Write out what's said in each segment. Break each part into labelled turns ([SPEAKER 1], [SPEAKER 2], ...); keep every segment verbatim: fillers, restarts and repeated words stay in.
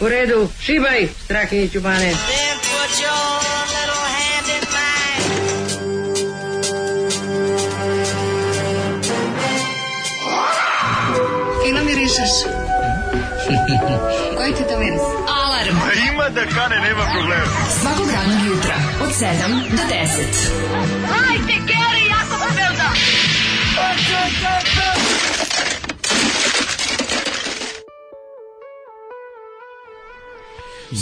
[SPEAKER 1] U redu, šibaj, Strahinjiću Bane.
[SPEAKER 2] Fino mirišeš. Koji ti to miris? Alarm.
[SPEAKER 3] A ima da kane, nema problema.
[SPEAKER 2] Svakog radnog jutra, od sedam do deset.
[SPEAKER 4] Hajde, Geri, jako se velda.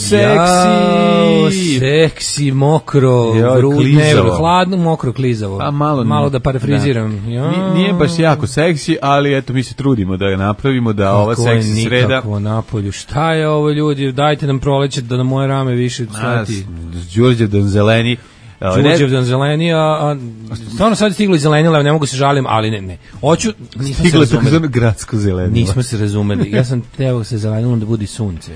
[SPEAKER 5] Seksi, seksi, mokro, grudne, hladno, mokro, klizavo.
[SPEAKER 6] A malo,
[SPEAKER 5] malo da parafriziram. Da.
[SPEAKER 6] Nije, nije baš jako seksi, ali eto mi se trudimo da ga napravimo, da kako ova seksi sreda.
[SPEAKER 5] Nikako napolju. Šta je ovo, ljudi? Dajte nam proleće da na moje rame više svati.
[SPEAKER 6] Đurđe Donzeleni.
[SPEAKER 5] Đurđev dan zeleni, a, a stvarno sad je stiglo i zelenila, ne mogu se žalim, ali ne, ne. Hoću, nismo
[SPEAKER 6] stiglo
[SPEAKER 5] se razumeli.
[SPEAKER 6] Gradsko zelenilo.
[SPEAKER 5] Nismo se razumeli. Ja sam teo se zelenilom da budi sunce.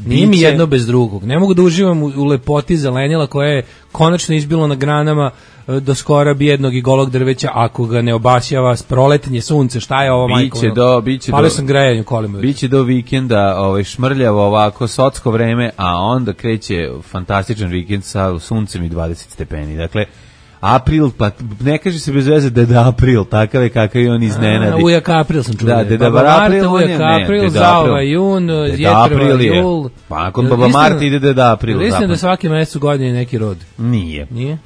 [SPEAKER 5] Nije mi jedno bez drugog. Ne mogu da uživam u, u lepoti zelenila koja je konačno izbilo na granama do skora bijednog i golog drveća ako ga ne obasjava s proletenje sunce. Šta je ovo, majko?
[SPEAKER 6] Biće do, biće
[SPEAKER 5] Palio sam grejanje kolima.
[SPEAKER 6] Biće do vikenda ovaj, šmrljavo ovako socko vreme, a onda kreće fantastičan vikend sa suncem i dvadeset stepeni. Dakle, april, pa ne kaže se bez veze Deda April, takav je kakav je on iznenadi.
[SPEAKER 5] Ujak April sam čuo.
[SPEAKER 6] Da, Deda
[SPEAKER 5] Baba
[SPEAKER 6] April,
[SPEAKER 5] Marta, Ujak April, Zaova Jun, Jetrva Jul.
[SPEAKER 6] Pa nakon Baba Marta ide Deda April.
[SPEAKER 5] Mislim da svaki mesec u godini neki rod.
[SPEAKER 6] Nije.
[SPEAKER 5] Nije?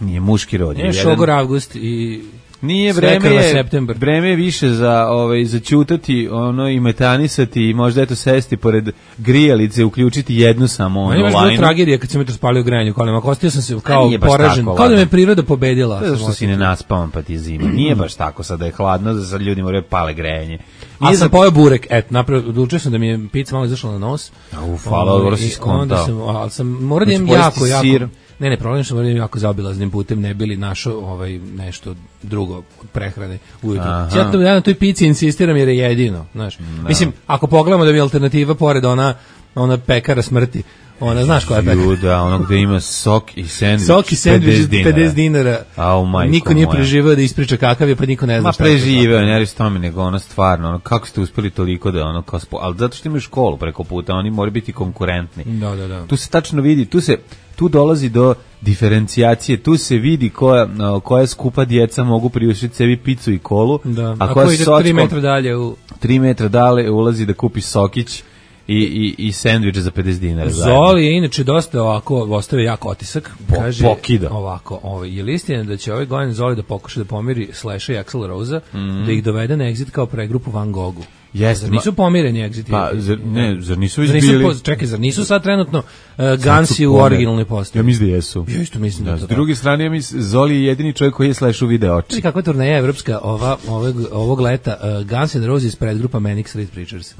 [SPEAKER 6] Nije muški rod.
[SPEAKER 5] Nije šogor avgust i
[SPEAKER 6] nije vreme je septembar. Vreme je više za ovaj za ćutati, ono i metanisati i možda eto sesti pored grijalice, uključiti jednu samo onu lajnu.
[SPEAKER 5] Meni je tragedija kad sam metro spalio grejanje kolima. Ostao sam se kao poražen. Kao da me priroda pobedila.
[SPEAKER 6] Zato što si ne naspavan pa ti zima. Nije baš tako sada je hladno, da sad ljudi moraju pale grejanje.
[SPEAKER 5] A sam pojeo burek, et, napravio, odlučio sam da mi je pizza malo izašla na nos.
[SPEAKER 6] Uf, hvala, dobro si skontao.
[SPEAKER 5] Onda sam, ali sam, moram da imam jako, jako... Sir. Ne, ne, problem što moram jako zaobilaznim putem, ne bili našo ovaj, nešto drugo od prehrane ujutru. Ja, to, ja na toj pici insistiram jer je jedino, znaš. No. Mislim, ako pogledamo da bi alternativa pored ona, ona pekara smrti, ona, znaš koja je pekara?
[SPEAKER 6] Da, ono gde ima sok i sendvič,
[SPEAKER 5] sok i sendvič, pedeset dinara.
[SPEAKER 6] Au, majko
[SPEAKER 5] niko nije preživao da ispriča kakav je, pa niko ne zna
[SPEAKER 6] Ma
[SPEAKER 5] šta je.
[SPEAKER 6] Ma preživeo, ne radi s tome, nego ono stvarno, ono, kako ste uspeli toliko da ono, kao spo... ali zato što imaju školu preko puta, oni moraju biti konkurentni.
[SPEAKER 5] Da, da, da.
[SPEAKER 6] Tu se tačno vidi, tu se tu dolazi do diferencijacije, tu se vidi koja, koja skupa djeca mogu priuštiti sebi picu i kolu,
[SPEAKER 5] da.
[SPEAKER 6] a,
[SPEAKER 5] a
[SPEAKER 6] koja
[SPEAKER 5] ko ide tri metra dalje u...
[SPEAKER 6] tri metra dalje ulazi da kupi sokić i, i, i sendvič za pedeset dinara.
[SPEAKER 5] Zoli je inače dosta ovako, ostavio jak otisak,
[SPEAKER 6] po,
[SPEAKER 5] kaže
[SPEAKER 6] pokida.
[SPEAKER 5] Ovako, ovaj, je li istina da će ovaj godin Zoli da pokuša da pomiri Slash i Axl Rose-a,
[SPEAKER 6] mm.
[SPEAKER 5] da ih dovede na Exit kao pregrupu Van Goghu?
[SPEAKER 6] Jeste,
[SPEAKER 5] zar nisu pomireni Exit?
[SPEAKER 6] Pa, zar, ne, zar nisu već
[SPEAKER 5] zar nisu
[SPEAKER 6] bili...
[SPEAKER 5] Po, čekaj, zar nisu sad trenutno uh, Gansi u originalnoj postavi?
[SPEAKER 6] Ja mislim da jesu.
[SPEAKER 5] Ja isto mislim da, da
[SPEAKER 6] S druge strane, ja mislim, Zoli je jedini čovjek koji je Slash u video oči.
[SPEAKER 5] Kakva turneja evropska ova, ovog, ovog leta, uh, Guns N' Roses predgrupa Manic Street Preachers.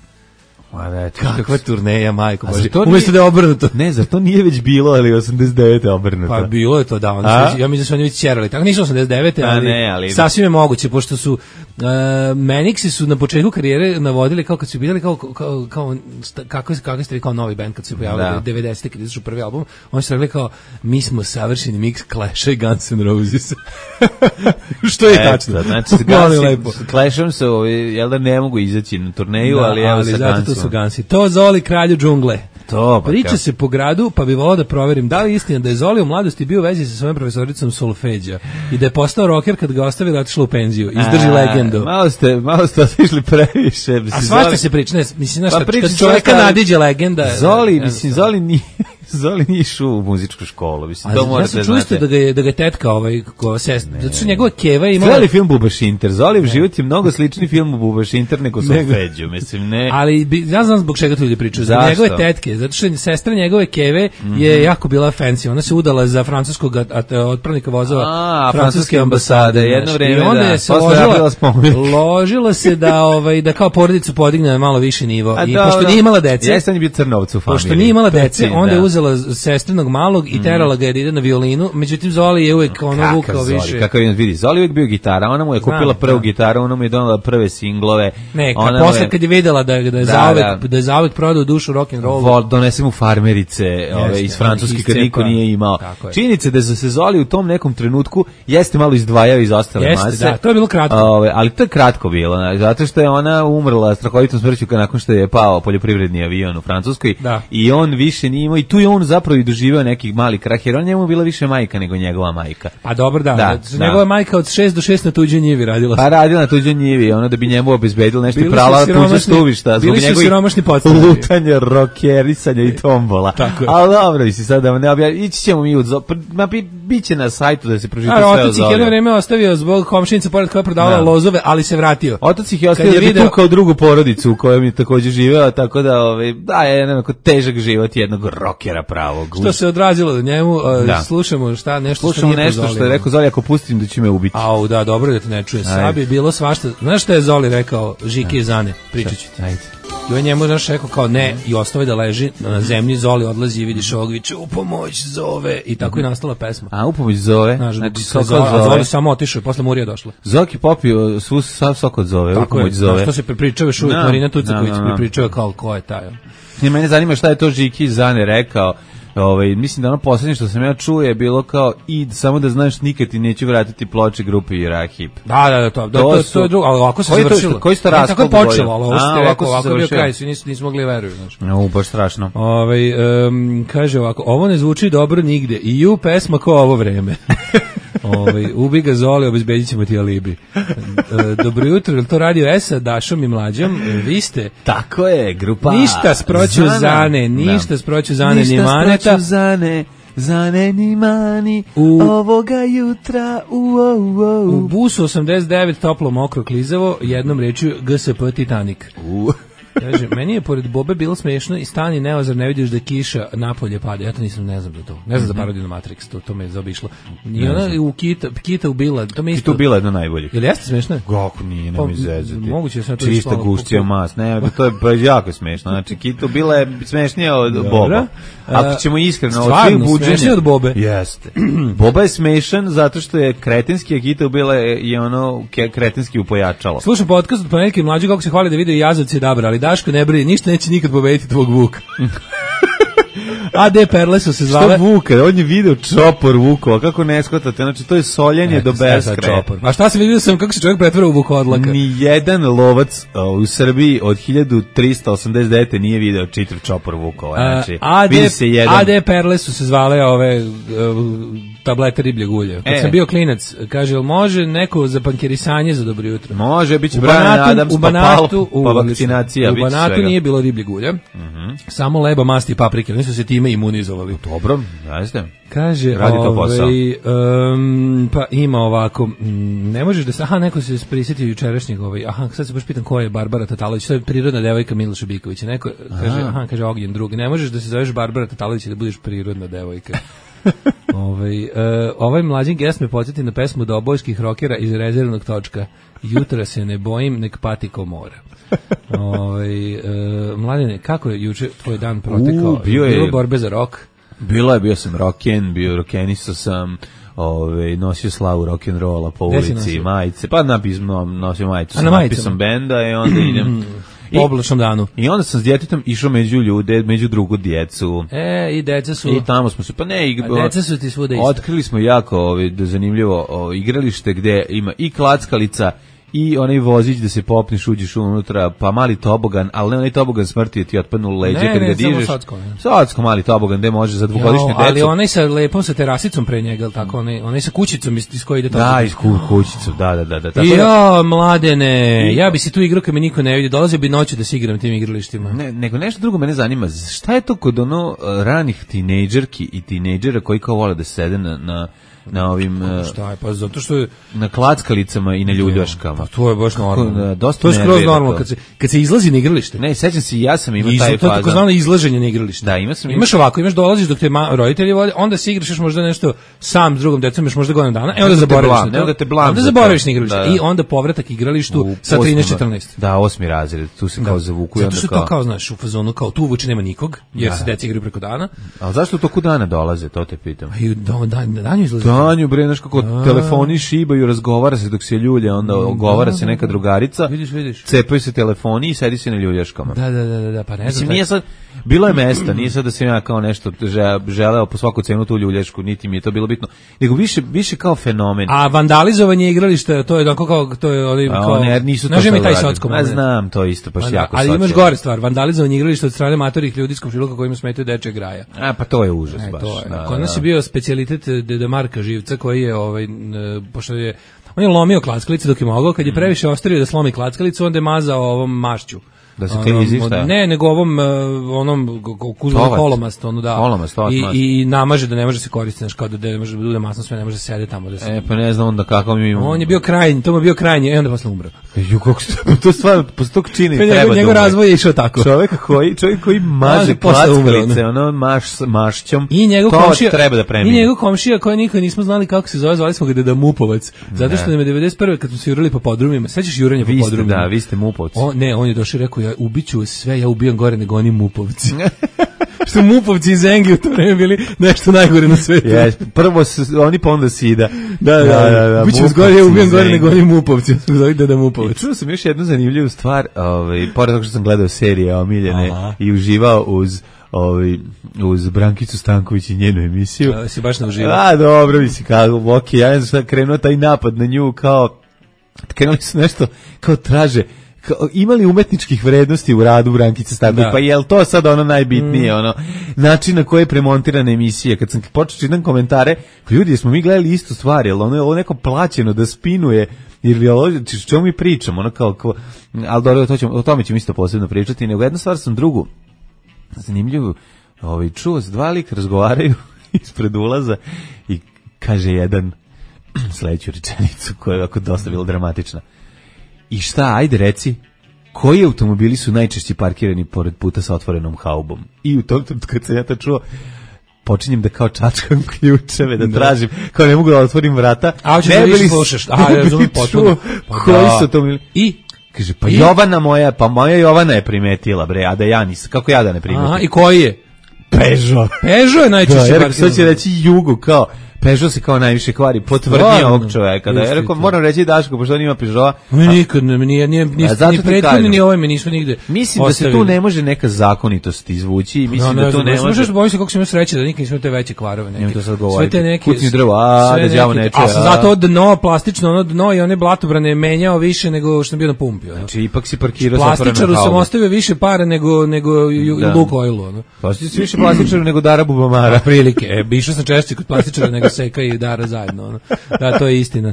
[SPEAKER 6] Ma da,
[SPEAKER 5] kakva turneja, majko Bože.
[SPEAKER 6] Umjesto
[SPEAKER 5] da je obrnuto.
[SPEAKER 6] Ne, zar to nije već bilo, ali osamdeset devete obrnuto.
[SPEAKER 5] Pa bilo je to, da. Oni ja mislim da su oni već ćerali. Tako nisu osamdeset devete ali,
[SPEAKER 6] ne, ali
[SPEAKER 5] sasvim je moguće, pošto su uh, Manixi su na početku karijere navodili kao kad su bili kao, kao, kao kako, kako ste vi kao novi band kad su pojavili devedesete kad izašao prvi album, oni su rekli kao mi smo savršeni mix Clash i Guns N' Roses. Što je e, tačno.
[SPEAKER 6] Znači, s Clashom se, jel da ne mogu izaći na turneju,
[SPEAKER 5] da,
[SPEAKER 6] ali evo sa Gunsom.
[SPEAKER 5] Gansi. To Zoli kralju džungle.
[SPEAKER 6] To, pa
[SPEAKER 5] priča
[SPEAKER 6] kao.
[SPEAKER 5] se po gradu, pa bi volao da proverim da li je istina da je Zoli u mladosti bio u vezi sa svojom profesoricom solfeđa i da je postao rocker kad ga ostavila otišla u penziju. Izdrži legendu.
[SPEAKER 6] Malo ste, malo ste otišli previše.
[SPEAKER 5] A svašta Zoli... se priča, ne, mislim, znaš, pa kad, kad čovjeka šta... nadiđe legenda.
[SPEAKER 6] Zoli, mislim, Zoli nije... Zoli nije išao u muzičku školu, mislim, to morate znati.
[SPEAKER 5] Ja sam čuo da ga je, da ga je tetka, ovaj, ko sest, zato što njegova keva imala...
[SPEAKER 6] Gledali film Bubašinter, Zolijev život je mnogo slični filmu Bubašinter nego Solfeđu, mislim, ne...
[SPEAKER 5] Ali, bi, ja znam zbog čega to ljudi pričaju, za njegove tetke, zato što sestra njegove keve mm-hmm. je jako bila fancy, ona se udala za francuskog otpravnika vozova
[SPEAKER 6] A,
[SPEAKER 5] francuske ambasade,
[SPEAKER 6] jedno vreme,
[SPEAKER 5] i onda
[SPEAKER 6] da,
[SPEAKER 5] je se ložila, ložila se da, ovaj, da kao porodicu podigne na malo viši nivo, a i pošto nije imala dece...
[SPEAKER 6] Jesam je bio Crnovac u familiji.
[SPEAKER 5] Pošto nije imala dece, onda je uzela sestrinog malog i terala ga je da ide na violinu, međutim Zoli je uvek ono vukao više.
[SPEAKER 6] Kakav je, vidi, Zoli uvek bio gitara, ona mu je kupila Znam, prvu da. gitaru, ona mu je donala prve singlove.
[SPEAKER 5] Ne, kad posle je, kad je videla da, da je da, zauvek, da. da je zauvek prodao dušu rock'n'rollu. Vol,
[SPEAKER 6] donese mu farmerice Jeste, ove, iz Francuske kad niko nije imao. Činjenica da se Zoli u tom nekom trenutku jeste malo izdvajao iz ostale
[SPEAKER 5] jeste,
[SPEAKER 6] mase.
[SPEAKER 5] Da, to je bilo kratko.
[SPEAKER 6] Ove, ali to je kratko bilo, zato što je ona umrla strahovitom smrću nakon što je pao poljoprivredni avion u Francuskoj
[SPEAKER 5] da.
[SPEAKER 6] i on više nije imao i tu je on zapravo i doživeo nekih malih krah, jer on njemu bila više majka nego njegova majka.
[SPEAKER 5] Pa dobro da,
[SPEAKER 6] da,
[SPEAKER 5] da. njegova majka od šest do šest na tuđoj njivi radila.
[SPEAKER 6] Pa radila na tuđoj njivi, ona da bi njemu obezbedila nešto i prala tuđe stubišta.
[SPEAKER 5] Bili su siromašni podstavi.
[SPEAKER 6] Lutanje, rokerisanje i tombola. Ali dobro, si sad da ne objavim, ići ćemo mi u ma bi, biće na sajtu da se pročita sve o Zoli.
[SPEAKER 5] Otac ih jedno vreme ostavio zbog komšinica pored koja prodavala lozove, ali se vratio.
[SPEAKER 6] Otac ih je ostavio da video... tukao drugu porodicu u kojoj je takođe živeo, tako da ovaj, da je jednako težak život jednog rokera pravog.
[SPEAKER 5] Što se odrazilo do njemu, da. slušamo šta, nešto
[SPEAKER 6] slušamo što nešto što je rekao Zoli, ako pustim da će me ubiti.
[SPEAKER 5] Au, da, dobro da te ne čuje. Sad bi bilo svašta. Znaš šta je Zoli rekao Žiki Zane? Pričat ću ti. Ajde. I on njemu znaš rekao kao ne i ostavi da leži na zemlji, Zoli odlazi i vidiš ovog viče u pomoć zove i tako je nastala pesma.
[SPEAKER 6] A u pomoć zove?
[SPEAKER 5] Znaš, znači, so, zove. A Zoli samo otišao i posle Murija došla.
[SPEAKER 6] Zoki popio svu sav sok od zove, tako u pomoć je, zove.
[SPEAKER 5] Tako je, što se prepričava još uvijek, no, Marina Tucaković no, no, no. prepričava kao ko je taj.
[SPEAKER 6] I mene zanima šta je to Žiki Zane rekao. Ovaj, mislim da ono posljednje što sam ja čuo je bilo kao i samo da znaš nikad ti neću vratiti ploče grupe Irahip.
[SPEAKER 5] Da, da, da, to, to, to, to je drugo, ali ovako se
[SPEAKER 6] koji
[SPEAKER 5] završilo.
[SPEAKER 6] To, koji ste raskol?
[SPEAKER 5] Tako je počelo, ali ovo ste rekao, ovako je bio kraj, svi nisu, nisu mogli veruju. Znaš.
[SPEAKER 6] No, baš strašno.
[SPEAKER 5] Ovaj, um, kaže ovako, ovo ne zvuči dobro nigde i ju pesma ko ovo vreme. Ovaj ubi ga Zoli, obezbedit ćemo ti alibi. Dobro jutro, to radio Esa, Dašom i Mlađom. Vi ste...
[SPEAKER 6] Tako je, grupa...
[SPEAKER 5] Ništa sproću Zane, ništa sproću Zane ni Maneta.
[SPEAKER 6] Ništa sproću Zane, Zane ni Mani, u, ovoga jutra, u, u, u.
[SPEAKER 5] U busu osamdeset devet toplo, mokro, klizavo, jednom rečju G S P Titanic.
[SPEAKER 6] U...
[SPEAKER 5] Kaže, meni je pored Bobe bilo smešno i stani neozar ne vidiš da kiša napolje pada. Ja to nisam, ne znam da to. Ne znam za parodiju na Matrix, to, to me je zaobišlo. I ona u Kita, Kita ubila, to me isto...
[SPEAKER 6] Kita ubila jedno najboljih.
[SPEAKER 5] Jel jeste smešno?
[SPEAKER 6] Kako nije, ne mi zezati.
[SPEAKER 5] Moguće sam to
[SPEAKER 6] čista gušća mas, ne, to je pa jako smešno. Znači, Kita ubila je smešnija od Boba. Ako ćemo iskreno, od svih buđenja...
[SPEAKER 5] Smešnija od Bobe.
[SPEAKER 6] Jeste. Boba je smešan zato što je kretenski, a Kita ubila je i ono kretenski upojačalo.
[SPEAKER 5] Slušam podcast od Ponedjeljka i Mlađe kako se hvali da vide Jazovci Dabra, ali Daško ne brini, ništa neće nikad pobediti tvog Vuka. A D Perle su se zvale.
[SPEAKER 6] Što Vuka? On je video čopor Vukova, kako ne shvatate? Znači, to je soljenje do beskraja.
[SPEAKER 5] A šta se vidio sam kako se čovjek pretvara u Vukodlaka?
[SPEAKER 6] Ni jedan lovac uh, u Srbiji od hiljadu trista osamdeset devete nije video čitav čopor Vukova. Znači,
[SPEAKER 5] A D,
[SPEAKER 6] vidi se jedan...
[SPEAKER 5] A D Perle su se zvale ove uh, tablete ribljeg ulja. Kad e. sam bio klinac, kaže, jel može neko za pankerisanje za dobro jutro?
[SPEAKER 6] Može, bit će Brian Adams,
[SPEAKER 5] u Banatu,
[SPEAKER 6] pa, pa vakcinacija.
[SPEAKER 5] U Banatu nije bilo ribljeg ulja, uh-huh. samo leba, masti i paprike. Oni su se time imunizovali.
[SPEAKER 6] Dobro, jeste.
[SPEAKER 5] Kaže,
[SPEAKER 6] radi to posao.
[SPEAKER 5] Ovaj, um, pa ima ovako, ne možeš da se, aha, neko se prisjetio jučerašnjeg, ovaj, aha, sad se baš pitam ko je Barbara Tatalović, to je prirodna devojka Miloša Bikovića. Neko kaže, aha, aha kaže Ognjen drugi, ne možeš da se zoveš Barbara Tatalović i da budeš prirodna devojka. Ovaj, uh, ovaj mlađin gest me podsjeti na pesmu dobojskih rokera iz Rezervnog točka. Jutra se ne bojim, nek pati ko mora. Ovaj, uh, mladine, kako je juče tvoj dan protekao?
[SPEAKER 6] Uh, bio je
[SPEAKER 5] bilo borbe za rok?
[SPEAKER 6] Bilo je, bio sam roken, bio rokenistao sam, ove, nosio slavu rock'n'rolla po ulici, majice, pa napismo, nosio majicu sa napisom benda i onda idem...
[SPEAKER 5] Po oblačnom danu.
[SPEAKER 6] I onda sam s djetetom išao među ljude, među drugu djecu.
[SPEAKER 5] E, i deca su...
[SPEAKER 6] I tamo smo se, pa ne... I,
[SPEAKER 5] a deca su ti svuda isto.
[SPEAKER 6] Otkrili smo jako ovi, zanimljivo o, igralište gde ima i klackalica, i onaj vozić da se popneš, uđeš unutra, pa mali tobogan, ali ne onaj tobogan smrti je ti otpadnu u leđe kad ga dižeš. Ne, ne, samo socko. Socko, mali tobogan, gde može za dvogodišnju decu.
[SPEAKER 5] Ali onaj sa lepom, sa terasicom pre njega, tako, onaj, onaj sa kućicom iz koje ide tobogan.
[SPEAKER 6] Da, iz ku, kućicom, da, da, da. da tako
[SPEAKER 5] ja, mladene, ja bi se tu igrao kad me niko ne vidi, dolazio bi noću da se igram tim igralištima.
[SPEAKER 6] Ne, nego nešto drugo mene zanima, šta je to kod ono ranih tinejdžerki i tinejdžera koji kao vole da sede na, na na ovim
[SPEAKER 5] šta je, pa zato što je
[SPEAKER 6] na klackalicama i na ljuljaškama.
[SPEAKER 5] Pa to je baš normalno.
[SPEAKER 6] Dosta
[SPEAKER 5] to je skroz normalno kad se kad se izlazi na igralište.
[SPEAKER 6] Ne, sećam se, ja sam imao taj
[SPEAKER 5] faza. To je takozvano izlaženje na igralište.
[SPEAKER 6] Da, ima sam.
[SPEAKER 5] Imaš ovako, imaš dolaziš dok te ma, roditelji vode, onda se igraš još možda nešto sam s drugom decom, još možda godinu dana, e onda zaboraviš.
[SPEAKER 6] Ne, onda te blam.
[SPEAKER 5] Onda zaboraviš na igralište i onda povratak igralištu sa trinaest četrnaest.
[SPEAKER 6] Da, osmi razred, tu se kao zavuku i onda kao.
[SPEAKER 5] Zato što to kao znaš, u fazonu kao tu uvuče nema nikog, jer se deca igraju preko dana.
[SPEAKER 6] A zašto to kod dana dolaze, to te pitam.
[SPEAKER 5] I dan dan danju izlazi.
[SPEAKER 6] Danju bre, znaš kako telefoni šibaju, razgovara se dok se ljulja, onda govara se neka drugarica.
[SPEAKER 5] Vidiš, vidiš.
[SPEAKER 6] Cepaju se telefoni i sedi se na ljuljaškama.
[SPEAKER 5] Da, da, da, da, pa ne znam.
[SPEAKER 6] Nije sad, bilo je mesta, nije sad da sam ja kao nešto želeo po svaku cenu tu ljuljašku, niti mi je to bilo bitno, nego više, više kao fenomen.
[SPEAKER 5] A vandalizovanje igrališta, to je tako kao, to je oni kao,
[SPEAKER 6] ne, nisu to
[SPEAKER 5] znaš mi taj socko.
[SPEAKER 6] Ja znam, to isto, baš jako
[SPEAKER 5] ali imaš gore stvar, vandalizovanje igrališta od strane matorih ljudi iz komšiluka kojima smetaju dečje graja.
[SPEAKER 6] A, pa to je užas
[SPEAKER 5] e,
[SPEAKER 6] baš.
[SPEAKER 5] To je.
[SPEAKER 6] Da,
[SPEAKER 5] Kod nas
[SPEAKER 6] da.
[SPEAKER 5] je bio specijalitet Deda Marka Živca koji je, ovaj, pošto je, on je lomio klackalice dok je mogao, kad je previše ostavio da slomi klackalicu, onda je mazao ovom mašću.
[SPEAKER 6] Da se klizi, šta?
[SPEAKER 5] Ne, nego ovom, onom kuzmom kolomast, ono da.
[SPEAKER 6] Kolomast,
[SPEAKER 5] I, i namaže da ne može se koristiti, znaš, kao da ne može da bude masno sve, ne može da sede tamo. Da se...
[SPEAKER 6] E, pa ne znam onda kako mi imamo.
[SPEAKER 5] On je bio krajnji, to mu je bio krajnji, i onda posle umro.
[SPEAKER 6] Ju, kako se, to stvarno, posle tog čini treba
[SPEAKER 5] njegov,
[SPEAKER 6] da
[SPEAKER 5] njegov razvoj je išao tako.
[SPEAKER 6] Čovjek koji, čovjek koji maže klackalice, ono, maš, mašćom,
[SPEAKER 5] I njegov
[SPEAKER 6] to
[SPEAKER 5] komšija,
[SPEAKER 6] treba da premine.
[SPEAKER 5] I njegov komšija koji nikad nismo znali kako se zove, zvali smo ga Deda Mupovac, zato što nam je devedeset prve kad smo se jurili po podrumima, sećaš jurenja po podrumima?
[SPEAKER 6] Da, vi ste Mupovci.
[SPEAKER 5] On, ne, on je došao i rekao, ja ubiću sve, ja ubijam gore nego oni Mupovci. Što Mupovci iz Engi u to vreme bili nešto najgore na svetu.
[SPEAKER 6] Yes, prvo su, oni pa onda Sida.
[SPEAKER 5] Da, da, da. da, da ubiću gore, ja ubijam gore nego oni Mupovci. Zove Deda Mupovac.
[SPEAKER 6] Čuo sam još jednu zanimljivu stvar, ovaj, pored toga što sam gledao serije omiljene Aha. i uživao uz ovaj uz Brankicu Stanković i njenu emisiju.
[SPEAKER 5] Da, si baš nauživao.
[SPEAKER 6] A, dobro, mi si kao, ok, ja sam krenuo taj napad na nju kao, krenuli su nešto, kao traže, kao, imali umetničkih vrednosti u radu Brankice Stanković, pa je li to sad ono najbitnije, mm. ono, način na koji je premontirana emisija, kad sam počeo čitam komentare, ljudi, jesmo mi gledali istu stvar, jel ono je ovo neko plaćeno da spinuje, ili o čemu mi pričamo, ono kao, kao ali dobro, to ćemo, o tome ćemo isto posebno pričati, nego jedna stvar sam drugu, zanimljivo, ovaj, čuo se dva lika razgovaraju ispred ulaza i kaže jedan sledeću rečenicu koja je ovako dosta bila dramatična. I šta, ajde reci, koji automobili su najčešće parkirani pored puta sa otvorenom haubom? I u tom trenutku kad sam ja to čuo, počinjem da kao čačkam ključeve, da tražim, kao ne mogu da otvorim vrata.
[SPEAKER 5] A hoćeš da više slušaš? A, ja razumim potpuno.
[SPEAKER 6] Koji su automobili?
[SPEAKER 5] I?
[SPEAKER 6] Kaže, pa I? Jovana moja, pa moja Jovana je primetila, bre, a da ja nisam, kako ja da ne primetim?
[SPEAKER 5] Aha, i koji je?
[SPEAKER 6] Peugeot.
[SPEAKER 5] Peugeot je najčešće
[SPEAKER 6] parkirano. Da, sad će reći Jugo, kao, Peugeot se kao najviše kvari, potvrdio ovog čoveka. Da, ja rekao, moram reći Daško, pošto on ima Peugeota.
[SPEAKER 5] Mi nikad, nije, nije, nije, ni prethodni, ni ovaj me nismo nigde
[SPEAKER 6] mislim ostavili. Da se tu ne može neka zakonitost izvući i mislim no, da tu ne, ne može. Možeš
[SPEAKER 5] bojim se kako se ima sreće da nikad nismo te veće kvarove neke.
[SPEAKER 6] To sad govoriti.
[SPEAKER 5] Sve te neke
[SPEAKER 6] kućni drvo, a da đavo neče.
[SPEAKER 5] A sam zato dno plastično, ono dno i one blatobrane menjao više nego što sam bio na pumpi.
[SPEAKER 6] Znači ipak si parkirao sa
[SPEAKER 5] plastičaru sam ostavio više para nego nego Lukoilu, ono.
[SPEAKER 6] Plastičaru si više plastičaru nego Dara Bubamara.
[SPEAKER 5] Prilike. E, išao sam češće kod plastičara nego Seka i Dara zajedno, ono. Da, to je istina.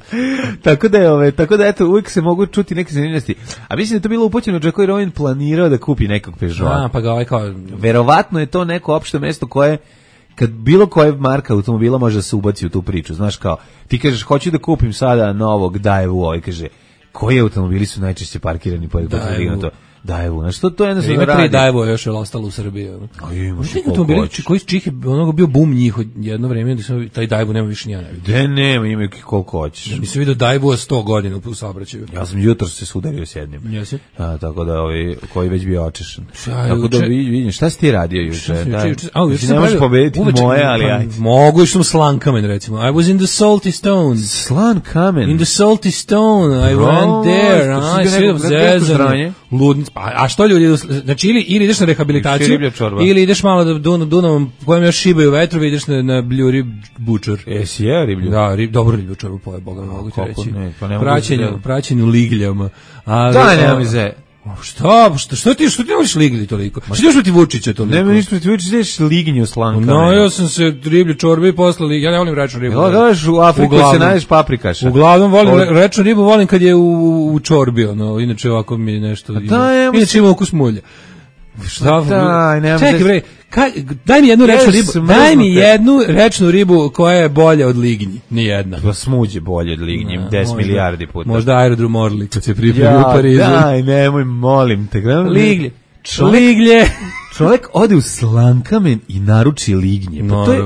[SPEAKER 6] Tako da je, ove, tako da eto, uvijek se mogu čuti neke zanimljivosti. A mislim da je to bilo upućeno Džeko jer on planirao da kupi nekog Peugeota.
[SPEAKER 5] A, pa ga ovaj kao...
[SPEAKER 6] Verovatno je to neko opšte mesto koje, kad bilo koje marka automobila može da se ubaci u tu priču. Znaš kao, ti kažeš, hoću da kupim sada novog Daewoo, ovaj kaže, koji automobili su najčešće parkirani po Daewoo? Daewoo, znači to to jednostavno
[SPEAKER 5] radi. Ima tri Daewoo još je ostalo u Srbiji.
[SPEAKER 6] A imaš i
[SPEAKER 5] automobili koji čih onoga bio bum njih jedno vreme, da sam taj Daewoo nema više ni ja ne vidim.
[SPEAKER 6] De nema, ima koliko hoćeš.
[SPEAKER 5] Ja nisam vidio Daewoo sto godina u saobraćaju.
[SPEAKER 6] Ja sam jutros se sudario s jednim.
[SPEAKER 5] Jesi?
[SPEAKER 6] A tako da ovaj koji već bio očešan. Tako da vidim, šta si ti radio juče? Da.
[SPEAKER 5] A juče
[SPEAKER 6] ne možeš pobediti moje, ali aj.
[SPEAKER 5] Mogu što slan kamen recimo. I was in the salty stone.
[SPEAKER 6] Slan kamen.
[SPEAKER 5] In the salty stone. I went there. I saw Zezan. Ludnic. Pa, a što ljudi, znači ili, ili ideš na rehabilitaciju, ili ideš malo da Dun, Dunavom, kojem još šibaju vetrovi, ideš na, na bljuri bučar.
[SPEAKER 6] Jesi je riblju?
[SPEAKER 5] Da, rib, dobro riblju čorbu poje, Boga mi mogu ti reći.
[SPEAKER 6] Ne, pa ne
[SPEAKER 5] praćenju, da... praćenju ligljama. Ali,
[SPEAKER 6] da, nema mi ze.
[SPEAKER 5] Šta, šta, što ti, što ti voliš ligli toliko? Što ti još Vučića toliko?
[SPEAKER 6] Nema ništa ti Vučića, ideš liginju slanka.
[SPEAKER 5] No, ja sam se riblju čorbe i posle liginju, ja ne volim rečnu ribu.
[SPEAKER 6] Ja, daš u Afriku se najdeš paprikaša.
[SPEAKER 5] Uglavnom volim Od... rečnu ribu, volim kad je u, u čorbi, ono, inače ovako mi je nešto, ima, inače ima ukus mulja. Šta?
[SPEAKER 6] Daj, nemam
[SPEAKER 5] Čekaj
[SPEAKER 6] da...
[SPEAKER 5] bre, kaj, daj mi jednu rečnu ribu.
[SPEAKER 6] Smrznute.
[SPEAKER 5] Daj mi jednu rečnu ribu koja je bolja od lignji. Ni jedna.
[SPEAKER 6] Pa smuđe bolje od lignji,
[SPEAKER 5] No,
[SPEAKER 6] deset
[SPEAKER 5] možda,
[SPEAKER 6] milijardi puta.
[SPEAKER 5] Možda aerodrom Orly kad se pripremi
[SPEAKER 6] ja,
[SPEAKER 5] u Parizu.
[SPEAKER 6] Daj, nemoj, molim te.
[SPEAKER 5] Liglje.
[SPEAKER 6] Čovjek,
[SPEAKER 5] Liglje.
[SPEAKER 6] čovjek ode u Slankamen i naruči lignje. Pa to je,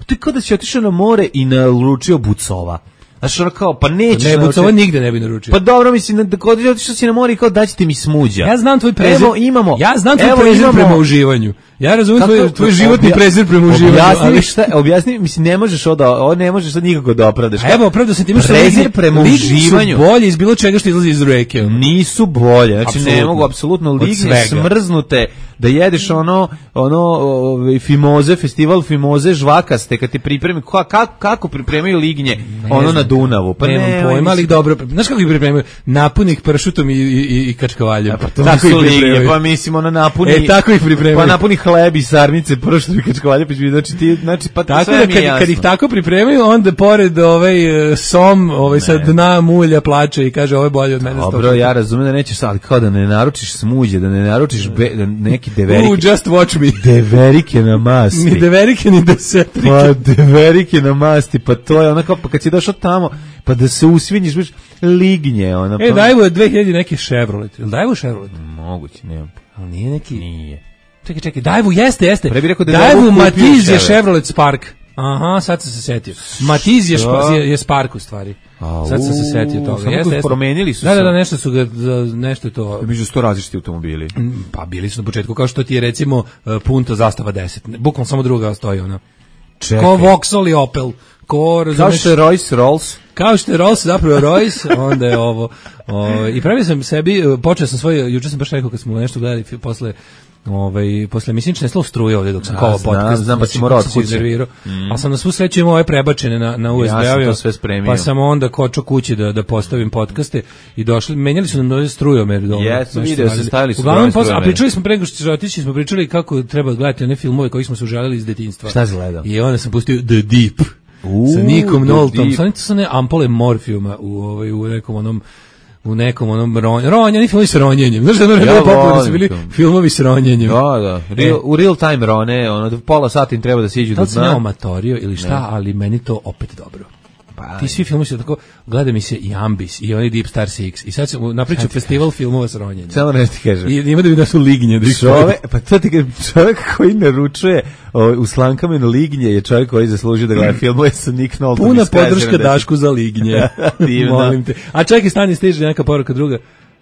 [SPEAKER 6] to je kao da si otišao na more i naručio bucova. Znaš, ono kao, pa nećeš...
[SPEAKER 5] Ne, bucova nigde ne bi naručio.
[SPEAKER 6] Pa dobro, mislim, da kod otišao si na more i kao daćete mi smuđa.
[SPEAKER 5] Ja znam tvoj prezir.
[SPEAKER 6] Evo, imamo.
[SPEAKER 5] Ja znam tvoj
[SPEAKER 6] evo,
[SPEAKER 5] prezir
[SPEAKER 6] imamo,
[SPEAKER 5] prema uživanju. Ja razumijem tvoj, tvoj životni
[SPEAKER 6] obja,
[SPEAKER 5] prezir prema uživanju.
[SPEAKER 6] Objasni
[SPEAKER 5] ali...
[SPEAKER 6] šta, objasni, mislim, ne možeš od ovo, ne možeš sad nikako da opravdaš.
[SPEAKER 5] A evo, opravdao sam time što
[SPEAKER 6] prezir prema uživanju.
[SPEAKER 5] Su bolje iz bilo čega što izlazi iz reke.
[SPEAKER 6] Nisu bolje, znači
[SPEAKER 5] Apsolutno.
[SPEAKER 6] ne mogu apsolutno lignje smrznute da jedeš ono ono ove, fimoze, festival fimoze žvakaste kad ti pripremi kako kako pripremaju lignje ne ono znam, na Dunavu. Pa
[SPEAKER 5] nemam
[SPEAKER 6] ne,
[SPEAKER 5] pojma, ali dobro. Znaš kako ih pripremaju? Napuni ih pršutom i i i kačkavaljem.
[SPEAKER 6] Pa to tako ih pripremaju. Pa mislim ono napuni.
[SPEAKER 5] E tako ih pripremaju.
[SPEAKER 6] Pa napuni hleb i sarmice pršutom i kačkavaljem, znači ti znači pa
[SPEAKER 5] tako
[SPEAKER 6] sve
[SPEAKER 5] da
[SPEAKER 6] mi
[SPEAKER 5] kad,
[SPEAKER 6] jasno.
[SPEAKER 5] Kad ih tako pripremaju, onda pored ovaj som, ovaj sa dna mulja plače i kaže ovo je bolje od mene.
[SPEAKER 6] Dobro, ja razumem da nećeš, ali kao da ne naručiš smuđe, da ne naručiš be, da neki deverike.
[SPEAKER 5] Uh, just watch me.
[SPEAKER 6] Deverike na masti.
[SPEAKER 5] Ni deverike, ni desetrike.
[SPEAKER 6] Pa deverike na masti, pa to je onako, pa kad si došao tamo, pa da se usvinjiš, biš lignje. Ona, pa...
[SPEAKER 5] E, dajvo je dve hiljade neki Chevrolet. Ili dajvo Chevrolet?
[SPEAKER 6] Moguće, nemam.
[SPEAKER 5] Ali nije neki...
[SPEAKER 6] Nije.
[SPEAKER 5] Čekaj, čekaj, dajvo jeste, jeste.
[SPEAKER 6] Pre bi rekao da
[SPEAKER 5] dajvo Matiz je Chevrolet Spark. Aha, sad sam se setio. Matiz je, špa, je, je Spark u stvari.
[SPEAKER 6] A,
[SPEAKER 5] sad sam se setio toga.
[SPEAKER 6] Samo jeste, jeste. Promenili su
[SPEAKER 5] da, da, da, nešto su ga, nešto to...
[SPEAKER 6] Među sto različiti automobili.
[SPEAKER 5] Pa bili su na početku, kao što ti je recimo Punto Zastava deset. Bukvalno samo druga stoji ona.
[SPEAKER 6] Čekaj.
[SPEAKER 5] Ko Vauxhall i Opel. Ko, razumeš,
[SPEAKER 6] kao što je Rolls Rolls.
[SPEAKER 5] Kao što je Rolls, zapravo Royce, onda je ovo. O, I pravio sam sebi, počeo sam svoj, juče sam baš rekao kad smo nešto gledali posle ovaj posle mislične slov struje ovdje dok sam kao podcast,
[SPEAKER 6] znam, pa si morao od kuće.
[SPEAKER 5] Mm. A sam na svu sreću imao ove prebačene na, na U S B,
[SPEAKER 6] ja sam to sve spremio.
[SPEAKER 5] Pa sam onda kočio kući da, da postavim podcaste i došli, menjali su nam nove strujomer.
[SPEAKER 6] Jesu, video se, stavili su
[SPEAKER 5] uglavnom, posle, a pričali smo prego što otići, smo pričali kako treba gledati one filmove koji smo se užalili iz detinjstva.
[SPEAKER 6] Šta si gledao?
[SPEAKER 5] I onda sam pustio The Deep. Uh, sa Nikom Noltom, sa to su ne ampole morfijuma u, ovaj, u nekom onom u nekom onom ronju, ronja, oni filmovi s ronjenjem, znaš da ono ja popularno su bili filmovi s ronjenjem.
[SPEAKER 6] Da, da, real, e. u real time rone, ono, pola sata im treba da siđu do dna.
[SPEAKER 5] Da sam ja omatorio ili šta, ne. Ali meni to opet dobro. Pa, ti svi filmovi su tako, gleda mi se i Ambis i oni Deep Star Six i sad sam napričao festival filmova s ronjenjem.
[SPEAKER 6] Samo nešto ti kažem.
[SPEAKER 5] I ima da mi da su lignje. Da
[SPEAKER 6] čovek, pa to ti kažem, čovjek koji naručuje o, u Slankamenu lignje je čovjek koji zaslužuje da gleda filmove sa Nick Noltom.
[SPEAKER 5] Puna podrška Dašku za lignje. Molim te. A čekaj, stani, stiže neka poruka druga.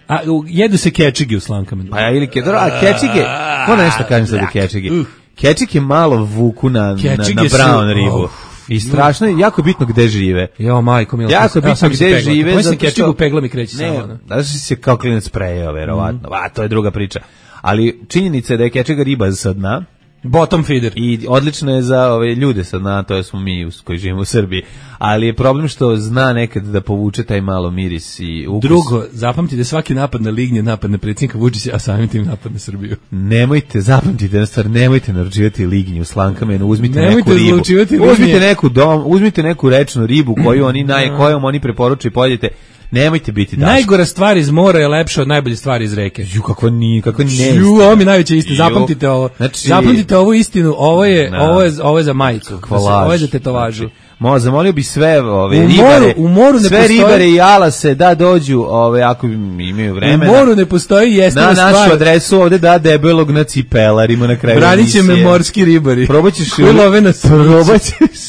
[SPEAKER 5] A jedu se kečigi u Slankamenu.
[SPEAKER 6] Pa ja ili ke, dobro, a kečige, ko nešto kažem sad o kečigi? Kečig je malo vuku na, na, na brown ribu. Oh. I strašno je, jako je bitno gde žive.
[SPEAKER 5] Jo, majko, milo.
[SPEAKER 6] Jako je bitno gde žive.
[SPEAKER 5] Koji se kečig u pegla mi kreće
[SPEAKER 6] ne,
[SPEAKER 5] samo.
[SPEAKER 6] Da si se kao klinac prejao, verovatno. Mm. A, to je druga priča. Ali činjenica je da je kečega riba sa dna.
[SPEAKER 5] Bottom feeder.
[SPEAKER 6] I odlično je za ove ljude sa dna, to je smo mi koji živimo u Srbiji. Ali je problem što zna nekad da povuče taj malo miris i ukus.
[SPEAKER 5] Drugo, zapamtite svaki napad na lignje, napad na predsjednika Vučića, a samim tim napad na Srbiju.
[SPEAKER 6] Nemojte, zapamtite na stvar, nemojte naručivati lignje u Slankamenu, uzmite
[SPEAKER 5] nemojte
[SPEAKER 6] neku ribu. Uzmite
[SPEAKER 5] lignje.
[SPEAKER 6] neku dom, uzmite neku rečnu ribu koju oni naj, kojom oni preporučuju i pojedite. Nemojte biti Daško.
[SPEAKER 5] Najgora stvar iz mora je lepša od najbolje stvari iz reke.
[SPEAKER 6] Ju, kako ni, kako ne.
[SPEAKER 5] Ju, ovo mi najveća istina. Zapamtite ovo. Znači, zapamtite ovu istinu. Ovo je, no. ovo je, ovo je za majicu. Ovo je za tetovažu.
[SPEAKER 6] Znači, Mo, zamolio bi sve ove
[SPEAKER 5] u
[SPEAKER 6] ribare,
[SPEAKER 5] moru, u moru ne
[SPEAKER 6] sve
[SPEAKER 5] postoji,
[SPEAKER 6] ribare i alase da dođu, ove ako imaju vremena.
[SPEAKER 5] U moru ne postoji jesna stvar.
[SPEAKER 6] Na našu adresu ovde da debelog na cipelarima na kraju.
[SPEAKER 5] Braniće me morski ribari.
[SPEAKER 6] Probaćeš
[SPEAKER 5] love na
[SPEAKER 6] probaćeš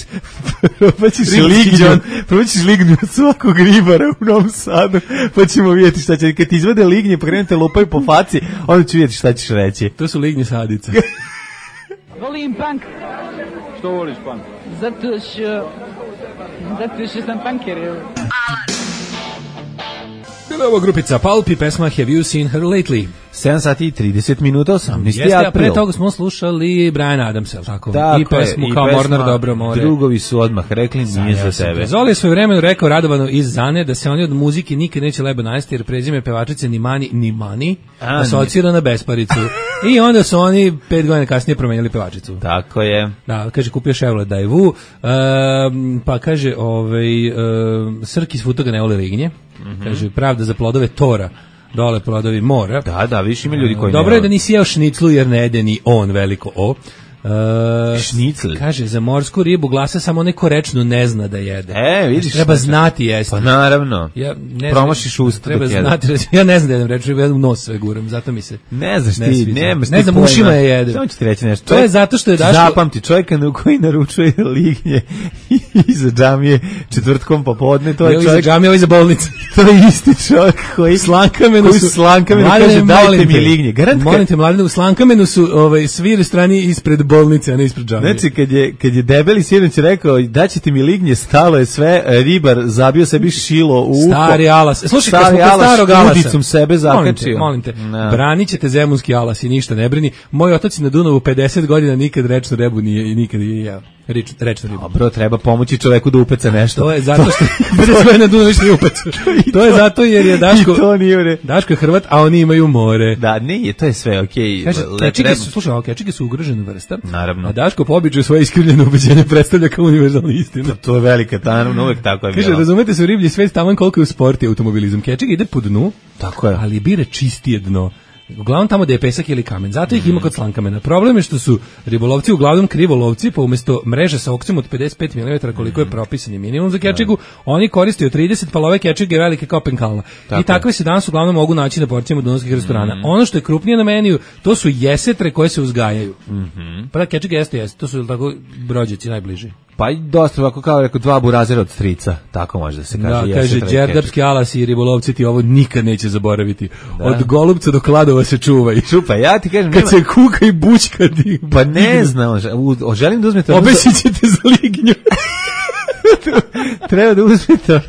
[SPEAKER 6] probaćeš lignju, probaćeš lignju od svakog ribara u Novom Sadu, pa ćemo vidjeti šta će. Kad ti izvade lignje, pa krenete lupaju po faci, onda ću vidjeti šta ćeš reći.
[SPEAKER 5] To su lignje sadica.
[SPEAKER 7] Volim punk.
[SPEAKER 3] Što voliš punk?
[SPEAKER 7] Zato što... Zato što sam punker.
[SPEAKER 5] Bila je ovo grupica Pulp i pesma Have You Seen Her Lately?
[SPEAKER 6] sedam sati i trideset minuta, osamnaesti
[SPEAKER 5] Jeste,
[SPEAKER 6] april.
[SPEAKER 5] a pre toga smo slušali Brian Adamsa, tako?
[SPEAKER 6] Tako
[SPEAKER 5] I pesmu
[SPEAKER 6] je,
[SPEAKER 5] Kao
[SPEAKER 6] pesma,
[SPEAKER 5] Mornar Dobro more.
[SPEAKER 6] Drugovi su odmah rekli, nije za tebe.
[SPEAKER 5] Zoli je svoj vremenu rekao Radovanu iz Zane da se oni od muzike nikad neće lebo najesti jer prezime pevačice ni Mani ni Mani asocira na besparicu. I onda su oni pet godina kasnije promenili pevačicu.
[SPEAKER 6] Tako je.
[SPEAKER 5] Da, kaže kupio Chevrolet Daewoo, um, pa kaže ovaj um, Srki s Futoga ne vole lignje. Mm -hmm. Kaže pravda za plodove Tora. dole plodovi mora.
[SPEAKER 6] Da, da, više ima ljudi koji
[SPEAKER 5] Dobro
[SPEAKER 6] ne...
[SPEAKER 5] je da nisi jeo šniclu jer ne jede ni on veliko o. Uh,
[SPEAKER 6] Šnicl.
[SPEAKER 5] Kaže, za morsku ribu glasa samo neko rečnu ne zna da jede.
[SPEAKER 6] E, vidiš.
[SPEAKER 5] Treba znati jesti.
[SPEAKER 6] Pa naravno.
[SPEAKER 5] Ja ne
[SPEAKER 6] promašiš usta
[SPEAKER 5] treba
[SPEAKER 6] dok
[SPEAKER 5] znati, ja ne znam da jedem rečnu ribu, ja u nos sve guram, zato mi se
[SPEAKER 6] ne znaš
[SPEAKER 5] ne
[SPEAKER 6] ti,
[SPEAKER 5] sviđa.
[SPEAKER 6] nemaš
[SPEAKER 5] ne znam, ušima je jedem.
[SPEAKER 6] Samo ću ti reći nešto.
[SPEAKER 5] To je zato što je Daško...
[SPEAKER 6] Zapamti, čovjeka na koji naručuje lignje iza džamije četvrtkom popodne, to je
[SPEAKER 5] Evo
[SPEAKER 6] čovjek...
[SPEAKER 5] iza džamije, ovo iza bolnice.
[SPEAKER 6] To je isti čovjek koji
[SPEAKER 5] Slankamenu
[SPEAKER 6] koji
[SPEAKER 5] su...
[SPEAKER 6] Slankamenu kaže, dajte mi lignje. Garant
[SPEAKER 5] molim te, Mladene, u Slankamenu su ovaj, svi strani ispred bolnice, a ne ispred džamije.
[SPEAKER 6] Znači, kad je, kad je debeli sinoć rekao, daćete mi lignje, stalo je sve, ribar zabio sebi šilo u uho.
[SPEAKER 5] Stari alas. Slušaj, kad
[SPEAKER 6] Stari
[SPEAKER 5] smo kod starog alasa.
[SPEAKER 6] udicom sebe zakačio.
[SPEAKER 5] Molim te, molim te. No. Branit ćete zemunski alas i ništa ne brini. Moj otac na Dunavu pedeset godina nikad rečnu rebu nije i nikad je jeo. Reč, rečnu ribu.
[SPEAKER 6] Dobro, treba pomoći čoveku da upeca nešto.
[SPEAKER 5] To je zato što pedeset godina na Dunavu više nije upeca. To je zato jer je Daško,
[SPEAKER 6] to nije
[SPEAKER 5] Daško je Hrvat, a oni imaju more.
[SPEAKER 6] Da, nije, to je sve okej. Okay.
[SPEAKER 5] Kaže, kečige su, slušaj, ovo, kečige su ugrožena vrsta.
[SPEAKER 6] Naravno.
[SPEAKER 5] A Daško po običaju svoje iskrivljeno ubeđenje predstavlja kao univerzalna istina.
[SPEAKER 6] To je velika, naravno, uvek tako je bilo.
[SPEAKER 5] Kaže, razumete se u riblji svet taman koliko je u sport i automobilizam. Kečige ide po dnu,
[SPEAKER 6] tako je.
[SPEAKER 5] Ali bire čistije dno. Uglavnom tamo gde je pesak ili kamen. Zato ih ima kod slankamena. Problem je što su ribolovci uglavnom krivolovci, pa umesto mreže sa okcem od pedeset pet milimetara koliko je propisani minimum za kečigu, oni koriste od trideset, pa love kečige velike kao penkalna. Tako I takve se danas uglavnom mogu naći na porcijama dunavskih restorana. Mm. Ono što je krupnije na meniju, to su jesetre koje se uzgajaju. Mm-hmm. Pa da, kečige jeste jeste, to su tako brođaci najbliži.
[SPEAKER 6] Pa i dosta, ovako kao rekao, dva burazera od strica, tako može da se kaže.
[SPEAKER 5] Da, kaže, đerdapski alasi i ribolovci ti ovo nikad neće zaboraviti. Da. Od Golubca do Kladova se čuvaj.
[SPEAKER 6] Čupa, ja ti kažem...
[SPEAKER 5] Kad nema... se kuka i bućka di...
[SPEAKER 6] Pa ne znam, želim da uzmete...
[SPEAKER 5] Obesit ćete za lignju.
[SPEAKER 6] Treba da uzmete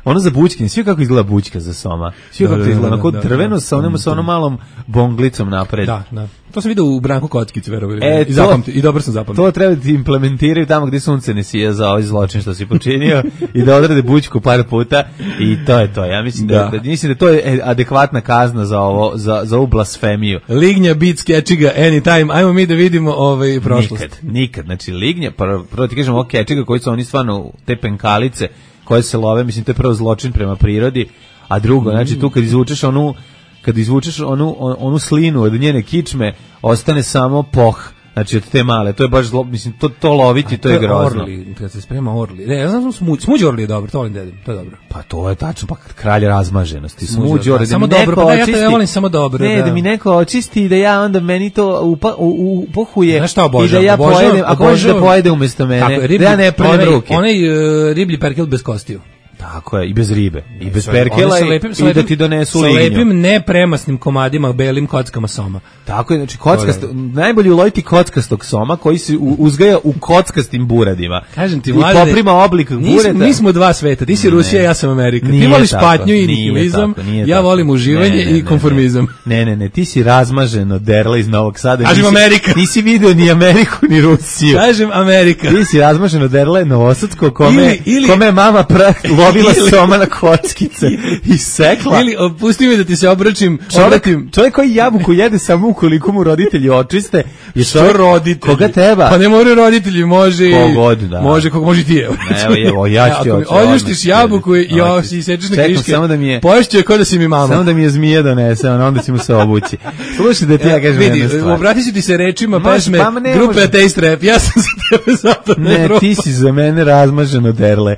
[SPEAKER 6] ono za bućke, svi kako izgleda bućka za soma. Svi kako izgleda, onako drveno sa onom, sa onom malom bonglicom napred.
[SPEAKER 5] Da, da. To sam vidio u Branku Kockici, verovali. E, I, zapamti, I dobro sam zapamtio.
[SPEAKER 6] To treba da implementiraju tamo gde sunce ne sija za ovaj zločin što si počinio i da odrade bućku par puta i to je to. Ja mislim da, da, da, mislim da to je adekvatna kazna za ovo, za, za ovu blasfemiju.
[SPEAKER 5] Lignja, beat, kečiga, anytime. Ajmo mi da vidimo ovaj prošlost.
[SPEAKER 6] Nikad, nikad. Znači, lignja, prvo, prvo ti kažem ovo kečiga koji su oni stvarno, te penkalice koje se love, mislim, to je prvo zločin prema prirodi, a drugo, mm. znači tu kad izvučeš onu kad izvučeš onu, on, onu slinu od njene kičme, ostane samo poh, znači od te male, to je baš zlo, mislim, to, to loviti, to je grozno.
[SPEAKER 5] Orli, kad se sprema orli, ne, ja znam smuđ, smuđ orli je dobro, to volim dedim, to je dobro.
[SPEAKER 6] Pa to je tačno, pa kralj razmaženosti, smuđ orli, da
[SPEAKER 5] samo dobro, pa da, ja, to, ja volim samo dobro.
[SPEAKER 6] Ne, da. da mi neko očisti i da ja onda meni to upa, u, u, pohuje
[SPEAKER 5] i
[SPEAKER 6] da ja obožavam, pojedem, ako može da pojede umjesto mene, tako, riblji, da ja ne prnem ruke.
[SPEAKER 5] Onaj uh, riblji perkel bez kostiju.
[SPEAKER 6] Tako je, i bez ribe, i bez perkela i, lepim, i da ti donesu lignju.
[SPEAKER 5] Sa lepim nepremasnim komadima, belim kockama soma.
[SPEAKER 6] Tako je, znači kockasto, najbolje uloviti kockastog soma koji se uzgaja u kockastim buradima.
[SPEAKER 5] Kažem ti,
[SPEAKER 6] i poprima oblik bureta.
[SPEAKER 5] Mi smo dva sveta, ti si Rusija, ja sam Amerika. Ti voliš patnju i nihilizam, ja volim uživanje ne, ne, i konformizam.
[SPEAKER 6] Ne, ne, ne, ti si razmaženo derla iz Novog Sada.
[SPEAKER 5] Kažem Amerika.
[SPEAKER 6] Nisi video ni Ameriku ni Rusiju.
[SPEAKER 5] Kažem Amerika.
[SPEAKER 6] Ti si razmaženo derla Novosadsko kome, kome mama pra lovila soma na kockice i sekla.
[SPEAKER 5] Ili pusti mi da ti se obraćim.
[SPEAKER 6] Čovjek, čovjek koji jabuku jede samo ukoliko mu roditelji očiste. Je što roditelji? Koga treba?
[SPEAKER 5] Pa ne moraju roditelji, može
[SPEAKER 6] kogod, da.
[SPEAKER 5] Može, kako može ti. Evo,
[SPEAKER 6] evo, ja ću ti oči.
[SPEAKER 5] Oljuštiš jabuku i jo, si sečeš na kriške.
[SPEAKER 6] Samo da mi je...
[SPEAKER 5] Poješću je kao da si mi mama.
[SPEAKER 6] Samo da mi je zmije donese, onda ćemo se obući. Slušaj da ti ja kažem jednu stvar.
[SPEAKER 5] Obrati ću ti se rečima pesme grupe Ateist Rap. Ja sam za tebe zapadna Evropa.
[SPEAKER 6] Ne, ti si za mene razmaženo derle.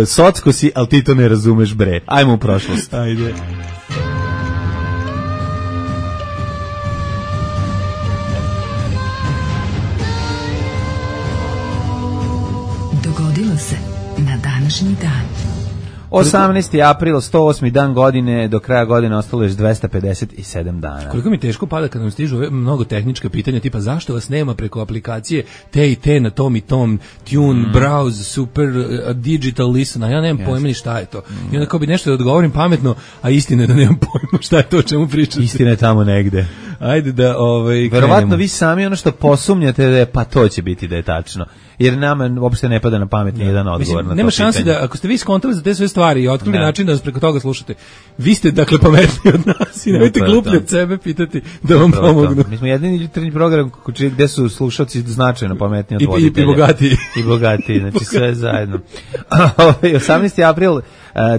[SPEAKER 6] Socko si, ali ti to ne razumeš, bre. Ajmo u prošlost.
[SPEAKER 5] Ajde.
[SPEAKER 2] Dogodilo se na današnji dan.
[SPEAKER 6] osamnaesti april, sto osmi dan godine, do kraja godine ostalo još dvesta pedeset sedam dana.
[SPEAKER 5] Koliko mi teško pada kad nam stižu ove mnogo tehnička pitanja, tipa zašto vas nema preko aplikacije te i te na tom i tom, tune, mm. browse, super, uh, digital listen, a ja nemam yes. pojma ni šta je to. Mm. I onda kao bi nešto da odgovorim pametno, a istina je da nemam pojma šta je to o čemu pričate.
[SPEAKER 6] Istina je tamo negde.
[SPEAKER 5] Ajde da ovaj
[SPEAKER 6] verovatno vi sami ono što posumnjate da je pa to će biti da je tačno. Jer nama uopšte ne pada na pamet ni jedan odgovor na to.
[SPEAKER 5] Nema šanse da ako ste vi skontali za te sve stvari i otkrili ne. način da nas preko toga slušate. Vi ste dakle pametniji od nas i nemojte gluplje od sebe pitati da vam
[SPEAKER 6] Upravo
[SPEAKER 5] pomognu.
[SPEAKER 6] Mi smo jedini jutarnji program gde su slušalci značajno pametniji od voditelja.
[SPEAKER 5] I, i bogatiji.
[SPEAKER 6] I bogatiji, znači sve zajedno. osamnaesti april, uh,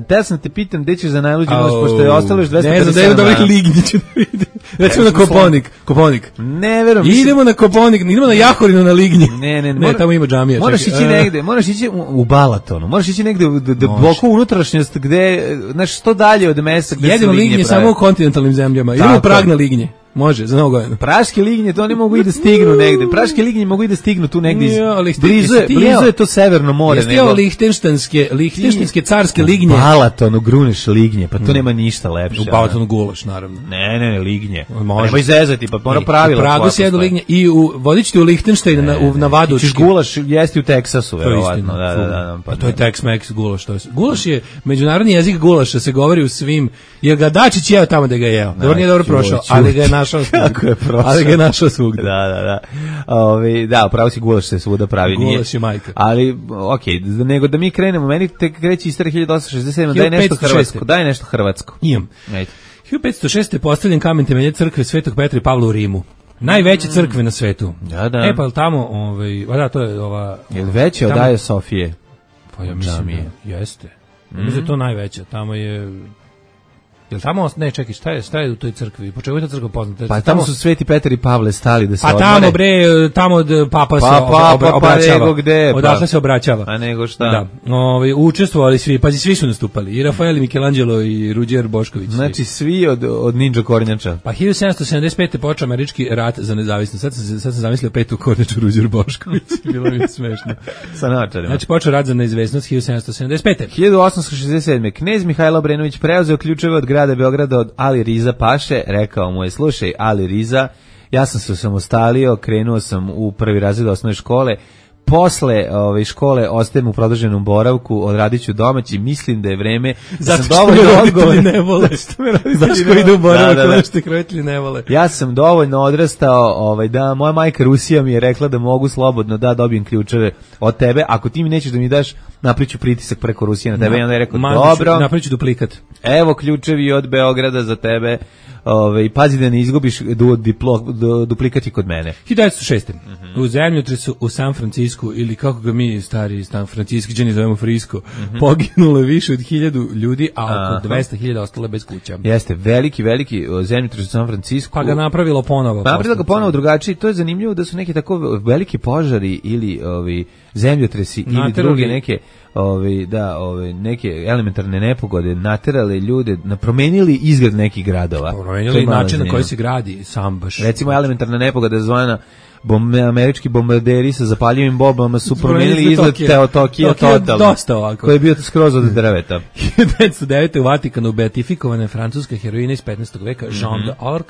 [SPEAKER 6] te sam te pitam gde ćeš za najluđu noć, pošto je ostalo još dvesta pedeset sedam
[SPEAKER 5] dana. Ne znam, da je Lignjić da vidi. Recimo na Koponik. Koponik.
[SPEAKER 6] Ne verujem.
[SPEAKER 5] Idemo na Koponik, idemo na Jahorinu na Lignji.
[SPEAKER 6] Ne, ne, ne.
[SPEAKER 5] Ne, tamo ima džamija.
[SPEAKER 6] Moraš ići negde, moraš ići u, u Balatonu, moraš ići negde u duboko unutrašnjost gde, znaš, što dalje od mesta gde se Lignje prave.
[SPEAKER 5] Jedino Lignje samo u kontinentalnim zemljama. Idemo u Prag na Lignje. Može, za novu godinu.
[SPEAKER 6] Praške lignje, to ne mogu i da stignu negde. Praške lignje mogu i da stignu tu negde. Iz...
[SPEAKER 5] Jo,
[SPEAKER 6] blizu, je, blizu je to severno more.
[SPEAKER 5] Jeste jeo lihtenštanske, lihtenštanske carske lignje?
[SPEAKER 6] U Balatonu gruneš lignje, pa to nema ništa lepše.
[SPEAKER 5] U Balatonu gulaš, naravno.
[SPEAKER 6] Ne, ne, ne, lignje. Nema izezati, pa mora pravila.
[SPEAKER 5] U Pragu se jedu lignje i u, vodit ćete u Lihtenštajn na, u, na Vadučki.
[SPEAKER 6] Ćeš gulaš jesti u Teksasu, verovatno. Da, da, da,
[SPEAKER 5] pa to je Tex-Mex gulaš. To je. Gulaš je međunarodni jezik gulaša, se govori u svim, jer ga Dačić jeo tamo da ga jeo. Dobro nije dobro prošao, ali ga je našao. Ali ga je našao svugde.
[SPEAKER 6] Da, da, da. Ovi, da, pravo si gulaš se svuda pravi.
[SPEAKER 5] Gulaš je majka.
[SPEAKER 6] Ali, okej, okay, nego da mi krenemo, meni te kreće istorija hiljadu osamsto šezdeset sedam, daj nešto hrvatsko, daj nešto hrvatsko.
[SPEAKER 5] Imam. hiljadu petsto šeste. je postavljen kamen temeljac crkve Svetog Petra i Pavla u Rimu. Najveće crkve na svetu.
[SPEAKER 6] Da, da.
[SPEAKER 5] E, pa tamo, ovaj, a da, to je ova...
[SPEAKER 6] Je li veće od Aje Sofije?
[SPEAKER 5] Pa ja mislim da jeste. Mm. Mislim da je to najveća. Tamo je... Jel tamo, ne, čekaj, šta je, šta je u toj crkvi? Po čemu je ta crkva poznata?
[SPEAKER 6] Pa tamo su Sveti Petar i Pavle stali da se
[SPEAKER 5] odmore. Pa tamo, bre, tamo od papa se
[SPEAKER 6] pa, pa, obra, obraćava. Pa, nego gde?
[SPEAKER 5] Odakle se obraćava.
[SPEAKER 6] A nego šta?
[SPEAKER 5] Da. Ovi, učestvovali svi, pazi, svi su nastupali. I Rafael, i Michelangelo, i Ruđer Bošković.
[SPEAKER 6] Znači, svi od, od Ninja Kornjača.
[SPEAKER 5] Pa hiljadu sedamsto sedamdeset pete. počeo američki rat za nezavisnost. Sad sam, sad sam zamislio petu Kornjaču Ruđer Bošković. Bilo mi je smešno.
[SPEAKER 6] Sa naočarima.
[SPEAKER 5] Znači, počeo rat za nezavisnost hiljadu sedamsto sedamdeset pete.
[SPEAKER 6] hiljadu osamsto šezdeset sedme. Knez Mihajlo Obrenović preuzeo ključeve od grada Beograda od Ali Riza Paše, rekao mu je, slušaj, Ali Riza, ja sam se osamostalio, krenuo sam u prvi razred osnovne škole, posle ove škole ostajem u produženom boravku, odradit ću domaći, mislim da je vreme da sam dovoljno odgovoran.
[SPEAKER 5] Ne vole. Zašto ko ide u boravak, da, da, da. Što roditelji ne vole.
[SPEAKER 6] Ja sam dovoljno odrastao, ovaj, da moja majka Rusija mi je rekla da mogu slobodno da dobijem ključeve od tebe, ako ti mi nećeš da mi daš, napriču pritisak preko Rusije na tebe. I onda je rekao, dobro,
[SPEAKER 5] napriču duplikat.
[SPEAKER 6] Evo ključevi od Beograda za tebe. Ove, pazi da ne izgubiš du, diplo, du, duplikati kod mene.
[SPEAKER 5] hiljadu devetsto šeste. Mm-hmm. U zemljotresu u San Francisku, ili kako ga mi stari San Franciskiđani zovemo Frisko, mm-hmm. poginulo je više od hiljadu ljudi, a oko Aha. dvesta hiljada ostale bez kuća.
[SPEAKER 6] Jeste, veliki, veliki zemljotres u San Francisku.
[SPEAKER 5] Pa ga napravilo ponovo.
[SPEAKER 6] Pa napravilo ga ponovo drugačije. To je zanimljivo da su neki tako veliki požari ili ovi zemljotresi Naterali. ili druge neke Ovi, da, ovi, neke elementarne nepogode naterale ljude, promenili izgled nekih gradova.
[SPEAKER 5] Promenili način na koji se gradi sam baš.
[SPEAKER 6] Recimo elementarna nepogoda zvana bom, američki bombarderi sa zapaljivim bombama su promenili izgled Teo Tokija totalno. Koji je bio skroz od drveta.
[SPEAKER 5] hiljadu devetsto devete. u Vatikanu beatifikovana je francuska heroina iz petnaestog veka Jean mm-hmm. d'Arc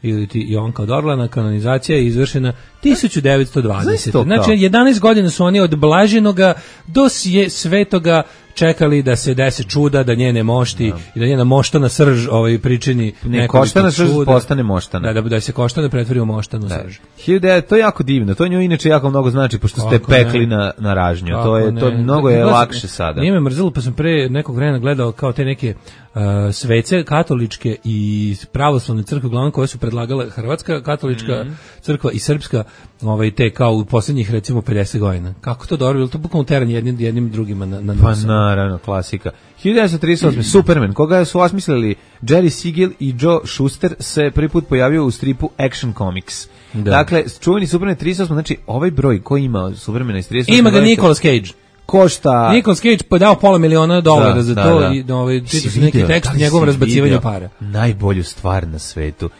[SPEAKER 5] ili ti Jonka od Orlana. Kanonizacija je izvršena tisuću devetsto dvadesete. Znači, jedanaest godina su oni od blaženoga do svetoga čekali da se desi čuda, da njene mošti no. i da njena moštana srž ovaj pričini
[SPEAKER 6] ne koštana srž postane moštana.
[SPEAKER 5] Da, da, da se koštana pretvori u moštanu da. srž.
[SPEAKER 6] hiljadu to je jako divno. To njoj inače jako mnogo znači pošto ste Kako pekli ne? na na ražnju. Kako to je ne? to mnogo je Gleda, lakše sada. Nije
[SPEAKER 5] me mrzelo, pa sam pre nekog vremena gledao kao te neke uh, svece katoličke i pravoslavne crkve, uglavnom koje su predlagale Hrvatska katolička mm-hmm. crkva i srpska, ovaj te kao u poslednjih recimo pedeset godina. Kako to dobro, to bukvalno teranje jednim jednim drugima na na
[SPEAKER 6] pa naravno, klasika. hiljadu devetsto trideset osme. Superman, koga su osmislili Jerry Siegel i Joe Shuster, se prvi put pojavio u stripu Action Comics. Da. Dakle, čuveni Superman trideset osme, znači ovaj broj koji ima Supermana iz trideset osme.
[SPEAKER 5] Ima ga Nicolas Cage.
[SPEAKER 6] Košta...
[SPEAKER 5] Nicolas Cage podao pola miliona dolara da, za to da, da. i ovaj, čitao se neki tekst o njegovom razbacivanju para.
[SPEAKER 6] Najbolju stvar na svetu.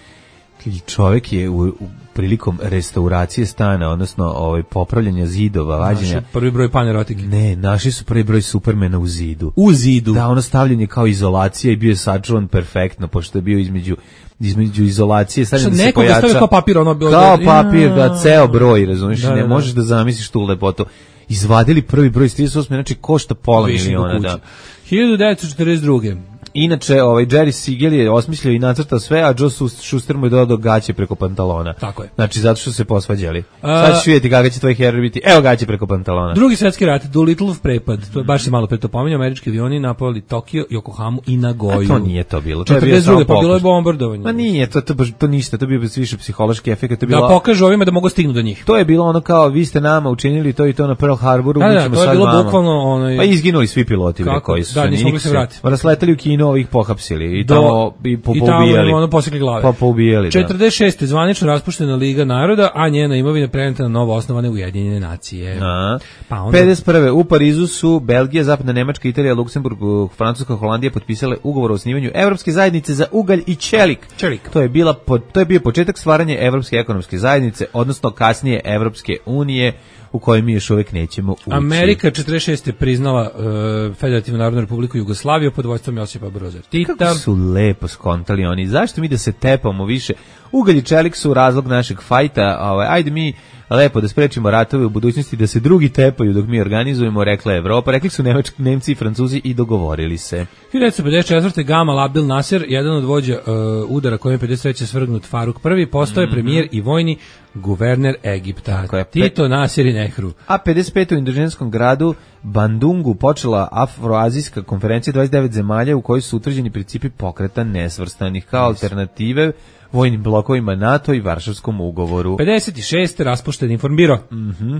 [SPEAKER 6] Čovjek je u, u prilikom restauracije stana, odnosno ovaj popravljanja zidova, vađenja.
[SPEAKER 5] Naši prvi broj panerotike.
[SPEAKER 6] Ne, našli su prvi broj Supermana u zidu.
[SPEAKER 5] U zidu.
[SPEAKER 6] Da, ono stavljanje kao izolacija i bio je sačuvan perfektno, pošto je bio između između izolacije, stavljanje da se pojača.
[SPEAKER 5] Stavio kao papir, ono bilo
[SPEAKER 6] kao papir, da, ceo broj, razumiješ, da, ne da, možeš da zamisliš tu lepotu. Izvadili prvi broj iz trideset osme, znači košta pola Viši miliona, da.
[SPEAKER 5] hiljadu devetsto četrdeset druge.
[SPEAKER 6] Inače, ovaj Jerry Siegel je osmislio i nacrtao sve, a Joe Shuster mu je dodao gaće preko pantalona.
[SPEAKER 5] Tako je.
[SPEAKER 6] Znači, zato što se posvađali. Sad ćeš vidjeti kako će tvoj heroj biti. Evo gaće preko pantalona.
[SPEAKER 5] Drugi svetski rat, Doolittleov prepad. To je baš se malo pre to pominjao. Američki avioni napali Tokio, Yokohamu i Nagoju.
[SPEAKER 6] A to nije to bilo. To je bio
[SPEAKER 5] četrdeset druge
[SPEAKER 6] samo
[SPEAKER 5] pa bilo je bombardovanje.
[SPEAKER 6] Ma nije, to, to, to ništa, to je bio više psihološki efekt. To je bilo,
[SPEAKER 5] da pokažu ovima da mogu stignu do njih.
[SPEAKER 6] To je bilo ono kao, vi ste nama učinili to i to na Pearl Harboru,
[SPEAKER 5] da,
[SPEAKER 6] mi
[SPEAKER 5] da,
[SPEAKER 6] ćemo
[SPEAKER 5] to je
[SPEAKER 6] sad
[SPEAKER 5] bilo
[SPEAKER 6] vama.
[SPEAKER 5] Bukvalno ono...
[SPEAKER 6] Pa izginuli svi piloti
[SPEAKER 5] kako?
[SPEAKER 6] koji su
[SPEAKER 5] da,
[SPEAKER 6] se
[SPEAKER 5] nisu mogli se vratiti.
[SPEAKER 6] Rasletali u Kinu, ovih pohapsili i
[SPEAKER 5] Do,
[SPEAKER 6] tamo i po,
[SPEAKER 5] i
[SPEAKER 6] poubijali.
[SPEAKER 5] tamo ono posekli glave.
[SPEAKER 6] Pa poubijali, da.
[SPEAKER 5] četrdeset šeste zvanično raspuštena Liga naroda, a njena imovina preneta na novo osnovane Ujedinjene nacije.
[SPEAKER 6] A,
[SPEAKER 5] pa onda...
[SPEAKER 6] pedeset prve u Parizu su Belgija, Zapadna Nemačka, Italija, Luksemburg, Francuska, Holandija potpisale ugovor o osnivanju Evropske zajednice za ugalj i čelik.
[SPEAKER 5] Čelik.
[SPEAKER 6] To je bila to je bio početak stvaranja Evropske ekonomske zajednice, odnosno kasnije Evropske unije, u kojoj mi još uvijek nećemo ući.
[SPEAKER 5] Amerika četrdeset šeste priznala uh, Federativnu narodnu republiku Jugoslaviju pod vođstvom Josipa Broza Tita.
[SPEAKER 6] Kako su lepo skontali oni. Zašto mi da se tepamo više? Ugalj i čelik su razlog našeg fajta. Ovaj, ajde mi lepo da sprečimo ratove u budućnosti, da se drugi tepaju dok mi organizujemo, rekla Evropa. Rekli su Nemački, Nemci i Francuzi i dogovorili se.
[SPEAKER 5] hiljadu devetsto pedeset četvrte Gamal Abdel Nasser, jedan od vođa uh, udara kojem je pedeset treće svrgnut Faruk prvi, postao je mm-hmm. premijer i vojni guverner Egipta.
[SPEAKER 6] Je,
[SPEAKER 5] Tito, Nasir i Nehru.
[SPEAKER 6] A pedeset pete u indonezijskom gradu Bandungu počela Afroazijska konferencija dvadeset devet zemalja u kojoj su utvrđeni principi pokreta nesvrstanih kao yes. alternative vojnim blokovima NATO i Varšavskom ugovoru.
[SPEAKER 5] pedeset šeste raspušten Informbiro.
[SPEAKER 6] Mhm.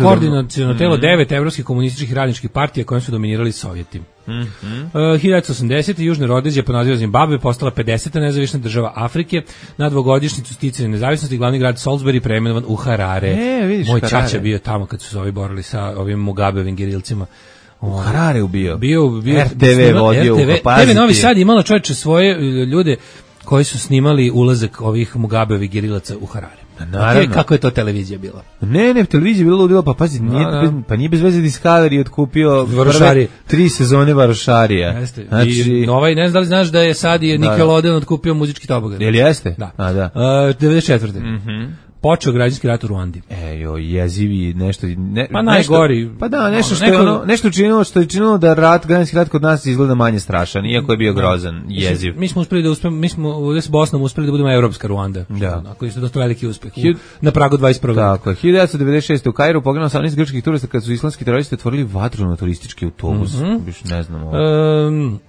[SPEAKER 5] Koordinaciono
[SPEAKER 6] mm-hmm.
[SPEAKER 5] telo devet evropskih komunističkih radničkih partija kojim su dominirali Sovjeti.
[SPEAKER 6] Mm-hmm.
[SPEAKER 5] Uh, hiljadu devetsto osamdesete Južna Rodezija po nazivu Zimbabwe postala pedeseta nezavisna država Afrike. Na dvogodišnjicu sticanja nezavisnosti glavni grad Salisbury preimenovan u Harare.
[SPEAKER 6] E, vidiš,
[SPEAKER 5] Moj
[SPEAKER 6] Harare.
[SPEAKER 5] ćaća bio tamo kad su se ovi borili sa ovim Mugabeovim gerilcima.
[SPEAKER 6] U Harare ubio.
[SPEAKER 5] Bio, bio
[SPEAKER 6] R T V vodio u
[SPEAKER 5] T V Novi Sad imala čovječe svoje ljude koji su snimali ulazak ovih Mugabeovih gerilaca u Harare.
[SPEAKER 6] Naravno.
[SPEAKER 5] Kako je to televizija bila?
[SPEAKER 6] Ne, ne, televizija bila ludila, pa pazi, nije,
[SPEAKER 5] da, da.
[SPEAKER 6] Bez, pa nije bez veze Discovery otkupio
[SPEAKER 5] Varošarije.
[SPEAKER 6] tri sezone Varošarija.
[SPEAKER 5] Jeste.
[SPEAKER 6] Znači,
[SPEAKER 5] I ovaj, ne znam da li znaš da je sad i Nickelodeon otkupio muzički tobogan.
[SPEAKER 6] Jel jeste?
[SPEAKER 5] Da.
[SPEAKER 6] A, da.
[SPEAKER 5] Uh, devedeset četvrte
[SPEAKER 6] Mhm.
[SPEAKER 5] Počeo građanski rat u Ruandi.
[SPEAKER 6] E, jo, jezivi, nešto... Ne,
[SPEAKER 5] Pa najgori.
[SPEAKER 6] Nešto, pa da, nešto
[SPEAKER 5] ono,
[SPEAKER 6] što
[SPEAKER 5] neko,
[SPEAKER 6] je ono, nešto činilo, što je činilo da rat, građanski rat kod nas izgleda manje strašan, iako je bio grozan, jeziv.
[SPEAKER 5] Mi smo uspeli da uspemo, mi smo ovdje s Bosnom uspeli da budemo evropska Ruanda.
[SPEAKER 6] Da.
[SPEAKER 5] Ako je dosta veliki uspeh. U, na pragu dvadeset prvog
[SPEAKER 6] Tako je. hiljadu devetsto devedeset šeste u Kairu poginulo osamnaest grčkih turista kad su islamski teroristi otvorili vatru na turistički autobus. Mm-hmm. Biš ne znamo.
[SPEAKER 5] Um,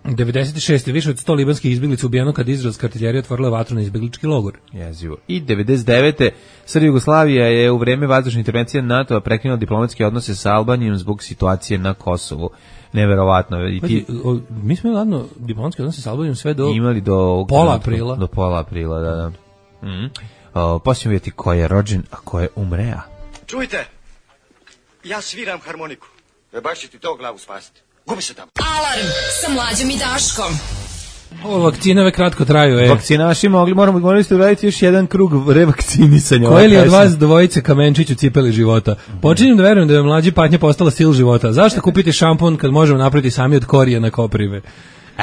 [SPEAKER 5] devedeset šeste više od sto libanskih izbjeglica ubijeno kad izraelska artiljerija otvorila vatru na izbjeglički logor.
[SPEAKER 6] Jezivo. I devedeset devete Srbija Jugoslavija je u vreme vazdušne intervencije NATO-a prekinula diplomatske odnose sa Albanijom zbog situacije na Kosovu. Neverovatno. I ti...
[SPEAKER 5] Pa, o, mi smo ladno diplomatske odnose sa Albanijom sve do...
[SPEAKER 6] Imali do...
[SPEAKER 5] Pola aprila.
[SPEAKER 6] Do pola aprila, da, da. Mm. Posljedno vidjeti ko je rođen, a ko je umrea.
[SPEAKER 8] Čujte, ja sviram harmoniku. E baš će ti to glavu spasiti. Gubi se tamo.
[SPEAKER 2] Alarm sa Mlađom i Daškom.
[SPEAKER 5] Ovo vakcinove kratko traju, e.
[SPEAKER 6] Vakcinaši mogli, moramo, morali ste uraditi još jedan krug revakcinisanja.
[SPEAKER 5] Koji li od vas dvojice kamenčić u cipeli života? Počinjem da verujem da je mlađi patnja postala sil života. Zašto kupiti šampon kad možemo napraviti sami od korijena koprive?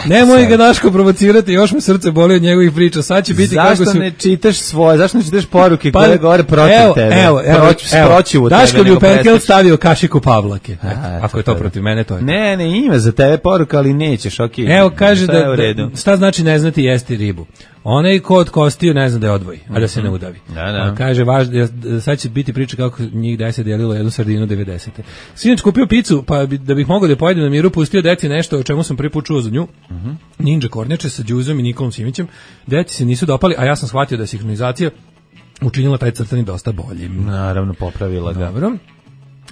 [SPEAKER 5] Nemoj ga Daško provocirati, još me srce boli od njegovih priča. Sad će biti
[SPEAKER 6] zašto
[SPEAKER 5] kako su...
[SPEAKER 6] ne čitaš svoje, zašto ne čitaš poruke
[SPEAKER 5] pa,
[SPEAKER 6] koje govore protiv
[SPEAKER 5] evo,
[SPEAKER 6] tebe?
[SPEAKER 5] Evo, evo,
[SPEAKER 6] Proć,
[SPEAKER 5] evo.
[SPEAKER 6] Proćivu
[SPEAKER 5] Daško
[SPEAKER 6] tebe,
[SPEAKER 5] bi u Perkel
[SPEAKER 6] prestaš.
[SPEAKER 5] stavio kašiku Pavlake.
[SPEAKER 6] A,
[SPEAKER 5] eto, ako je to protiv mene, to je.
[SPEAKER 6] Ne, ne, ima za tebe poruka, ali nećeš, okej. Okay.
[SPEAKER 5] Evo, kaže da, da, šta znači ne znati jesti ribu. Onaj ko od kostiju ne zna da je odvoji, a da se ne udavi.
[SPEAKER 6] Da, da.
[SPEAKER 5] A kaže, važ, sad će biti priča kako njih deset delilo jednu sardinu devedesete. Sinoć kupio picu, pa bi, da bih mogao da je pojedem na miru, pustio deci nešto o čemu sam prvi put čuo za nju. Uh-huh. Ninja kornjače sa Đuzom i Nikolom Simićem. Deci se nisu dopali, a ja sam shvatio da je sinhronizacija učinila taj crtani dosta boljim.
[SPEAKER 6] Naravno, popravila ga.
[SPEAKER 5] Dobro.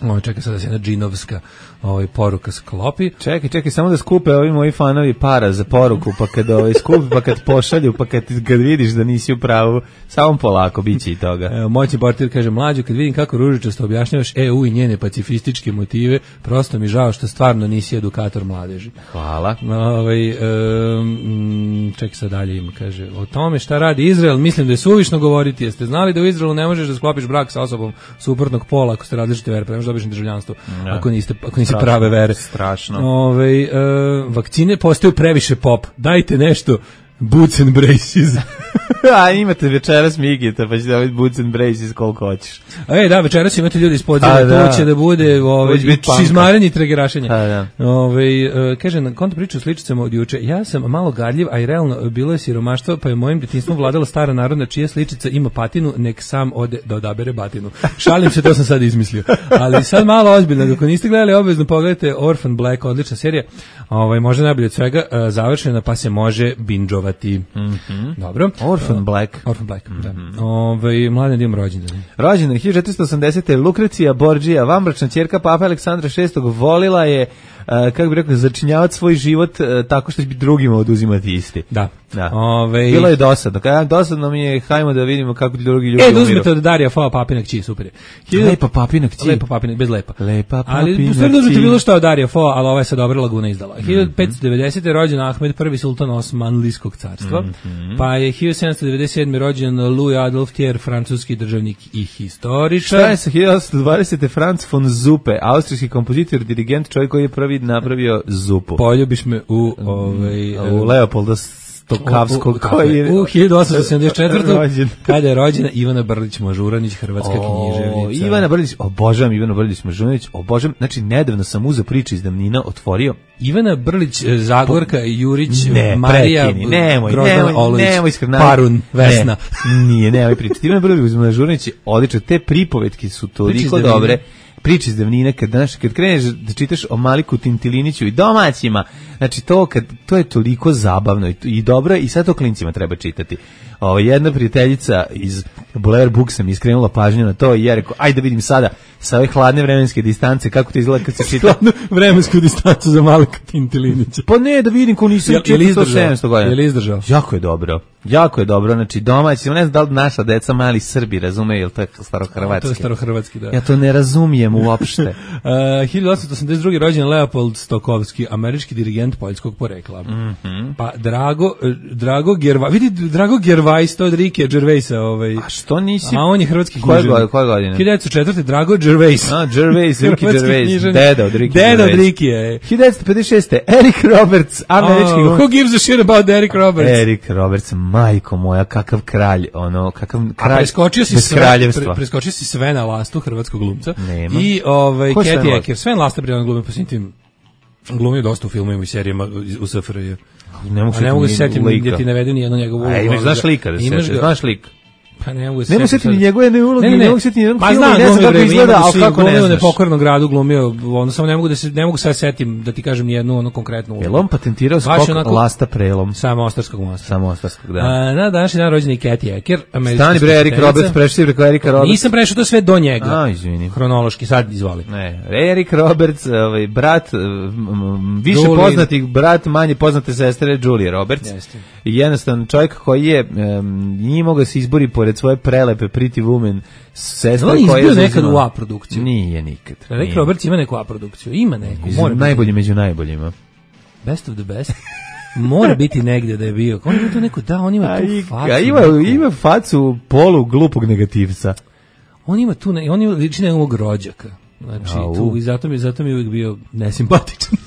[SPEAKER 5] Ovo čeka sad da se jedna džinovska ovaj, poruka sklopi.
[SPEAKER 6] Čekaj, čekaj, samo da skupe ovi moji fanovi para za poruku, pa kad ovaj, skupi, pa kad pošalju, pa kad, kad vidiš da nisi u pravu, samo polako, bit će i toga.
[SPEAKER 5] Evo, moćni portir kaže, mlađo, kad vidim kako ružičasto objašnjavaš E U i njene pacifističke motive, prosto mi žao što stvarno nisi edukator mladeži.
[SPEAKER 6] Hvala.
[SPEAKER 5] Ovaj, um, čekaj sad dalje ima, kaže, o tome šta radi Izrael, mislim da je suvišno govoriti, jeste znali da u Izraelu ne možeš da sklopiš brak sa osobom suprotnog pola ako ste različite vere, pa dobiš državljanstvo ja. ako niste ako nisi prave vere.
[SPEAKER 6] Strašno.
[SPEAKER 5] Ovaj e, vakcine postaju previše pop. Dajte nešto Boots and braces.
[SPEAKER 6] A imate večeras Migita, pa ćete dobiti Boots and braces koliko hoćeš.
[SPEAKER 5] E, da, večeras imate ljudi iz podzemlja,
[SPEAKER 6] da.
[SPEAKER 5] to će da bude ovaj, šizmarenje i tregerašenje. Da. Ove, uh, kaže, na konto priču sličicama od juče, ja sam malo gadljiv, a i realno bilo je siromaštvo, pa je mojim djetinjstvom vladala stara narodna čija sličica ima patinu, nek sam ode da odabere batinu. Šalim se, to sam sad izmislio. Ali sad malo ozbiljno, dok niste gledali obavezno, pogledajte Orphan Black, odlična serija, ovaj, možda najbolje od svega, uh, završena, pa se može binđovati. Mm-hmm. Dobro.
[SPEAKER 6] Orphan Black.
[SPEAKER 5] Orphan Black, mm-hmm. da. Ove, mladen dim rođendan.
[SPEAKER 6] Rođendan hiljadu četiristo osamdesete. Lukrecija Borđija, vanbračna ćerka Papa Aleksandra šestog volila je, uh, kako bi rekao, začinjavati svoj život uh, tako što će drugima oduzimati isti.
[SPEAKER 5] Da.
[SPEAKER 6] Da.
[SPEAKER 5] Ove...
[SPEAKER 6] Bilo je dosadno. Kada dosadno mi je, hajmo da vidimo kako drugi ljudi
[SPEAKER 5] umiru. E, da
[SPEAKER 6] umiru.
[SPEAKER 5] uzmete od Darija Fova Papina kći, super je. Hiljadu...
[SPEAKER 6] Lepa Papina kći.
[SPEAKER 5] Lepa Papina, bez lepa.
[SPEAKER 6] Lepa Papina
[SPEAKER 5] ali, u stvari da uzmete bilo što od Darija Fova, ali ova je sad dobra Laguna izdala. hiljadu petsto devedesete. rođen Ahmed prvi sultan Osmanlijskog carstva, mm-hmm. pa je hiljadu sedamsto devedeset sedme. rođen Louis Adolphe Thiers, francuski državnik i historičar.
[SPEAKER 6] Šta je sa hiljadu osamsto dvadesete. Franz von Zuppe, austrijski kompozitor, dirigent, čovjek koji je prvi napravio zupu.
[SPEAKER 5] Poljubiš me u, ovaj,
[SPEAKER 6] u Leopolda Stokavskog, koji je
[SPEAKER 5] u hiljadu osamsto sedamdeset četvrte. kada je rođena Ivana Brlić Mažuranić, hrvatska o, književnica.
[SPEAKER 6] Ivana Brlić, obožavam Ivana Brlić Mažuranić, obožavam, znači nedavno sam uzeo priče iz davnina, otvorio.
[SPEAKER 5] Ivana Brlić, Zagorka, Jurić,
[SPEAKER 6] ne,
[SPEAKER 5] Marija,
[SPEAKER 6] pretini, nemoj,
[SPEAKER 5] Grozdana
[SPEAKER 6] nemoj,
[SPEAKER 5] Olović,
[SPEAKER 6] nemoj, nemoj
[SPEAKER 5] Parun, Vesna.
[SPEAKER 6] Ne, nije, nemoj pričati. Ivana Brlić Mažuranić je odlična, te pripovetke su toliko dobre. Priče iz davnine, kad, znaš, kad kreneš da čitaš o Maliku Tintiliniću i domaćima, znači to, kad, to je toliko zabavno i, i dobro i sad to klincima treba čitati. Ovo, jedna prijateljica iz Blair Booksa mi iskrenula pažnju na to i ja rekao, ajde da vidim sada sa ove hladne vremenske distance kako to izgleda kad se čita.
[SPEAKER 5] Hladnu vremensku distancu za Malika Tintilinića.
[SPEAKER 6] Pa ne, da vidim ko nisam čitao sto sedamsto godina.
[SPEAKER 5] Je li izdržao?
[SPEAKER 6] Jako je dobro. Jako je dobro, znači domaći, ne znam da li naša deca mali Srbi razumeju, ili to je starohrvatski.
[SPEAKER 5] To je starohrvatski, da.
[SPEAKER 6] Ja to ne razumijem uopšte.
[SPEAKER 5] uh, hiljadu osamsto osamdeset druge. rođen Leopold Stokowski, američki dirigent poljskog porekla.
[SPEAKER 6] Mm-hmm.
[SPEAKER 5] Pa Drago, Drago Gervais, vidi Drago Gervais, to od Rike Gervaisa. Ovaj.
[SPEAKER 6] A što nisi?
[SPEAKER 5] A on je hrvatski
[SPEAKER 6] književnik. Koje, koje godine?
[SPEAKER 5] hiljadu devetsto četvrte. Drago Gervais.
[SPEAKER 6] A, Gervais, Rike Gervais, deda od Rike
[SPEAKER 5] Deda
[SPEAKER 6] Gervais.
[SPEAKER 5] od Rike je.
[SPEAKER 6] hiljadu devetsto pedeset šeste. Eric Roberts, američki
[SPEAKER 5] oh, who gives a shit about Eric Roberts?
[SPEAKER 6] Eric Roberts, majko moja, kakav kralj, ono, kakav kralj.
[SPEAKER 5] Preskočio si
[SPEAKER 6] bez
[SPEAKER 5] sve,
[SPEAKER 6] kraljevstva.
[SPEAKER 5] pre, preskočio si Svena Lastu, hrvatskog glumca.
[SPEAKER 6] Nema.
[SPEAKER 5] I ovaj
[SPEAKER 6] Ko
[SPEAKER 5] Kathy Ecker, Sven Lasta pri glumi po svim tim glumio dosta u filmovima i serijama u S F R J.
[SPEAKER 6] Ne mogu,
[SPEAKER 5] a ne mogu se setiti gdje ti ne vedu ni jednu njegovu ulogu.
[SPEAKER 6] A imaš, znaš lika da se znaš lik.
[SPEAKER 5] Pa ne mogu se
[SPEAKER 6] ne setiti ni njegove ne uloge, ne, ne, ne mogu setiti ni jednog
[SPEAKER 5] pa
[SPEAKER 6] filma,
[SPEAKER 5] znam,
[SPEAKER 6] ne znam kako izgleda, al kako ne znaš.
[SPEAKER 5] U Nepokornom gradu glumio, ono samo ne mogu da se ne mogu sad setim da ti kažem ni jednu ono konkretnu ulogu.
[SPEAKER 6] Jel on patentirao skok onako, Lasta prelom?
[SPEAKER 5] Samo Ostarskog mosta.
[SPEAKER 6] Samo Ostarskog, da.
[SPEAKER 5] A, na današnji dan rođen je Kathy Ecker, američka.
[SPEAKER 6] Stani bre, Eric Roberts, prešli preko Erika Roberts.
[SPEAKER 5] Nisam prešao, to sve do njega.
[SPEAKER 6] A, izvini.
[SPEAKER 5] Hronološki, sad izvoli.
[SPEAKER 6] Ne, Eric Roberts, ovaj brat, više Julie. Poznatih brat, manje poznate sestre Julie Roberts. Jeste. I jednostavno čovjek koji je um, nije mogao se izbori pored svoje prelepe Pretty Woman sestre
[SPEAKER 5] koja je... On je izbio nekad u A produkciju.
[SPEAKER 6] Nije nikad.
[SPEAKER 5] Eric Roberts ima neku A produkciju. Ima neku.
[SPEAKER 6] Mora najbolji među najboljima.
[SPEAKER 5] Best of the best. Mora biti negdje da je bio. On ima tu neku, da, on ima tu facu.
[SPEAKER 6] A ima, ima facu polu glupog negativca.
[SPEAKER 5] On ima tu, on ima liči nekog rođaka. Znači, tu, i zato mi, zato mi je uvijek bio nesimpatičan.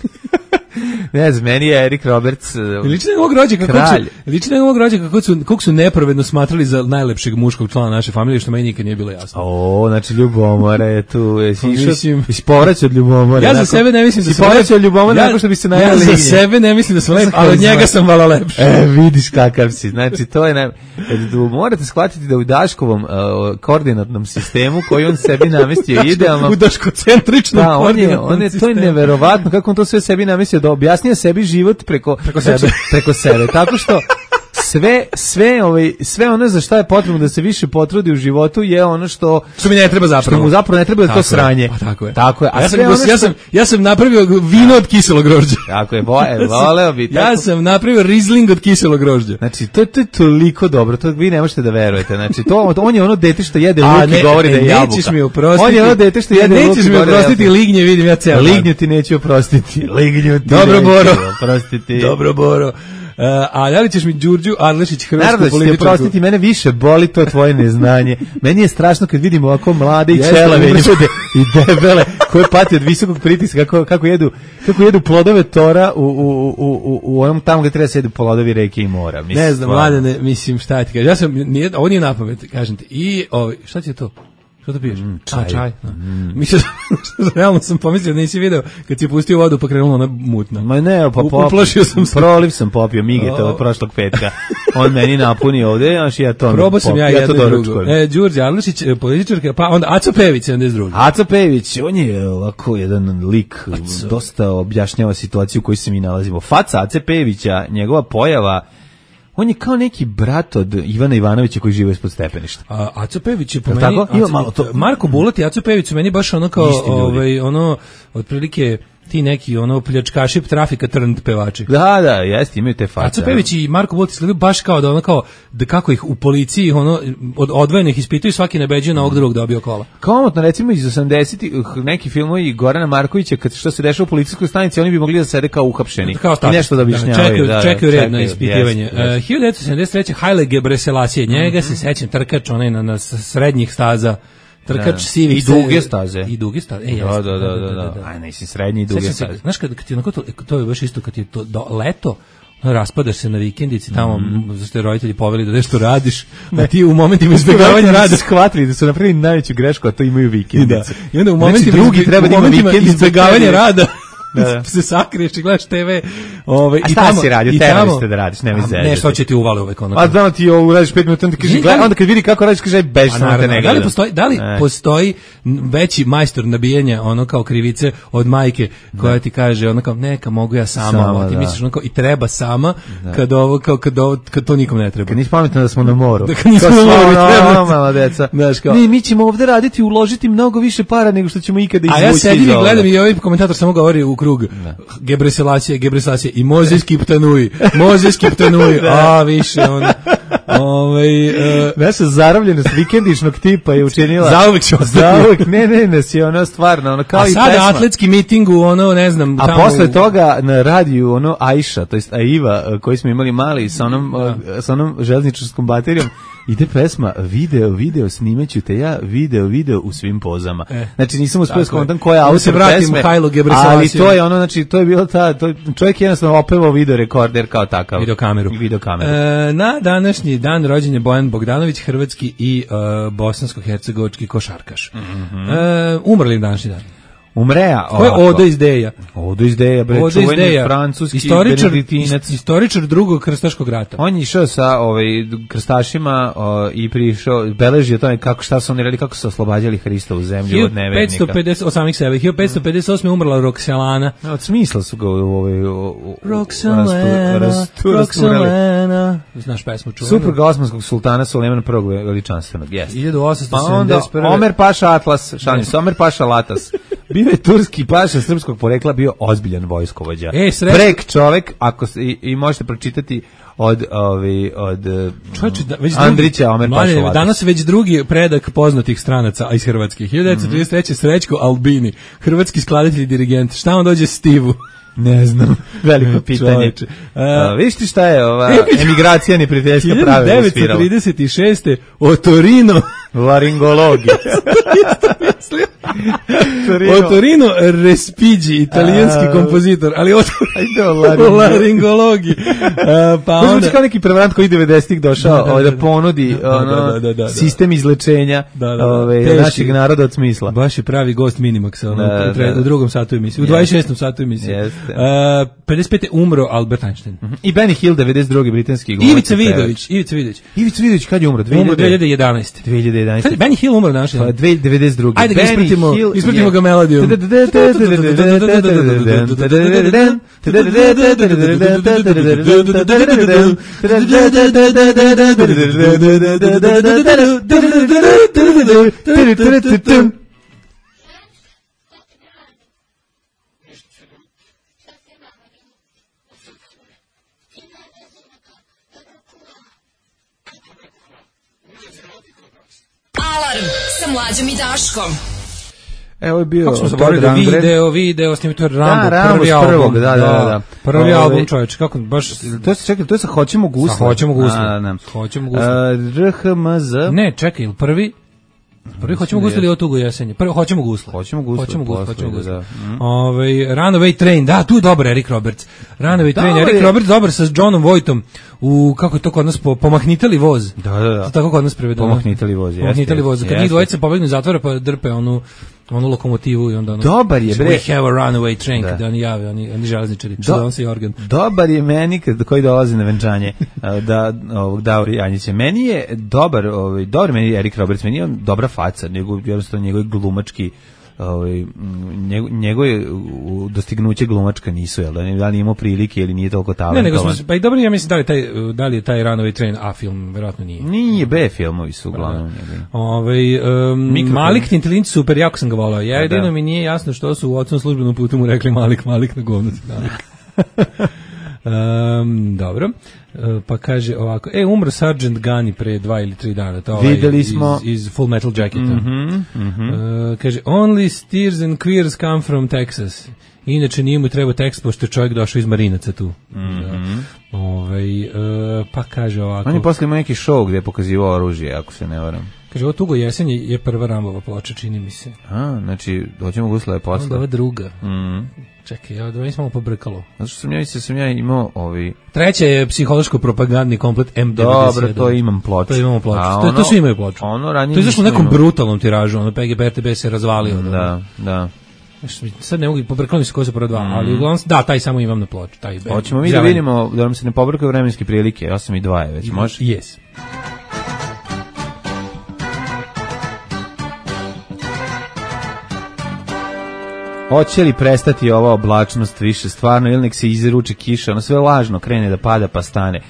[SPEAKER 6] Ne znam, meni je Eric Roberts
[SPEAKER 5] lični ovog rođaka, kralj. Lični ovog rođaka kako su, kako su nepravedno smatrali za najlepšeg muškog člana naše familije, što meni nikad nije bilo jasno.
[SPEAKER 6] O, znači ljubomora je tu, jesi išao, jesi povraćao od ljubomora.
[SPEAKER 5] Ja za sebe ne mislim da
[SPEAKER 6] sam povraćao od ljubomora, nakon što bi se najavili.
[SPEAKER 5] Ja za sebe ne mislim da sam lep, ali od njega sam malo lepši.
[SPEAKER 6] E, vidiš kakav si, znači to je, naj... morate shvatiti da u Daškovom uh, koordinatnom sistemu, koji on sebi namestio idealno.
[SPEAKER 5] U daškocentričnom
[SPEAKER 6] da, on je, on je, to je neverovatno, kako on to sve sebi namestio, da objasnije sebi život preko,
[SPEAKER 5] preko sebe,
[SPEAKER 6] znači, preko sebe, tako što sve sve ovaj sve ono za šta je potrebno da se više potrudi u životu je ono što
[SPEAKER 5] što mi ne treba zapravo.
[SPEAKER 6] Što mu zapravo ne treba da to sranje.
[SPEAKER 5] Pa tako je.
[SPEAKER 6] Tako je.
[SPEAKER 5] A ja sam ono što... ja sam ja sam napravio vino od kiselog grožđa.
[SPEAKER 6] Tako je, voleo bi tako.
[SPEAKER 5] Ja sam napravio Riesling od kiselog grožđa.
[SPEAKER 6] Znači to, to je toliko dobro, to vi ne možete da verujete. Znači to on je ono dete što jede luk i govori da je jabuka.
[SPEAKER 5] Nećeš mi oprostiti.
[SPEAKER 6] On je ono dete što jede luk i govori.
[SPEAKER 5] Nećeš mi oprostiti lignje, vidim ja ceo.
[SPEAKER 6] Lignju ti neću oprostiti. Lignju ti.
[SPEAKER 5] Dobro Boro.
[SPEAKER 6] Oprostiti.
[SPEAKER 5] Dobro Boro. a da li ćeš mi Đurđu Adlešić, hrvatsku političku?
[SPEAKER 6] Naravno, ćete prostiti, mene više boli to tvoje neznanje. Meni je strašno kad vidimo ovako mlade i čelave ljude i debele koje pati od visokog pritiska, kako, kako, jedu, kako jedu plodove tora u, u, u, u, u onom tamo gde treba da sedu plodovi reke i mora. Mislim,
[SPEAKER 5] ne znam, mladene, mislim, šta ti kažeš. Ja sam, nije, ovo nije napamet, kažem ti. I, ovi, šta ti je to? Što to piješ? Mm, čaj. A, čaj. Mm. Mislim, realno sam pomislio da nisi video kad si pustio vodu pa krenulo ona mutna.
[SPEAKER 6] Ma ne, pa
[SPEAKER 5] uplašio sam se.
[SPEAKER 6] Proliv sam popio Migeta od prošlog petka. On meni napuni ovde, znaš, ja to
[SPEAKER 5] probao sam ja, ja jedno i drugo. E, Đurđe Adlešić, političarka, pa onda Aco Pejević, sedamdeset drugi.
[SPEAKER 6] Aco Pejević, on je ovako jedan lik, Aco. Dosta objašnjava situaciju u kojoj se mi nalazimo. Faca Ace Pejevića, njegova pojava, on je kao neki brat od Ivana Ivanovića koji žive ispod stepeništa.
[SPEAKER 5] A Aco Pejević je po meni, tako? Aco, malo to... Marko Bulat i Aco Pejević su meni baš ono kao, ovaj, ono, otprilike ti neki ono pljačkaši trafika trnd pevači.
[SPEAKER 6] Da, da, jeste, imaju te face.
[SPEAKER 5] Aco Pejević i Marko Bulat izgledaju baš kao da ono kao da kako ih u policiji ono od odvojenih ispituju, svaki nabeđuje na ovog drugog dobio kola.
[SPEAKER 6] Komotno recimo iz osamdesetih neki filmovi Gorana Markovića kad što se dešava u policijskoj stanici, oni bi mogli da sede kao uhapšeni i nešto da objašnjavaju.
[SPEAKER 5] Da, čekaju, da, čekaju red na ispitivanje. Yes, yes. Uh, hiljadu devetsto sedamdeset treće Haile Gebrselassie, njega mm-hmm. se sećam, trkač onaj na, na srednjih staza. Trkač da. Sivih
[SPEAKER 6] i duge staze.
[SPEAKER 5] I duge staze. E,
[SPEAKER 6] da, da, da, da, da. Aj, nisi srednji i duge staze.
[SPEAKER 5] Znaš kad, kad ti onako to, to je baš isto kad je to do, leto, raspadaš se na vikendici tamo, mm. zašto te roditelji poveli da nešto radiš, a ti u momentima izbjegavanja rada
[SPEAKER 6] shvatili da su napravili najveću grešku, a to imaju vikendice.
[SPEAKER 5] Da. I onda u momentima,
[SPEAKER 6] znači, drugi treba da ima vikendice
[SPEAKER 5] izbjegavanja rada. Da. Se sakriješ i gledaš te ve. Ovaj
[SPEAKER 6] i tamo si radio, terali ste da radiš, nemoj zezati.
[SPEAKER 5] Ne, što će ti uvale uvek ono.
[SPEAKER 6] A da ti ovo uradiš pet minuta, onda kaže gledaj, onda kad vidi kako radiš kaže bež samo te ne gleda.
[SPEAKER 5] Da li postoji, da li e. postoji veći majstor nabijanja ono kao krivice od majke koja da. Ti kaže ono kao neka mogu ja sama, sama ti da. Misliš ono kao i treba sama da. Kad ovo kao kad ovo kad to nikom ne treba.
[SPEAKER 6] Kad nisi pametan da smo na moru.
[SPEAKER 5] Da kad nismo na moru, treba
[SPEAKER 6] mala deca. Mi mi ćemo ovde raditi, uložiti mnogo više para nego što ćemo ikada izvući.
[SPEAKER 5] A ja sedim i gledam i ovaj komentator samo govori u krug. Gebrselassie, Gebrselassie i Mozes Kiptanui, Mozes Kiptanui, a više on, ovaj, uh,
[SPEAKER 6] naša zarobljenost vikendišnog tipa je učinila,
[SPEAKER 5] zauvek će
[SPEAKER 6] zauvek, ne, ne, ne, si ono stvarno, ono kao
[SPEAKER 5] a
[SPEAKER 6] i
[SPEAKER 5] sada
[SPEAKER 6] pesma.
[SPEAKER 5] Atletski miting u ono, ne znam,
[SPEAKER 6] a tamo posle toga na radiju, ono, Ajša, to jest Aiva, koji smo imali mali sa onom, da. Sa onom železničarskom baterijom, ide pesma, video, video, snimaću te ja, video, video u svim pozama. E, znači nisam uspio skontam koja autor pesme, ali to je ono, znači to je bilo ta, to, čovjek je jednostavno opevao video rekorder kao takav.
[SPEAKER 5] Videokameru.
[SPEAKER 6] Videokameru.
[SPEAKER 5] E, na današnji dan rođen je Bojan Bogdanović, hrvatski i uh, bosansko-hercegovački košarkaš. Mm-hmm. E, umrli današnji dan.
[SPEAKER 6] Umreja.
[SPEAKER 5] Ko je Odo iz Deja?
[SPEAKER 6] Odo iz Deja, bre,
[SPEAKER 5] Odo
[SPEAKER 6] čuveni
[SPEAKER 5] Deja.
[SPEAKER 6] francuski
[SPEAKER 5] istoričar, benediktinac. Istoričar drugog krstaškog rata.
[SPEAKER 6] On je išao sa ovaj, krstašima o, i prišao, beleži o tome kako, šta su oni radili, kako su oslobađali Hrista u zemlju od nevernika.
[SPEAKER 5] petsto pedeset, od samih sebe. hiljadu petsto pedeset osme umrla Roxelana.
[SPEAKER 6] No, od smisla su ga u ovaj...
[SPEAKER 5] Roxelana, Roxelana. Znaš pesmu čuvenu?
[SPEAKER 6] Supruga osmanskog sultana Sulejmana prvog veličanstvenog, jes.
[SPEAKER 5] hiljadu osamsto
[SPEAKER 6] pa onda Omer Paša Atlas, šalim se, Omer Paša Latas. Bio je turski paša srpskog porekla, bio ozbiljan vojskovođa.
[SPEAKER 5] E,
[SPEAKER 6] Prek čovek, ako se, i, i možete pročitati od ovi od
[SPEAKER 5] Čovječe, da, već
[SPEAKER 6] Andrića
[SPEAKER 5] drugi,
[SPEAKER 6] Omer Paša Latas.
[SPEAKER 5] Danas već drugi predak poznatih stranaca iz Hrvatske. hiljadu devetsto trideset treće Srećko Albini, hrvatski skladatelj i dirigent. Šta on dođe Stivu?
[SPEAKER 6] Ne znam, veliko pitanje. A, viš ti šta je ova emigracija neprijateljska pravila svirala?
[SPEAKER 5] hiljadu devetsto trideset šeste Otorino
[SPEAKER 6] laringologija.
[SPEAKER 5] Otorino Respighi, italijanski a, kompozitor, ali o laringologiji. Pa
[SPEAKER 6] onda kao neki prevarant koji devedesetih došao da, da, da, da ponudi da, ono, da, da, da, da, sistem izlečenja da, da, da, ove, našeg naroda od smisla.
[SPEAKER 5] Baš je pravi gost Minimaxa ono, da, da, da. U drugom satu emisije, u dvadeset šestom satu emisije. Uh, pedeset pete umro Albert Einstein.
[SPEAKER 6] Uh-huh. I Benny Hill, devedeset drugi britanski glumac.
[SPEAKER 5] Ivica Vidović, Ivica Vidović.
[SPEAKER 6] Ivica Vidović kad je umro?
[SPEAKER 5] dve hiljade jedanaeste.
[SPEAKER 6] dve hiljade jedanaeste.
[SPEAKER 5] Benny Hill umro danas.
[SPEAKER 6] devedeset drugi.
[SPEAKER 5] Ajde ga ispratimo, ispratimo ga melodijom.
[SPEAKER 2] Alarm sa Mlađom i Daškom.
[SPEAKER 6] Evo je bio
[SPEAKER 5] kako smo zaboravili da video, video, snimio to Rambo,
[SPEAKER 6] da,
[SPEAKER 5] prvi album,
[SPEAKER 6] prvog, da, da, da.
[SPEAKER 5] Prvi
[SPEAKER 6] Ove,
[SPEAKER 5] album, čoveče, kako baš
[SPEAKER 6] to se čekaj, to je sa Hoćemo gusle.
[SPEAKER 5] Sa Hoćemo gusle. A, da. Hoćemo gusle.
[SPEAKER 6] R H M Z.
[SPEAKER 5] Ne, čekaj, prvi Prvi Hoćemo gusle ili o tugu jesenje? Prvi Hoćemo gusle.
[SPEAKER 6] Hoćemo gusle.
[SPEAKER 5] Hoćemo gusle, hoćemo gusle. Da. Mm. Ovaj Runaway Train, da, tu je dobar Eric Roberts. Runaway Train, Eric je... Roberts dobar sa Johnom Voightom u kako je to kod nas po, pomahnitali voz.
[SPEAKER 6] Da, da, da.
[SPEAKER 5] To tako kod nas prevedeno.
[SPEAKER 6] Pomahnitali voz, jeste.
[SPEAKER 5] Pomahnitali voz. Kad njih dvojica pobegnu iz zatvora pa drpe onu onu lokomotivu i onda ono.
[SPEAKER 6] Dobar je bre.
[SPEAKER 5] We have a runaway train, da. Kad oni jave, oni oni železničari. Do, on se organ.
[SPEAKER 6] Dobar je meni kad koji dolazi na venčanje da ovog Davor Janjića. Meni je dobar, ovaj dobar meni Eric Roberts, meni je on dobra faca, nego jednostavno njegov glumački ovaj njegove dostignuće glumačka nisu, jel da ne da li imao prilike ili nije toliko talentovan.
[SPEAKER 5] Ne, nego smo pa i dobro, ja mislim da li taj da li je taj Runaway Train A film, verovatno nije.
[SPEAKER 6] Nije, B filmovi su uglavnom.
[SPEAKER 5] Ovaj um, Malik Tintelin super, jako sam ga voleo. Ja jedino da. Mi nije jasno što su u ocnom službenom putu mu rekli Malik Malik na govno. Um, dobro, uh, pa kaže ovako, e, umro Sergeant Gunny pre dva ili tri dana, to ovaj
[SPEAKER 6] videli smo
[SPEAKER 5] iz, iz Full Metal Jacketa.
[SPEAKER 6] Mm-hmm, mm-hmm.
[SPEAKER 5] Uh, kaže, only steers and queers come from Texas. Inače nije mu treba tekst, pošto je čovjek došao iz Marinaca tu.
[SPEAKER 6] Mm-hmm.
[SPEAKER 5] Da. Ovaj, uh, pa kaže ovako.
[SPEAKER 6] On je posle imao neki show gde je pokazivao oružje, ako se ne varam.
[SPEAKER 5] Kaže, ovo Tugo jesen je prva Rambova ploča, čini mi se.
[SPEAKER 6] A, znači, Hoćemo gusle je posle.
[SPEAKER 5] Onda ova druga.
[SPEAKER 6] Mm.
[SPEAKER 5] Čekaj, ja da nisam malo pobrkalo.
[SPEAKER 6] Zato što sam ja, sam ja imao ovi...
[SPEAKER 5] Treća je psihološko-propagandni komplet M devedeset sedam.
[SPEAKER 6] Dobro, to imam ploču.
[SPEAKER 5] To imamo ploču.
[SPEAKER 6] A
[SPEAKER 5] to,
[SPEAKER 6] ono,
[SPEAKER 5] to svi imaju ploču.
[SPEAKER 6] Ono ranije
[SPEAKER 5] to je zašto u nekom brutalnom tiražu, ono P G P R T B se razvalio.
[SPEAKER 6] Da, da.
[SPEAKER 5] Sad ne mogu, pobrkalo mi se ko se prvo dva, mm. ali uglavnom, da, taj samo imam na ploču. Taj
[SPEAKER 6] hoćemo mi da vidimo, da nam se ne pobrkaju vremenske prilike, ja sam i dva je već, može?
[SPEAKER 5] Yes.
[SPEAKER 6] Hoće li prestati ova oblačnost više stvarno ili nek se izruče kiša, ono sve lažno krene da pada pa stane.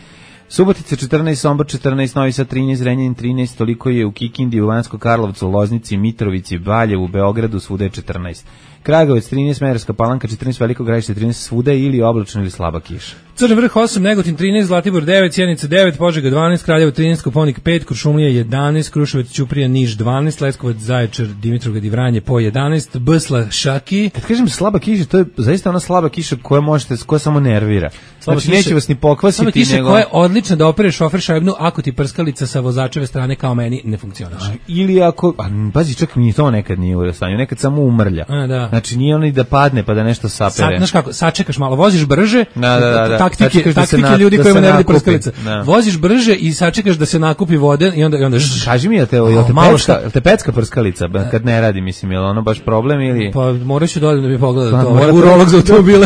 [SPEAKER 6] Subotica četrnaest, Sombor četrnaest, Novi Sad trinaest, Zrenjanin trinaest, toliko je u Kikindi, u Banjskom Karlovcu, Loznici, Mitrovici, Valjevu, Beogradu, svuda je četrnaest. Kragujevac trinaest, Smederevska Palanka četrnaest, Veliko Gradište trinaest, svuda je ili oblačno ili slaba kiša.
[SPEAKER 5] Crni vrh osam, Negotin trinaest, Zlatibor devet, Sjenica devet, Požega dvanaest, Kraljevo trinaest, Koponik pet, Kuršumlija jedanaest, Kruševac, Ćuprija, Niš dvanaest, Leskovac, Zaječar, Dimitrovgrad i Vranje po jedanaest, Bsla, Šaki.
[SPEAKER 6] Kad kažem slaba kiša, to je zaista ona slaba kiša koja možete, koja samo nervira.
[SPEAKER 5] Slaba
[SPEAKER 6] znači kiša, neće vas ni pokvasiti.
[SPEAKER 5] Slaba kiša
[SPEAKER 6] nego...
[SPEAKER 5] koja je odlična da opereš šofer šajbnu ako ti prskalica sa vozačeve strane kao meni ne funkcioniše.
[SPEAKER 6] Ili ako, a, pazi, čak ni to nekad nije u stanju, nekad samo umrlja.
[SPEAKER 5] A, da.
[SPEAKER 6] Znači nije oni da padne pa da nešto sapere.
[SPEAKER 5] Sa, znaš kako, sačekaš malo, voziš brže,
[SPEAKER 6] da, da, da, da.
[SPEAKER 5] taktike,
[SPEAKER 6] da
[SPEAKER 5] taktike
[SPEAKER 6] na,
[SPEAKER 5] ljudi
[SPEAKER 6] da
[SPEAKER 5] kojima ne radi prskalica.
[SPEAKER 6] Da.
[SPEAKER 5] Voziš brže i sačekaš da se nakupi vode i onda i onda
[SPEAKER 6] kaži mi je te, jel te malo šta, te pecka prskalica kad ne radi, mislim, je ono baš problem ili
[SPEAKER 5] pa moraš da dođe da mi pogleda to. Ovaj urolog za automobile.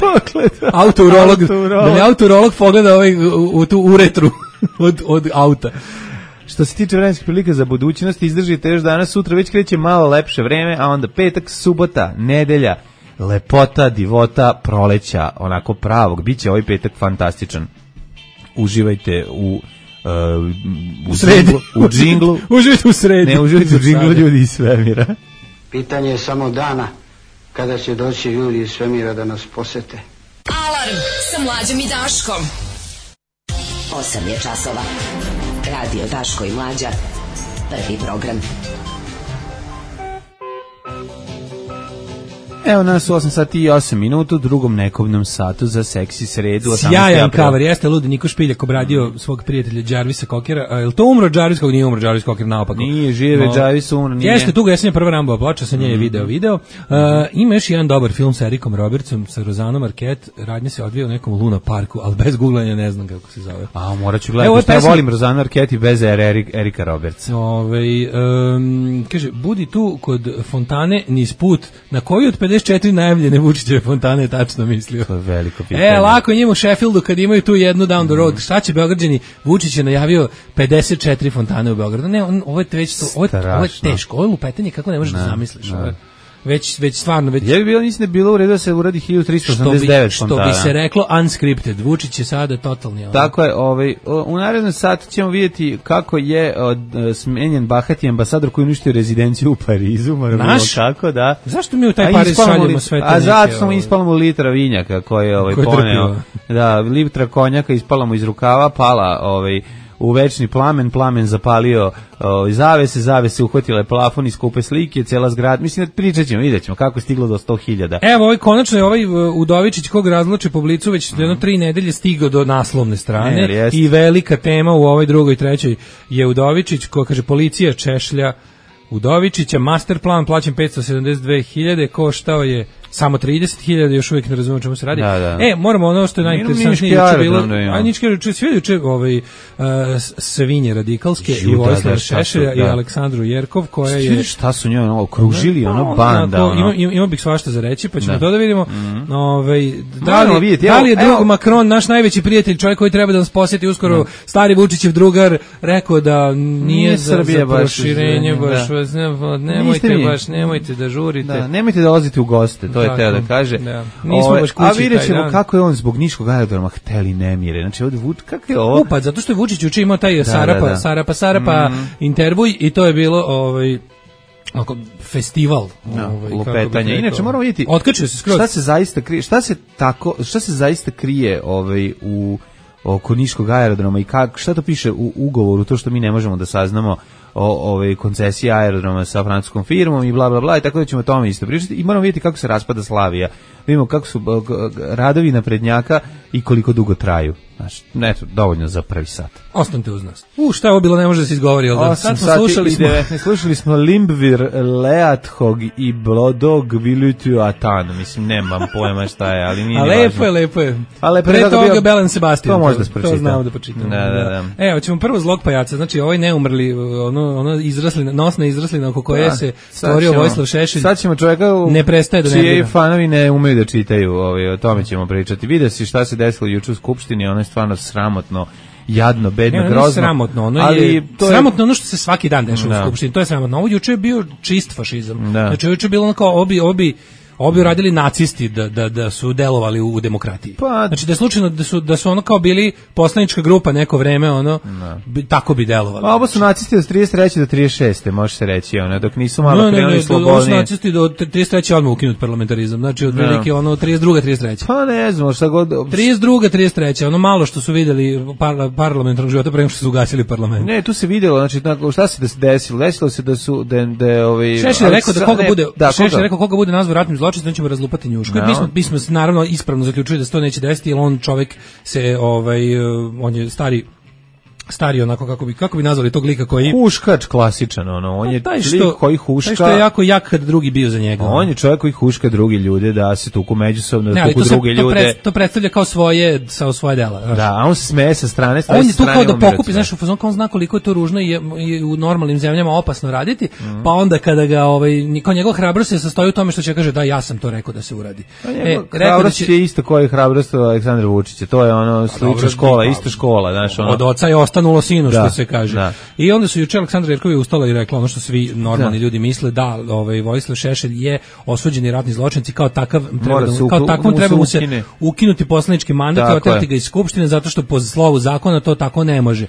[SPEAKER 5] Autourolog. Da li autourolog pogleda ovaj u tu uretru od od auta.
[SPEAKER 6] Što se tiče vremenskih prilika za budućnost, izdržite još danas, sutra već kreće malo lepše vreme, a onda petak, subota, nedelja, lepota, divota, proleća, onako pravog. Biće ovaj petak fantastičan. Uživajte u uh,
[SPEAKER 5] u sredi,
[SPEAKER 6] u džinglu.
[SPEAKER 5] Uživajte u sredi.
[SPEAKER 6] Ne, uživajte u džinglu ljudi iz svemira.
[SPEAKER 9] Pitanje je samo dana kada će doći ljudi iz svemira da nas posete.
[SPEAKER 2] Alarm sa Mlađom i Daškom. osam je časova. Radio Daško i Mlađa. Prvi program.
[SPEAKER 6] Evo nas u osam sati i osam minuta u drugom nekobnom satu za seksi sredu.
[SPEAKER 5] Sjajan cover, jeste ludi Niko Špiljak obradio svog prijatelja Jarvisa Kokera. A je li to umro Jarvis Koker? Nije umro Jarvis Koker, naopako.
[SPEAKER 6] Nije, žive no, Jarvis umro, nije.
[SPEAKER 5] Jeste, tuga jesenja prva Rambova ploča, sa nje je video video. Uh, ima još jedan dobar film sa Ericom Robertsom, sa Rosanom Arquette. Radnje se odvija u nekom Luna parku, ali bez googlanja ne znam kako se zove.
[SPEAKER 6] A, morat ću gledati, ja volim Rosanu Arquette i bez Erika Robertsa.
[SPEAKER 5] Ove, um, kaže, budi tu kod fontane niz put, na koju od pedeset četiri najavljene Vučićeve fontane tačno mislio.
[SPEAKER 6] To je veliko pitanje.
[SPEAKER 5] E, lako je njima u Sheffieldu kad imaju tu jednu down the road. Mm. Šta će Beograđani? Vučić je najavio pedeset četiri fontane u Beogradu. Ne, on, ovo je već to, ovo, je, ovo je teško. Ovo je lupetanje kako ne možeš ne, da zamisliš. Ne. Ovo je već već stvarno već
[SPEAKER 6] je bilo mislim da je bilo u redu da se uradi hiljadu trista osamdeset devet
[SPEAKER 5] što bi, što bi se reklo unscripted. Vučić je sada totalni. Ovaj.
[SPEAKER 6] Tako je, ovaj u narednom satu ćemo vidjeti kako je od uh, smenjen bahati ambasador koji uništio rezidenciju u Parizu,
[SPEAKER 5] naš
[SPEAKER 6] kako da.
[SPEAKER 5] Zašto mi u taj Pariz šaljemo sve te?
[SPEAKER 6] A zato smo ispalamo litra vinjaka koji je ovaj poneo. Da, litra konjaka ispalamo iz rukava, pala ovaj u večni plamen, plamen zapalio o, zavese, zavese uhvatile plafon i skupe slike, cela zgrada, mislim, pričat ćemo, vidjet ćemo kako je stiglo do sto hiljada.
[SPEAKER 5] Evo, ovaj, konačno je ovaj Udovičić, kog razloče po Blicu, već jedno tri nedelje stigao do naslovne strane
[SPEAKER 6] ne,
[SPEAKER 5] i velika tema u ovoj drugoj, trećoj je Udovičić, ko kaže, policija češlja Udovičića, master plan plaćen petsto sedamdeset dve hiljade, koštao je samo trideset hiljada, još uvijek ne razumemo čemu se radi.
[SPEAKER 6] Da, da.
[SPEAKER 5] E, moramo ono što je najinteresantnije juče bilo, a ničke juče, sve juče ovaj, uh, svinje radikalske Ju, i Vojislav Šešelja i Aleksandru Jerkov, koja je...
[SPEAKER 6] Šta su njoj ono, okružili, ono banda, ono.
[SPEAKER 5] Ima, ima, ima bih svašta za reći, pa ćemo da. to da vidimo. Mm-hmm. Ovaj, da, li,
[SPEAKER 6] vidjeti,
[SPEAKER 5] da li je
[SPEAKER 6] evo,
[SPEAKER 5] drug Macron, naš najveći prijatelj, čovjek koji treba da nas posjeti uskoro, no. stari Vučićev drugar, rekao da nije, nije za, za proširenje, baš, baš da. nemojte baš, nemojte da žurite.
[SPEAKER 6] Da, nemojte da dolazite u goste, to je teo da kaže.
[SPEAKER 5] Da. Nismo
[SPEAKER 6] Ove,
[SPEAKER 5] baš kući.
[SPEAKER 6] A vidjet ćemo kako je on zbog niškog aerodroma hteli nemire. Znači, ovdje, kako je ovo?
[SPEAKER 5] Upad, zato što je Vučić juče imao taj da, Sarapa, da, da. Sarapa, Sarapa mm. intervjuj i to je bilo ovaj, oko, festival.
[SPEAKER 6] No,
[SPEAKER 5] ovaj,
[SPEAKER 6] lupetanje. Inače, moramo vidjeti
[SPEAKER 5] otkačio se skroz.
[SPEAKER 6] Šta se zaista krije, šta se, tako, šta se zaista krije ovaj, u oko niškog aerodroma i kako, šta to piše u ugovoru, to što mi ne možemo da saznamo o ove koncesije aerodroma sa francuskom firmom i bla bla bla, i tako da ćemo o tome isto pričati i moramo vidjeti kako se raspada Slavija. Vidimo kako su radovi naprednjaka i koliko dugo traju. Znači, eto, dovoljno za prvi sat.
[SPEAKER 5] Ostanite uz nas. U, šta je ovo bilo, ne može da se izgovori, jel da?
[SPEAKER 6] Sad smo slušali smo... slušali smo Limbvir, Leathog i Blodog Vilutu Atan. Mislim, nemam pojma šta je, ali nije
[SPEAKER 5] A
[SPEAKER 6] ni
[SPEAKER 5] lepo je, lepo je.
[SPEAKER 6] A lepo
[SPEAKER 5] Pre
[SPEAKER 6] je
[SPEAKER 5] toga
[SPEAKER 6] bio...
[SPEAKER 5] Belen Sebastian.
[SPEAKER 6] To možda pročitam.
[SPEAKER 5] To znamo da pročitam.
[SPEAKER 6] Da, da, da.
[SPEAKER 5] Evo, ćemo prvo zlog pajaca. Znači, ovaj neumrli, ono, ono izrasli, nosna izraslina oko koje da, se stvorio ćemo, Vojislav Šešelj.
[SPEAKER 6] Sad ćemo čovjeka u...
[SPEAKER 5] ne prestaje da ne
[SPEAKER 6] čiji fanovi ne umeju da čitaju, ovaj, o tome ćemo pričati. Vide si šta se desilo juče u Skupštini, ono je stvarno sramotno, jadno, bedno,
[SPEAKER 5] ne,
[SPEAKER 6] grozno.
[SPEAKER 5] Sramotno, ono
[SPEAKER 6] ali
[SPEAKER 5] je
[SPEAKER 6] to
[SPEAKER 5] sramotno je... ono što se svaki dan dešava
[SPEAKER 6] da.
[SPEAKER 5] u Skupštini, to je sramotno. Ovo juče je bio čist fašizam.
[SPEAKER 6] Da.
[SPEAKER 5] Znači juče je bilo ono kao obi obi obi radili nacisti da, da, da su delovali u, u demokratiji.
[SPEAKER 6] Pa,
[SPEAKER 5] znači da je slučajno da su, da su ono kao bili poslanička grupa neko vreme, ono, bi, tako bi delovali.
[SPEAKER 6] A ovo su nacisti od trideset treće do trideset šeste može se reći, ono, dok nisu malo
[SPEAKER 5] no,
[SPEAKER 6] krenuli slobodnije. Ovo
[SPEAKER 5] su nacisti do trideset treće odmah ukinut parlamentarizam, znači od velike ono trideset druga trideset treća
[SPEAKER 6] Pa ne znam, šta god...
[SPEAKER 5] trideset druga trideset treća ono malo što su videli par, parlamentarnog života pre nego što su ugasili parlament.
[SPEAKER 6] Ne, tu se videlo, znači, šta se desilo? Desilo se da su... Da, da, ovaj,
[SPEAKER 5] Šešelj je rekao da koga bude, da, Šešelj rekao koga bude nazvao ratnim zločincem, da ćemo razlupati njušku. No. Mi smo, mi smo naravno ispravno zaključili da se to neće desiti, jer on čovjek se, ovaj, on je stari, stari onako, kako bi, kako bi nazvali tog lika koji...
[SPEAKER 6] Huškač klasičan, ono, on je
[SPEAKER 5] taj što,
[SPEAKER 6] lik koji huška...
[SPEAKER 5] Taj što je jako jak kad drugi bio za njega.
[SPEAKER 6] On je čovjek koji huška drugi ljude, da se tuku međusobno, da tuku druge
[SPEAKER 5] se,
[SPEAKER 6] ljude.
[SPEAKER 5] To, pred, to predstavlja kao svoje, kao svoje dela. Znaš.
[SPEAKER 6] Da, a on se smeje sa strane, strane
[SPEAKER 5] on je tu kao da pokupi, znaš, u fazonu kao on zna koliko je to ružno i je, je u normalnim zemljama opasno raditi, mm. pa onda kada ga, ovaj, kao njegov hrabrost se sastoji u tome što će kaže da ja sam to rekao da se uradi.
[SPEAKER 6] E, hrabrost da će... je isto koji hrabrost Aleksandra Vučića, to je ono slična škola, ista škola, znaš, ono.
[SPEAKER 5] Od oca je ostanulo sinu, što se kaže. Da. I onda su juče Aleksandra Jerkov je ustala i rekla ono što svi normalni da. ljudi misle, da, ovaj Vojislav Šešelj je osuđeni ratni zločinac i kao takav treba da, kao takvom treba mu se ukinuti poslanički mandat i oterati ga iz skupštine zato što po slovu zakona to tako ne može.
[SPEAKER 6] E,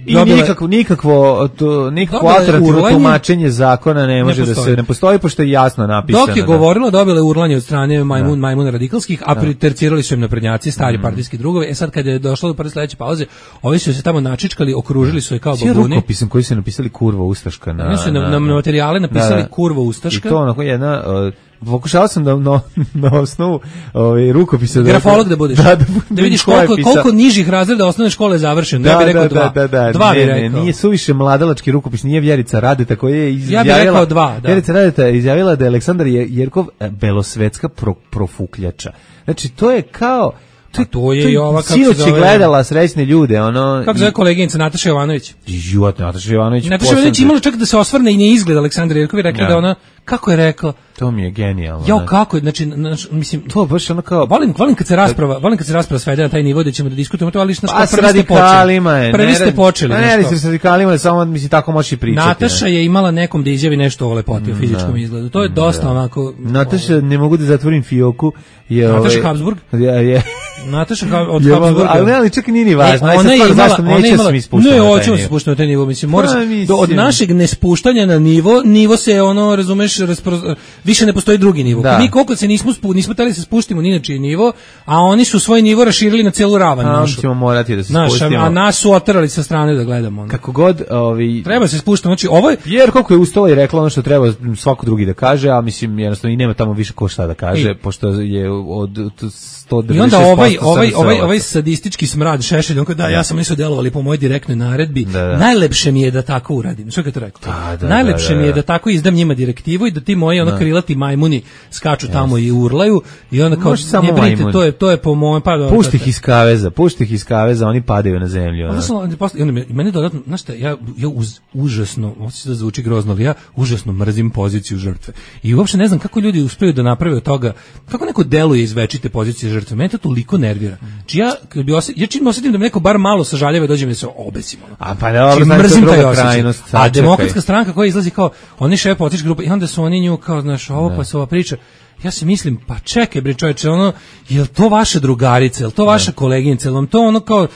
[SPEAKER 6] I dobila, nikakvo nikakvo to nikakvo alternativno tumačenje zakona ne može ne da se ne postoji pošto je jasno napisano.
[SPEAKER 5] Dok je govorila, dobila je urlanje od strane majmun da. majmuna radikalskih, a tercirali su im naprednjaci, stari mm. partijski drugovi. E sad kad je došlo do prve sledeće pauze, ovi su se tamo načičkali, okružili su je kao babuni.
[SPEAKER 6] Svi rukopisom koji su napisali kurva ustaška na...
[SPEAKER 5] Oni su na, na, na materijale napisali da, kurva ustaška.
[SPEAKER 6] I to onako jedna... Uh, pokušao sam da no, na osnovu ovaj, rukopisa...
[SPEAKER 5] Grafolog da budeš. Da, da, da vidiš koliko, koliko nižih razreda osnovne škole je završeno. Da, ja bih rekao
[SPEAKER 6] da,
[SPEAKER 5] dva.
[SPEAKER 6] Da, da, da.
[SPEAKER 5] Dva
[SPEAKER 6] ne,
[SPEAKER 5] bih rekao.
[SPEAKER 6] Ne, nije suviše mladalački rukopis, nije Vjerica Radeta koja je izjavila...
[SPEAKER 5] Ja bih rekao dva, da.
[SPEAKER 6] Vjerica Radeta je izjavila da je Aleksandar Jerkov belosvetska pro, profukljača. Znači, to je kao...
[SPEAKER 5] To, to je i ova kako
[SPEAKER 6] se zove... gledala srećne ljude, ono...
[SPEAKER 5] Kako zove koleginica Nataša Jovanović?
[SPEAKER 6] Život, Nataša Jovanović.
[SPEAKER 5] Nataša Jovanović imala čak da se osvrne i ne izgleda Aleksandar Jerkov i rekla ja. da ona... Kako je rekla?
[SPEAKER 6] To mi je genijalno.
[SPEAKER 5] Jo, kako je, znači, znači, mislim...
[SPEAKER 6] To baš ono kao...
[SPEAKER 5] Volim, volim kad se rasprava, volim kad se rasprava svede na taj nivo da ćemo da diskutujemo to, ali što
[SPEAKER 6] pa, prvi ste počeli. Je,
[SPEAKER 5] prvi ne, ste počeli.
[SPEAKER 6] Ne, ne, ne, s radikalima, samo, mislim, tako možeš i pričati.
[SPEAKER 5] Nataša je imala nekom da izjavi nešto o lepoti, o fizičkom izgledu. To je dosta onako...
[SPEAKER 6] Nataša, ne mogu da zatvorim fioku. Je
[SPEAKER 5] Nataša Habsburg?
[SPEAKER 6] Je, je,
[SPEAKER 5] Nataša kao od
[SPEAKER 6] ja,
[SPEAKER 5] Habsburga.
[SPEAKER 6] Ali ne, ali čak nije ni važno.
[SPEAKER 5] E, ona je imala, zašto
[SPEAKER 6] neće
[SPEAKER 5] imala,
[SPEAKER 6] se ispuštati.
[SPEAKER 5] Ne, hoćemo se spuštati na taj nivo, mislim, mora se, do, od našeg nespuštanja na nivo, nivo se ono, razumeš, raspro, više ne postoji drugi nivo. Da. Mi koliko se nismo spu, nismo tali se spuštimo ni na čiji nivo, a oni su svoj nivo raširili na celu ravan našu.
[SPEAKER 6] Ćemo morati da se
[SPEAKER 5] naš,
[SPEAKER 6] spustimo.
[SPEAKER 5] A nas su oterali sa strane da gledamo. Ono.
[SPEAKER 6] Kako god, ovi
[SPEAKER 5] treba se spuštati, znači ovo je
[SPEAKER 6] jer koliko je ustala i rekla ono što treba svako drugi da kaže, a mislim jednostavno i nema tamo više ko šta da kaže, I, pošto je od sto devedeset šest posto
[SPEAKER 5] i onda ovaj ovaj ovaj ovaj sadistički smrad Šešelj, on da ja sam nisu delovali po mojoj direktnoj naredbi. Da, da. Najlepše mi je da tako uradim. Što je to rekao? Da, da, Najlepše da, da, da. mi je da tako izdam njima direktivu i da ti moji ono krilati majmuni skaču yes. tamo i urlaju i onda kao ne brinite, to je to je po mojem pa
[SPEAKER 6] pušti ih iz kaveza, pušti ih iz kaveza, oni padaju na zemlju.
[SPEAKER 5] Onda sam i onda meni dodatno, znaš šta, ja ja uz, užasno, hoće da zvuči grozno, ali ja užasno mrzim poziciju žrtve. I uopšte ne znam kako ljudi uspeju da naprave od toga, kako neko deluje iz večite pozicije žrtve. Mene to toliko nervira. Či ja kad bi osjetio, ja čim osetim da me neko bar malo sažaljava, dođe mi da se obesim.
[SPEAKER 6] A pa dobro, znači mrzim taj krajnost.
[SPEAKER 5] A demokratska stranka koja izlazi kao oni šef političke grupe i onda su oni nju kao znaš, ovo pa se ova priča. Ja se mislim, pa čekaj bre čoveče, ono, jel to vaša drugarica, jel to vaša koleginica, jel vam to ono kao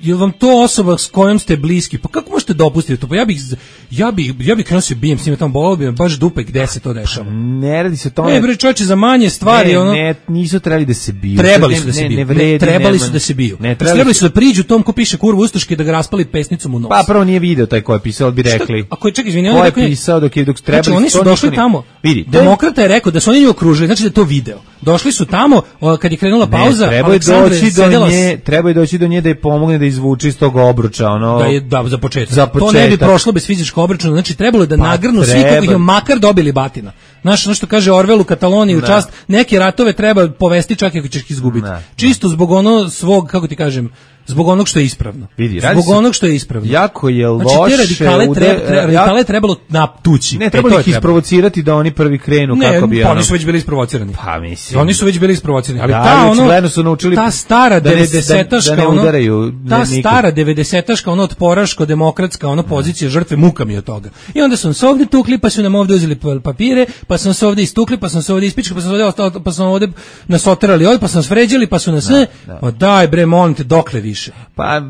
[SPEAKER 5] jel vam to osoba s kojom ste bliski, pa kako možete dopustiti to? Pa ja bih ja bih ja bih krenuo se bijem s njima tamo, bolelo bi me baš dupe gde se to dešava.
[SPEAKER 6] Ne radi se to.
[SPEAKER 5] Ne bre čoveče, za manje stvari
[SPEAKER 6] ne,
[SPEAKER 5] ono.
[SPEAKER 6] Ne, nisu trebali da se biju.
[SPEAKER 5] Trebali su da se biju. Ne, vredi, trebali su da se biju. Ne, trebali, trebali su da priđu tom ko piše kurvu ustaški da ga raspali pesnicom u nos.
[SPEAKER 6] Pa prvo nije video taj ko je pisao, bi rekli.
[SPEAKER 5] Ako je ček izvini,
[SPEAKER 6] on je pisao dok je dok trebali.
[SPEAKER 5] Znači, oni su došli tamo. Vidi, demokrata je rekao da su oni nju okružili, znači da je to video. Došli su tamo kad je krenula pauza,
[SPEAKER 6] treba doći do nje, treba doći do nje da je pomogne da izvuče iz tog obruča, ono.
[SPEAKER 5] Da je da za početak.
[SPEAKER 6] Za početak.
[SPEAKER 5] To ne bi prošlo bez fizičkog obračuna, znači trebalo je da pa nagrnu svi kako ih makar dobili batina. Znaš, ono što kaže Orwell u Kataloniji, u čast, neke ratove treba povesti čak i ako ćeš ih izgubiti. Ne. Čisto zbog ono svog, kako ti kažem, zbog onog što je ispravno.
[SPEAKER 6] Vidi,
[SPEAKER 5] zbog onog što je ispravno.
[SPEAKER 6] Jako je loše.
[SPEAKER 5] Znači, te radikale, ude, treba, treba, radikale je trebalo natući.
[SPEAKER 6] Ne, trebalo ih isprovocirati da oni prvi krenu
[SPEAKER 5] ne,
[SPEAKER 6] kako bi...
[SPEAKER 5] Ne, pa oni su već bili isprovocirani.
[SPEAKER 6] Pa mislim.
[SPEAKER 5] Oni su već bili isprovocirani. Ali
[SPEAKER 6] da,
[SPEAKER 5] ta, ono,
[SPEAKER 6] su naučili
[SPEAKER 5] ta stara
[SPEAKER 6] da
[SPEAKER 5] devedesetaška,
[SPEAKER 6] da, da
[SPEAKER 5] ono,
[SPEAKER 6] udaraju,
[SPEAKER 5] ta
[SPEAKER 6] ne,
[SPEAKER 5] stara devedesetaška, ono otporaško-demokratska, ono pozicija žrtve, muka mi od toga. I onda su se ovdje tukli, pa su nam ovdje uzeli papire, pa su se ovdje istukli, pa su se ovdje ispičkali, pa su ovdje, ostali, pa su ovdje nas oterali ovdje, pa su nas vređali, pa su nas sve. Ma daj bre, molim te, dokle više?
[SPEAKER 6] Pa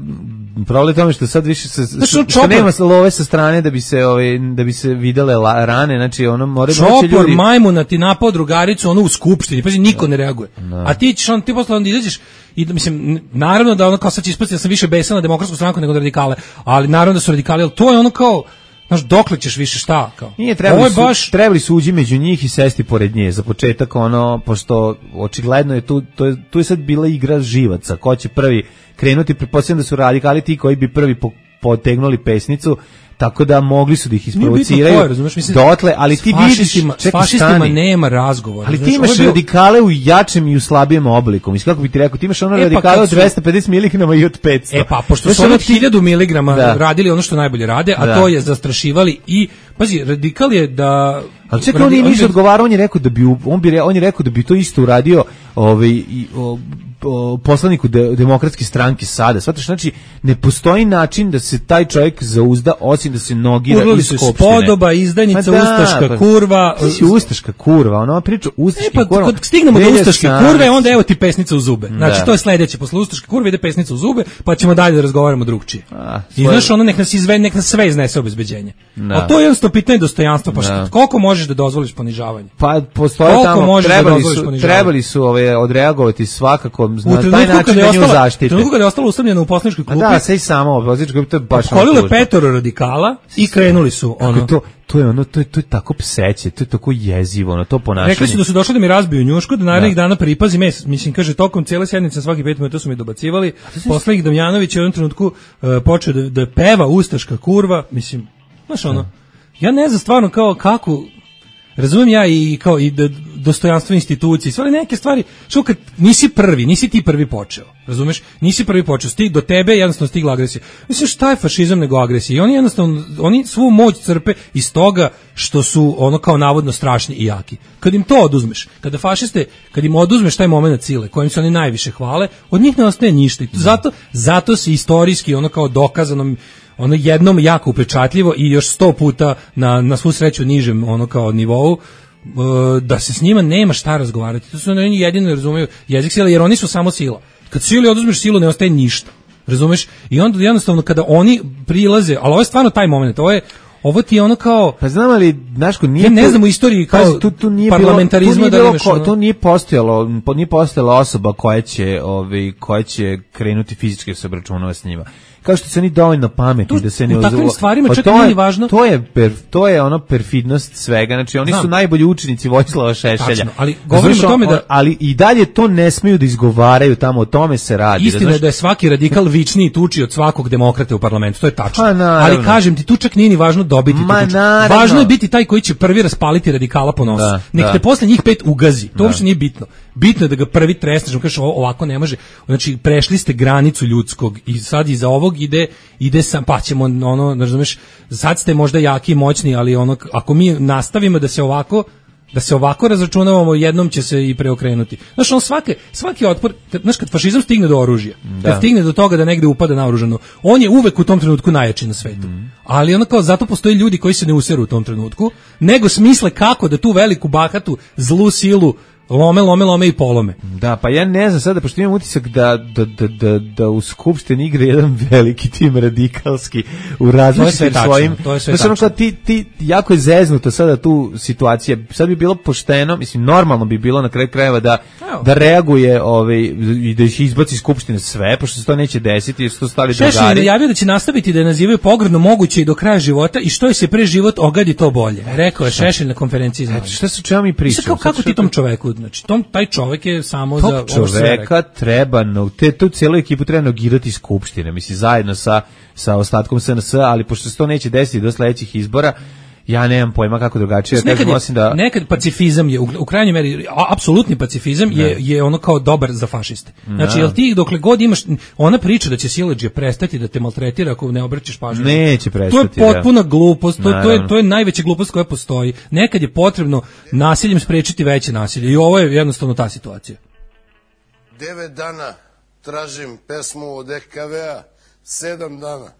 [SPEAKER 6] problem tome što sad više se što, što, što nema love sa strane da bi se ovaj da bi se videle la, rane, znači ono more
[SPEAKER 5] moći ljudi. Čopor majmuna ti napao drugaricu ono u skupštini, pazi niko ne reaguje. No. A ti ćeš on ti posle onda izađeš i mislim naravno da ono kao sad će ispasti da sam više besan na demokratsku stranku nego na radikale, ali naravno da su radikali, al to je ono kao znaš, dokle ćeš više šta kao?
[SPEAKER 6] Nije, trebali, su, baš... trebali su uđi među njih i sesti pored nje. Za početak, ono, pošto očigledno je tu, to je, tu je sad bila igra živaca. Ko će prvi krenuti, pretpostavljam da su radikali ti koji bi prvi po, potegnuli pesnicu, tako da mogli su da ih isprovociraju koje, razumeš, mislim, dotle, ali ti vidiš,
[SPEAKER 5] s fašistima nema razgovora.
[SPEAKER 6] Ali ti imaš bio... radikale u jačem i u slabijem obliku. Mislim, kako bi ti rekao, ti imaš ono e, radikale pa od dvesta pedeset miligrama i od petsto.
[SPEAKER 5] E pa, pošto su ono hiljadu miligrama radili ono što najbolje rade, a da. To je zastrašivali i, pazi, radikal je da...
[SPEAKER 6] Ali čekaj, on je ništa odgovarao, on je rekao da bi, on bi, on je rekao da bi to isto uradio ovaj, i, o, o, poslaniku de, demokratske stranke sada. Svataš, znači, ne postoji način da se taj čovjek zauzda, osim da se nogira
[SPEAKER 5] Urlali
[SPEAKER 6] iz skupštine.
[SPEAKER 5] Spodoba, izdajnica, da, ustaška pa, kurva.
[SPEAKER 6] Ti si ustaška kurva, ona priča ustaški
[SPEAKER 5] e, pa,
[SPEAKER 6] kurva.
[SPEAKER 5] Kad stignemo do ustaške kurve, onda evo ti pesnica u zube. Znači, da. To je sledeće. Posle ustaške kurve ide pesnica u zube, pa ćemo dalje da razgovaramo drugčije. A, I znaš, ono nek nas, izve, nek nas sve iznese obezbeđenje. A to je jednostavno pitanje dostojanstva. Pa koliko možeš da dozvoliš ponižavanje?
[SPEAKER 6] Pa postoje tamo, trebali su, trebali su ove, odreagovati svakako na taj način da nju zaštite. U
[SPEAKER 5] trenutku kada je ostalo usamljeno u poslaničkoj klupi.
[SPEAKER 6] Da, sve i samo u poslaničkoj klupi, to je baš
[SPEAKER 5] kolilo je petoro radikala i krenuli su. Ono.
[SPEAKER 6] To, to je ono, to je, to je tako pseće, to je tako jezivo, ono, to ponašanje.
[SPEAKER 5] Rekli su da su došli da mi razbiju njušku, da narednih dana pripazi mes, mislim, kaže, tokom cijele sednice, svaki pet minuta su mi dobacivali, poslanik Damjanović je u jednom trenutku uh, počeo da, da peva ustaška kurva, mislim, znaš ono, ja ne znam stvarno kao kako, razumijem ja i kao i dostojanstvo institucije, sve neke stvari, što kad nisi prvi, nisi ti prvi počeo, razumeš? Nisi prvi počeo, sti do tebe jednostavno stigla agresija. Mislim, šta je fašizam nego agresija? I oni jednostavno, oni svu moć crpe iz toga što su ono kao navodno strašni i jaki. Kad im to oduzmeš, kada fašiste, kad im oduzmeš taj momenat sile, kojim se oni najviše hvale, od njih ne ostaje ništa. I zato, zato se istorijski ono kao dokazano ono jednom jako upečatljivo i još sto puta na, na svu sreću nižem ono kao nivou da se s njima nema šta razgovarati. To su oni jedino razumeju jezik sile, jer oni su samo sila. Kad sili oduzmeš silu, ne ostaje ništa. Razumeš? I onda jednostavno kada oni prilaze, ali ovo je stvarno taj moment, ovo je ovo ti je ono kao...
[SPEAKER 6] Pa znam ali, Daško, nije...
[SPEAKER 5] Ja ne znam u istoriji kao
[SPEAKER 6] tu, tu nije
[SPEAKER 5] parlamentarizma
[SPEAKER 6] bilo, tu nije
[SPEAKER 5] da imaš...
[SPEAKER 6] Ko, to nije postojalo, nije postojala osoba koja će, ovaj, koja će krenuti fizički se obračunava s njima. Kao što se oni dovoljno pametni da se ne
[SPEAKER 5] u takvim stvarima
[SPEAKER 6] pa
[SPEAKER 5] čak
[SPEAKER 6] to
[SPEAKER 5] nije
[SPEAKER 6] je,
[SPEAKER 5] važno.
[SPEAKER 6] To je, per, to je ono perfidnost svega, znači oni Znam. su najbolji učenici Vojislava Šešelja.
[SPEAKER 5] Tačno, ali govorim o tome da...
[SPEAKER 6] Ali i dalje to ne smeju da izgovaraju tamo, o tome se radi.
[SPEAKER 5] Istina je da je svaki radikal vičniji i tuči od svakog demokrate u parlamentu, to je tačno.
[SPEAKER 6] Pa,
[SPEAKER 5] ali kažem ti, tu čak nije ni važno dobiti
[SPEAKER 6] Ma,
[SPEAKER 5] tu tuču.
[SPEAKER 6] Naravno.
[SPEAKER 5] Važno je biti taj koji će prvi raspaliti radikala po nosu.
[SPEAKER 6] Da,
[SPEAKER 5] Nek
[SPEAKER 6] da.
[SPEAKER 5] te posle njih pet ugazi, to uopšte nije bitno. Bitno je da ga prvi tresneš, kažeš ovako ne može. Znači prešli ste granicu ljudskog i sad iza ovog ide ide sam pa ćemo ono, razumeš, sad ste možda jaki i moćni, ali ono ako mi nastavimo da se ovako da se ovako razračunavamo, jednom će se i preokrenuti. Znaš, on svake, svaki otpor, znaš, kad fašizam stigne do oružja, da. kad stigne do toga da negde upada naoružano, on je uvek u tom trenutku najjači na svetu. Mm. Ali ono kao, zato postoji ljudi koji se ne useru u tom trenutku, nego smisle kako da tu veliku bahatu, zlu silu lome, lome, lome i polome.
[SPEAKER 6] Da, pa ja ne znam sada, pošto imam utisak da, da, da, da, da u Skupštini igra jedan veliki tim radikalski u različitim svojim...
[SPEAKER 5] To je sve
[SPEAKER 6] znači,
[SPEAKER 5] tačno.
[SPEAKER 6] Ti, ti, jako je zeznuto sada tu situacija. Sad bi bilo pošteno, mislim, normalno bi bilo na kraju krajeva da, da reaguje ovaj, i da ih izbaci iz Skupštine sve, pošto se to neće desiti, jer su to stali drugari.
[SPEAKER 5] Šešelj je najavio da će nastaviti da je nazivaju pogrdno moguće i do kraja života i što je se pre život ogadi to bolje. Rekao je Šešelj na konferenciji za
[SPEAKER 6] šta su čemu mi pričamo?
[SPEAKER 5] Kako, kako ti tom čoveku? Znači, tom, taj čovek je samo
[SPEAKER 6] Tog
[SPEAKER 5] za...
[SPEAKER 6] čoveka treba, no, te, tu cijelu ekipu treba nogirati iz Skupštine, mislim, zajedno sa, sa ostatkom S N S, ali pošto se to neće desiti do sledećih izbora, ja nemam pojma kako drugačije.
[SPEAKER 5] Nekad,
[SPEAKER 6] kažem,
[SPEAKER 5] je,
[SPEAKER 6] osim da...
[SPEAKER 5] nekad pacifizam je, u, u krajnjoj meri, apsolutni pacifizam je, je ono kao dobar za fašiste. Znači, jel ti dokle god imaš, ona priča da će siledžija prestati da te maltretira ako ne obraćaš pažnju.
[SPEAKER 6] Neće prestati.
[SPEAKER 5] To je potpuna da. glupost, to, to, je, to je najveća glupost koja postoji. Nekad je potrebno nasiljem sprečiti veće nasilje i ovo je jednostavno ta situacija.
[SPEAKER 10] Devet dana tražim pesmu od E K V-a, sedam dana.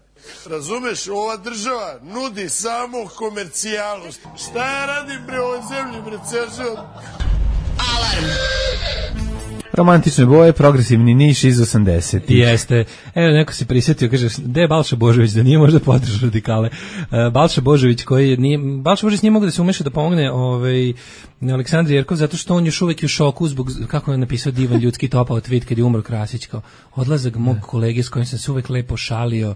[SPEAKER 10] Razumeš, ova država nudi samo komercijalu. Šta ja radim pre ovoj zemlji, bre, ceo?
[SPEAKER 2] Alarm.
[SPEAKER 6] Romantične boje, progresivni Niš iz osamdesetih.
[SPEAKER 5] Jeste. Evo, neko se prisjetio, kaže, gde je Balša Božović, da nije možda podržao radikale. Uh, Balša Božović, koji nije, Balša Božović nije mogu da se umeša da pomogne ovaj, Aleksandri Jerkov, zato što on još uvek je u šoku zbog, kako je napisao divan ljudski topao tweet kad je umro Krasić, kao odlazak mog kolege s kojim sam se uvek lepo šalio.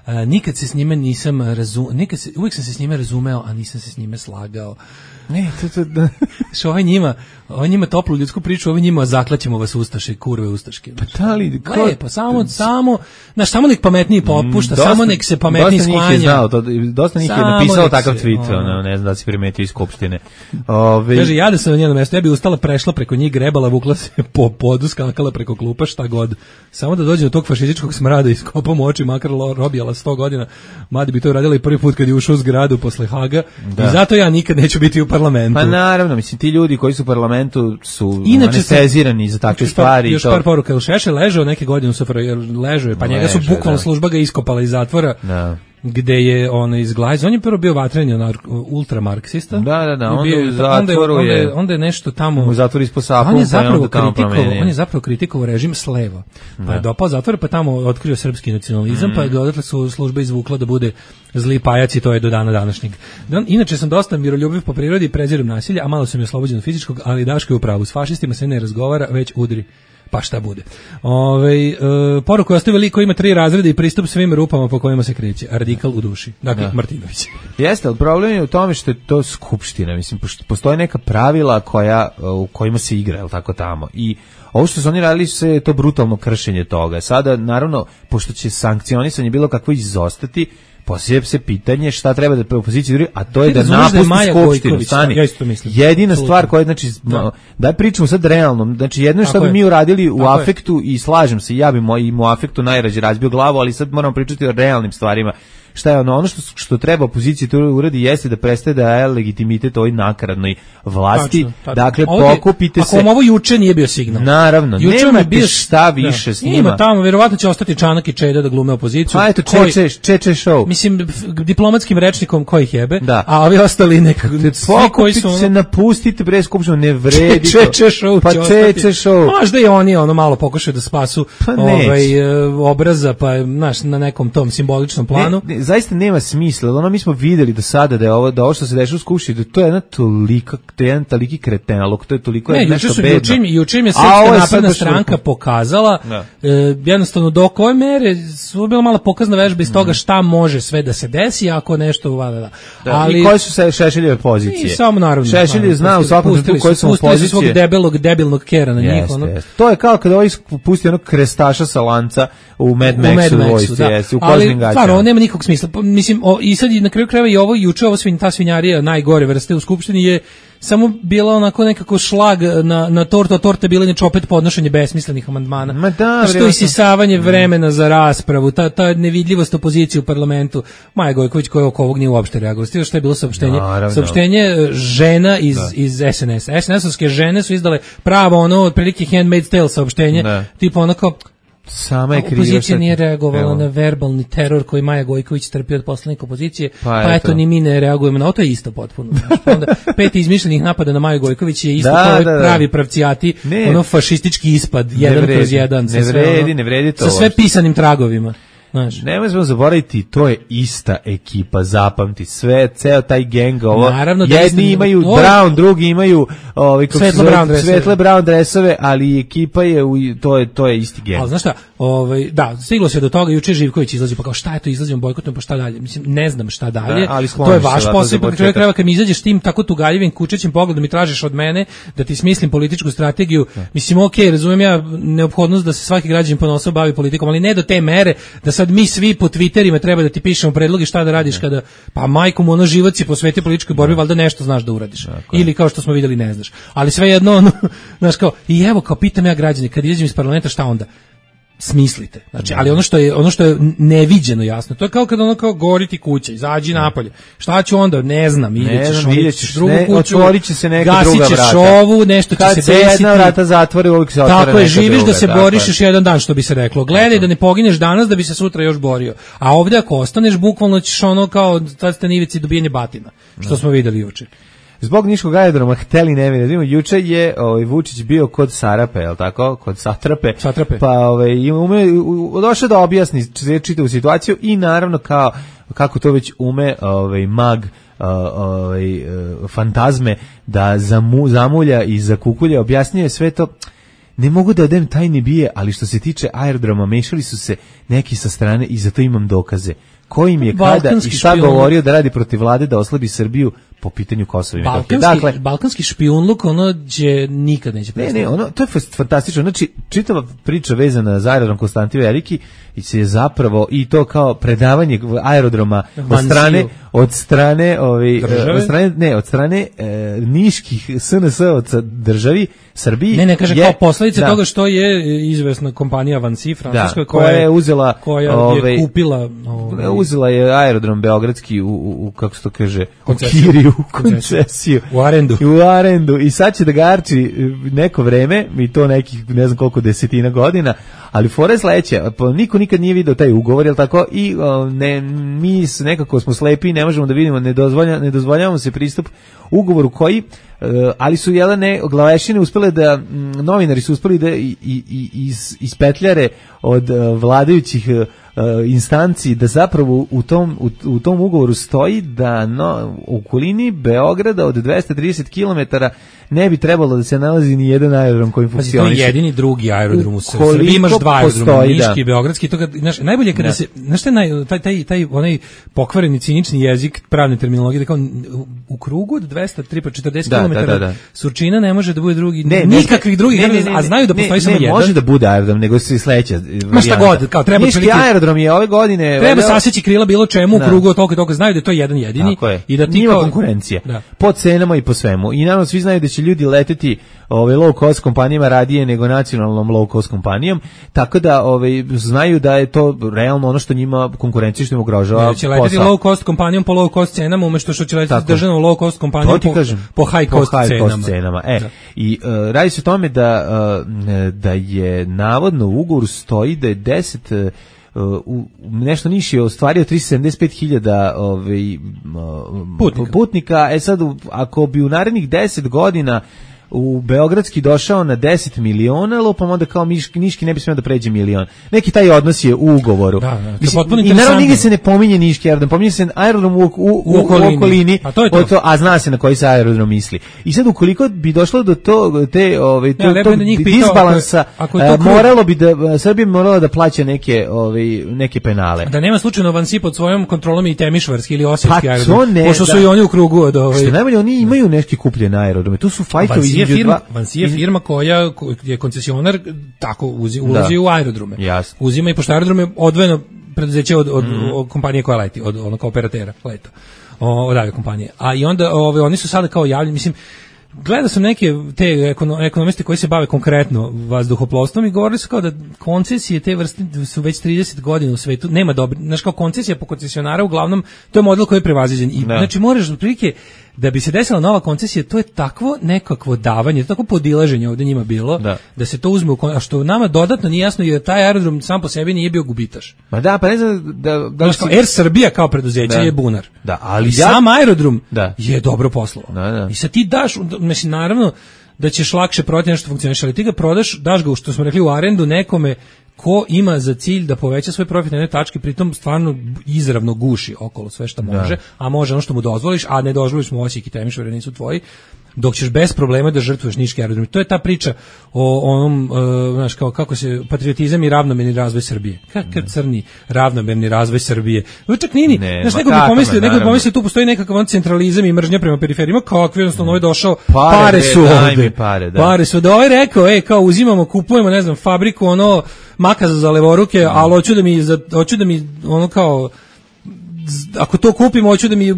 [SPEAKER 5] Uh, nikad se s njime nisam razumeo, nikad se, uvek sam se s njime razumeo, a nisam se s njime slagao.
[SPEAKER 6] Ne, to to da.
[SPEAKER 5] Što ovaj njima, ovaj njima toplu ljudsku priču, ovaj njima zaklaćemo vas ustaše, kurve ustaške.
[SPEAKER 6] Pa da li,
[SPEAKER 5] ko... Lepo, samo, samo, znaš, samo nek pametniji popušta,
[SPEAKER 6] dosta,
[SPEAKER 5] samo nek se pametniji sklanja.
[SPEAKER 6] Dosta njih je znao, to, dosta njih je napisao takav se, tweet, ono, ne znam da si primetio iz Skupštine. Ove...
[SPEAKER 5] Kaže, ja da sam na njenom mjestu, ja bi ustala, prešla preko njih, grebala, vukla se po podu, skakala preko klupa, šta god. Samo da dođe do tog fašističkog smrada i skopom oči, makar robijala sto godina, mada bi to radila i prvi put kad je ušao u zgradu posle Haga, da. I zato ja nikad neću biti u parlamentu.
[SPEAKER 6] Pa naravno, mislim, ti ljudi koji su u parlamentu su anestezirani za takve stvari.
[SPEAKER 5] Još
[SPEAKER 6] to...
[SPEAKER 5] par poruka, ili Šešelj ležao neke godine u S F R J, ležao je, pa njega su bukvalno služba ga iskopala iz zatvora. Da. Gde je ono izglajz, on je prvo bio vatreni ultramarksista.
[SPEAKER 6] Da, da, da, onda
[SPEAKER 5] bio,
[SPEAKER 6] u zatvoru
[SPEAKER 5] onda je,
[SPEAKER 6] je...
[SPEAKER 5] Onda je nešto tamo...
[SPEAKER 6] U zatvoru ispod sapu,
[SPEAKER 5] on je zapravo
[SPEAKER 6] pa je
[SPEAKER 5] kritikovao, on je zapravo kritikovao režim s leva. Pa je dopao zatvor, pa tamo otkrio srpski nacionalizam, mm. pa je ga odatle su služba izvukla da bude zli pajac i to je do dana današnjeg. Inače sam dosta miroljubiv po prirodi i prezirem nasilje, a malo sam je oslobođen od fizičkog, ali Daško je u pravu. S fašistima se ne razgovara, već udri. Pa šta bude. Ove, e, poruku je ostavio lik koji ima tri razreda i pristup svim rupama po kojima se kreće. Radikal u duši. Dakle, da. Martinović.
[SPEAKER 6] Jeste, ali problem je u tome što je to skupština. Mislim, postoje neka pravila koja, u kojima se igra, jel tako tamo. I ovo što su oni radili se je to brutalno kršenje toga. Sada, naravno, pošto će sankcionisanje bilo kakvo izostati, poslije se pitanje šta treba da opoziciji duri, a to je da napusti Skupštinu. Stani.
[SPEAKER 5] Ja isto mislim.
[SPEAKER 6] Jedina Absolutno. Stvar koja je, znači, da. Daj pričamo sad realno, znači jedno što bi mi uradili u Tako afektu je. I slažem se, ja bi moj, i mu afektu najrađe razbio glavu, ali sad moramo pričati o realnim stvarima. šta je ono, ono što, što treba opoziciji to uradi jeste da prestaje da daje legitimitet ovoj nakaradnoj vlasti. Tačno, tačno. Dakle, ovdje, pokupite
[SPEAKER 5] ako
[SPEAKER 6] se.
[SPEAKER 5] Ako vam ovo juče nije bio signal.
[SPEAKER 6] Naravno,
[SPEAKER 5] juče
[SPEAKER 6] nemate
[SPEAKER 5] bio,
[SPEAKER 6] šta više
[SPEAKER 5] da,
[SPEAKER 6] s njima.
[SPEAKER 5] Ima tamo, verovatno će ostati Čanak i Čeda da glume opoziciju.
[SPEAKER 6] Pa eto,
[SPEAKER 5] koji,
[SPEAKER 6] čeče, čeče show.
[SPEAKER 5] Mislim, diplomatskim rečnikom koji jebe,
[SPEAKER 6] da.
[SPEAKER 5] a ovi ostali nekako, svi koji su...
[SPEAKER 6] se napustite, bre, skupštinu, ne vredi.
[SPEAKER 5] Čeče show
[SPEAKER 6] pa čeče show.
[SPEAKER 5] Možda i oni ono malo pokušaju da spasu
[SPEAKER 6] pa
[SPEAKER 5] ovaj, obraza, pa znaš, na nekom tom simboličnom planu.
[SPEAKER 6] Ne, ne, zaista nema smisla. Ono mi smo videli do sada da je ovo, da ovo što se dešava u skupštini, da to je jedna tolika, to je jedan toliki kretenalog, to je toliko
[SPEAKER 5] ne,
[SPEAKER 6] je nešto bedno.
[SPEAKER 5] Juče juče je Srpska napredna stranka pokazala e, jednostavno do koje mere su bila mala pokazna vežba iz toga šta može sve da se desi ako nešto vada. Da.
[SPEAKER 6] Da,
[SPEAKER 5] ali
[SPEAKER 6] i koje su se Šešeljeve pozicije?
[SPEAKER 5] I samo naravno.
[SPEAKER 6] Šešelj zna u svakom trenutku koje su pozicije.
[SPEAKER 5] Pustili svog debelog, debilnog kera na njih. Ono.
[SPEAKER 6] To je kao kada ovaj pusti onog krestaša sa lanca u Mad Maxu vojsci, da. Jesi, u kožnim gaćama.
[SPEAKER 5] Stvarno, ovo nema nikog smisla. Mislim, o, i sad na kraju krajeva i ovo juče, ovo svin, ta svinjarija najgore vrste u skupštini je samo bila onako nekako šlag na, na tortu, a torta je bila inače opet podnošenje besmislenih amandmana.
[SPEAKER 6] Ma da,
[SPEAKER 5] što isisavanje vremena za raspravu, ta, ta nevidljivost opozicije u parlamentu. Maja Gojković koja oko ovog nije uopšte reagovala. Stiže što je bilo saopštenje? Naravno. Saopštenje žena iz, iz S N S. S N S-ovske žene su izdale pravo ono, otprilike Handmaid's Tale saopštenje, da. Tipa onako
[SPEAKER 6] sama je kriva.
[SPEAKER 5] Opozicija nije reagovala evo. na verbalni teror koji Maja Gojković trpi od poslanika opozicije, pa, pa eto ni mi ne reagujemo na to, je isto potpuno. Onda pet izmišljenih napada na Maju Gojković je isto da, kao da, da. pravi pravcijati, ne. ono fašistički ispad, ne jedan vredi, kroz jedan.
[SPEAKER 6] Ne vredi, ono, ne vredi to.
[SPEAKER 5] Sa sve pisanim tragovima. Znaš.
[SPEAKER 6] Nemoj smo zaboraviti, to je ista ekipa, zapamti sve, ceo taj gang, ovo, naravno, jedni da imaju ovo, brown, drugi imaju ovaj,
[SPEAKER 5] svetle, brown dresove.
[SPEAKER 6] svetle brown dresove, ali ekipa je, u, to je to je isti gang.
[SPEAKER 5] Ali znaš šta, ovaj, da, stiglo se do toga, juče Živković izlazi, pa kao šta je to, izlazimo bojkotom, pa šta dalje, mislim, ne znam šta dalje, da, ali to je vaš posao, pa čovjek treba kad mi izađeš tim tako tugaljivim, kučećim pogledom i tražiš od mene da ti smislim političku strategiju, da. Mislim, ok, razumijem ja neophodnost da se svaki građanin ponosno bavi politikom, ali ne do te mere da sad mi svi po Twitterima treba da ti pišemo predloge šta da radiš kada, pa majkom ono život si posveti političkoj borbi, valjda nešto znaš da uradiš. Dakle. Ili kao što smo vidjeli ne znaš. Ali svejedno ono, znaš kao, i evo kao pitam ja građane, kad izađem iz parlamenta šta onda? Smislite. Znači, ali ono što je ono što je neviđeno jasno, to je kao kad ono kao goriti kuća, izađi napolje. Šta ću onda? Ne znam, ideš
[SPEAKER 6] vidjećeš
[SPEAKER 5] drugu
[SPEAKER 6] ne,
[SPEAKER 5] kuću,
[SPEAKER 6] otvorit će se neka druga vrata.
[SPEAKER 5] Gasićeš ovu, nešto će
[SPEAKER 6] kad
[SPEAKER 5] se
[SPEAKER 6] desiti.
[SPEAKER 5] desiti.
[SPEAKER 6] Kad se jedna vrata zatvori, uvijek se otvara.
[SPEAKER 5] Tako je, živiš
[SPEAKER 6] druga,
[SPEAKER 5] da se
[SPEAKER 6] tako
[SPEAKER 5] boriš
[SPEAKER 6] je.
[SPEAKER 5] još jedan dan, što bi se reklo. Gledaj tako. Da ne pogineš danas da bi se sutra još borio. A ovdje ako ostaneš, bukvalno ćeš ono kao tad ste na ivici dobijanje batina, što no. smo vidjeli juče.
[SPEAKER 6] Zbog niškog aerodroma hteli ne vidimo, juče je ovaj Vučić bio kod Sarape, je l' tako? Kod Satrape.
[SPEAKER 5] Satrape.
[SPEAKER 6] Pa ovaj ume došao da objasni čitavu situaciju i naravno kao kako to već ume ovaj mag ovaj fantazme da zamu, zamulja i zakukulja, objasnjuje sve to. Ne mogu da odem tajni bije, ali što se tiče aerodroma, mešali su se neki sa strane i zato imam dokaze. Ko im je kada i šta špijun. Govorio da radi protiv vlade da oslabi Srbiju po pitanju Kosova i Metohije.
[SPEAKER 5] Dakle, balkanski špijunluk, ono će nikad neće prestati.
[SPEAKER 6] Ne, ne, ono, to je fantastično. Znači, čitava priča vezana za aerodrom Konstantin Veliki i se je zapravo i to kao predavanje aerodroma od strane od strane ovi od strane ne od strane e, niških S N S-ovaca državi Srbiji.
[SPEAKER 5] Ne, ne, kaže je, kao posljedica da. Toga što je izvesna kompanija Vansi francuska
[SPEAKER 6] da,
[SPEAKER 5] koja, koja je uzela
[SPEAKER 6] koja
[SPEAKER 5] ove, je kupila
[SPEAKER 6] ove, uzela je aerodrom beogradski u, u, u kako se to kaže koncesiju, u koncesiju
[SPEAKER 5] u arendu.
[SPEAKER 6] U arendu i sad će da ga arči neko vreme i to nekih ne znam koliko desetina godina, ali fore sledeće, pa niko nikad nije video taj ugovor, jel tako? I o, ne, mi nekako smo slepi, ne možemo da vidimo, ne, dozvolja, ne dozvoljavamo se pristup ugovoru koji, uh, ali su jelene glavešine uspele da, m, novinari su uspeli da i, i, iz, ispetljare od uh, vladajućih uh, instanci da zapravo u tom, u, u tom ugovoru stoji da no, u okolini Beograda od dvesta trideset kilometara ne bi trebalo da se nalazi ni jedan aerodrom koji funkcioniše.
[SPEAKER 5] To je jedini drugi aerodrom u Srbiji. Imaš dva aerodroma, Niški i Beogradski. To kad, znaš, najbolje kada ne. se, znaš šta naj, taj, taj, taj onaj pokvareni cinični jezik pravne terminologije, da kao u krugu od dvesta četrdeset kilometara da, da, da. Surčina ne može da bude drugi, ne, nikakvih drugih, ne, ne, ne, a znaju da postoji
[SPEAKER 6] ne,
[SPEAKER 5] samo
[SPEAKER 6] ne,
[SPEAKER 5] jedan.
[SPEAKER 6] Može da bude aerodrom, nego se sledeća.
[SPEAKER 5] Ma šta god, kao treba
[SPEAKER 6] Niški aerodrom aerodrom je ove godine...
[SPEAKER 5] Treba saseći krila bilo čemu u krugu, toliko i toliko znaju da je to jedan jedini. I da ti
[SPEAKER 6] Nima
[SPEAKER 5] kao...
[SPEAKER 6] konkurencija. Da. Po cenama i po svemu. I naravno svi znaju da će ljudi leteti ove low cost kompanijama radije nego nacionalnom low cost kompanijom, tako da ove znaju da je to realno ono što njima konkurencija što im ugrožava.
[SPEAKER 5] Će leteti low cost kompanijom po low cost cenama umesto što će leteti državnom low cost kompanijom po, po high cost po high cenama. Cost cenama. E, da. I uh, radi se o tome da uh, da je navodno u ugovoru stoji da je deset uh, u nešto niši je ostvario tristo sedamdeset pet hiljada ovaj putnika. putnika. E sad ako bi u narednih deset godina u Beogradski došao na deset miliona, lupam onda kao Niški, Niški ne bi smio da pređe milion. Neki taj odnos je u ugovoru. Da, da, Mislim, i naravno nigdje se ne pominje Niški aerodrom, pominje se aerodrom u, u, u, u okolini, u okolini a, to je to.
[SPEAKER 6] To, a zna se na koji se aerodrom misli. I sad ukoliko bi došlo do to, te, ove, to,
[SPEAKER 5] ja,
[SPEAKER 6] to
[SPEAKER 5] da
[SPEAKER 6] disbalansa,
[SPEAKER 5] ako, ako
[SPEAKER 6] uh, moralo bi da, Srbija morala da plaća neke, ove, neke penale.
[SPEAKER 5] Da nema slučajno Vansi pod svojom kontrolom i Temišvarski ili Osječki
[SPEAKER 6] pa,
[SPEAKER 5] aerodrom,
[SPEAKER 6] ne,
[SPEAKER 5] pošto su da. i oni u krugu od ove...
[SPEAKER 6] Što najbolje, oni imaju neki kupljene aerodrome, tu su fajtovi između dva...
[SPEAKER 5] je firma koja je koncesionar tako uzi, ulazi da. u aerodrome.
[SPEAKER 6] Jasno.
[SPEAKER 5] Uzima i pošto aerodrome odvojeno preduzeće od, od, mm. od kompanije koja leti, od onog operatera leta. O, od avio kompanije. A i onda ove, oni su sada kao javljeni, mislim, gledao sam neke te ekonomiste koji se bave konkretno vazduhoplovstvom i govorili su kao da koncesije te vrste su već trideset godina u svetu, nema dobro, znaš kao koncesija po koncesionara uglavnom, to je model koji je prevaziđen. I, znači moraš otprilike da bi se desila nova koncesija, to je takvo nekakvo davanje, takvo podilaženje ovdje njima bilo, da, da se to uzme u kon... a što nama dodatno nije jasno jer taj aerodrom sam po sebi nije bio gubitaš.
[SPEAKER 6] Ma da, pa ne znam da... da
[SPEAKER 5] si... Air Srbija kao preduzeće da. je bunar.
[SPEAKER 6] Da, ali
[SPEAKER 5] I
[SPEAKER 6] ja...
[SPEAKER 5] sam aerodrom
[SPEAKER 6] da.
[SPEAKER 5] je dobro poslovao.
[SPEAKER 6] Da, da.
[SPEAKER 5] I sad ti daš, mislim, naravno da ćeš lakše prodati nešto funkcioniš, ali ti ga prodaš, daš ga, što smo rekli, u arendu nekome ko ima za cilj da poveća svoj profit na jednoj tački, pritom stvarno izravno guši okolo sve što može, da. a može ono što mu dozvoliš, a ne dozvoliš mu Osijek i Temišvar nisu tvoji, dok ćeš bez problema da žrtvuješ niški aerodrom. To je ta priča o onom, uh, znaš, kao kako se patriotizam i ravnomerni razvoj Srbije. Kakav crni ravnomerni razvoj Srbije. Čak nini, ne, znaš, neko bi pomislio, neko bi pomislio tu postoji nekakav centralizam i mržnja prema periferijima, kakvi jednostavno ovaj došao, pare, pare su ovde. Pare, da. pare su da ovaj rekao, ej, kao uzimamo, kupujemo, ne znam, fabriku, ono, makaza za levoruke, mm. ali hoću da mi, za, hoću da mi, ono kao, ako to kupimo, hoću da mi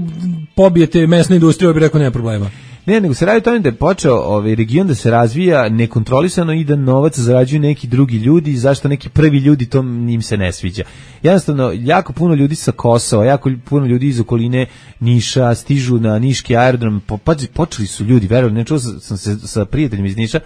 [SPEAKER 5] pobijete mesnu industriju, bi rekao, nema problema.
[SPEAKER 6] Ne, nego se radi o tome da je počeo ovaj region da se razvija nekontrolisano i da novac zarađuju neki drugi ljudi, zašto neki prvi ljudi to njim se ne sviđa. Jednostavno, jako puno ljudi sa Kosova, jako puno ljudi iz okoline Niša stižu na niški aerodrom, po, počeli su ljudi, verujem, ne čuo sam se sa prijateljima iz Niša,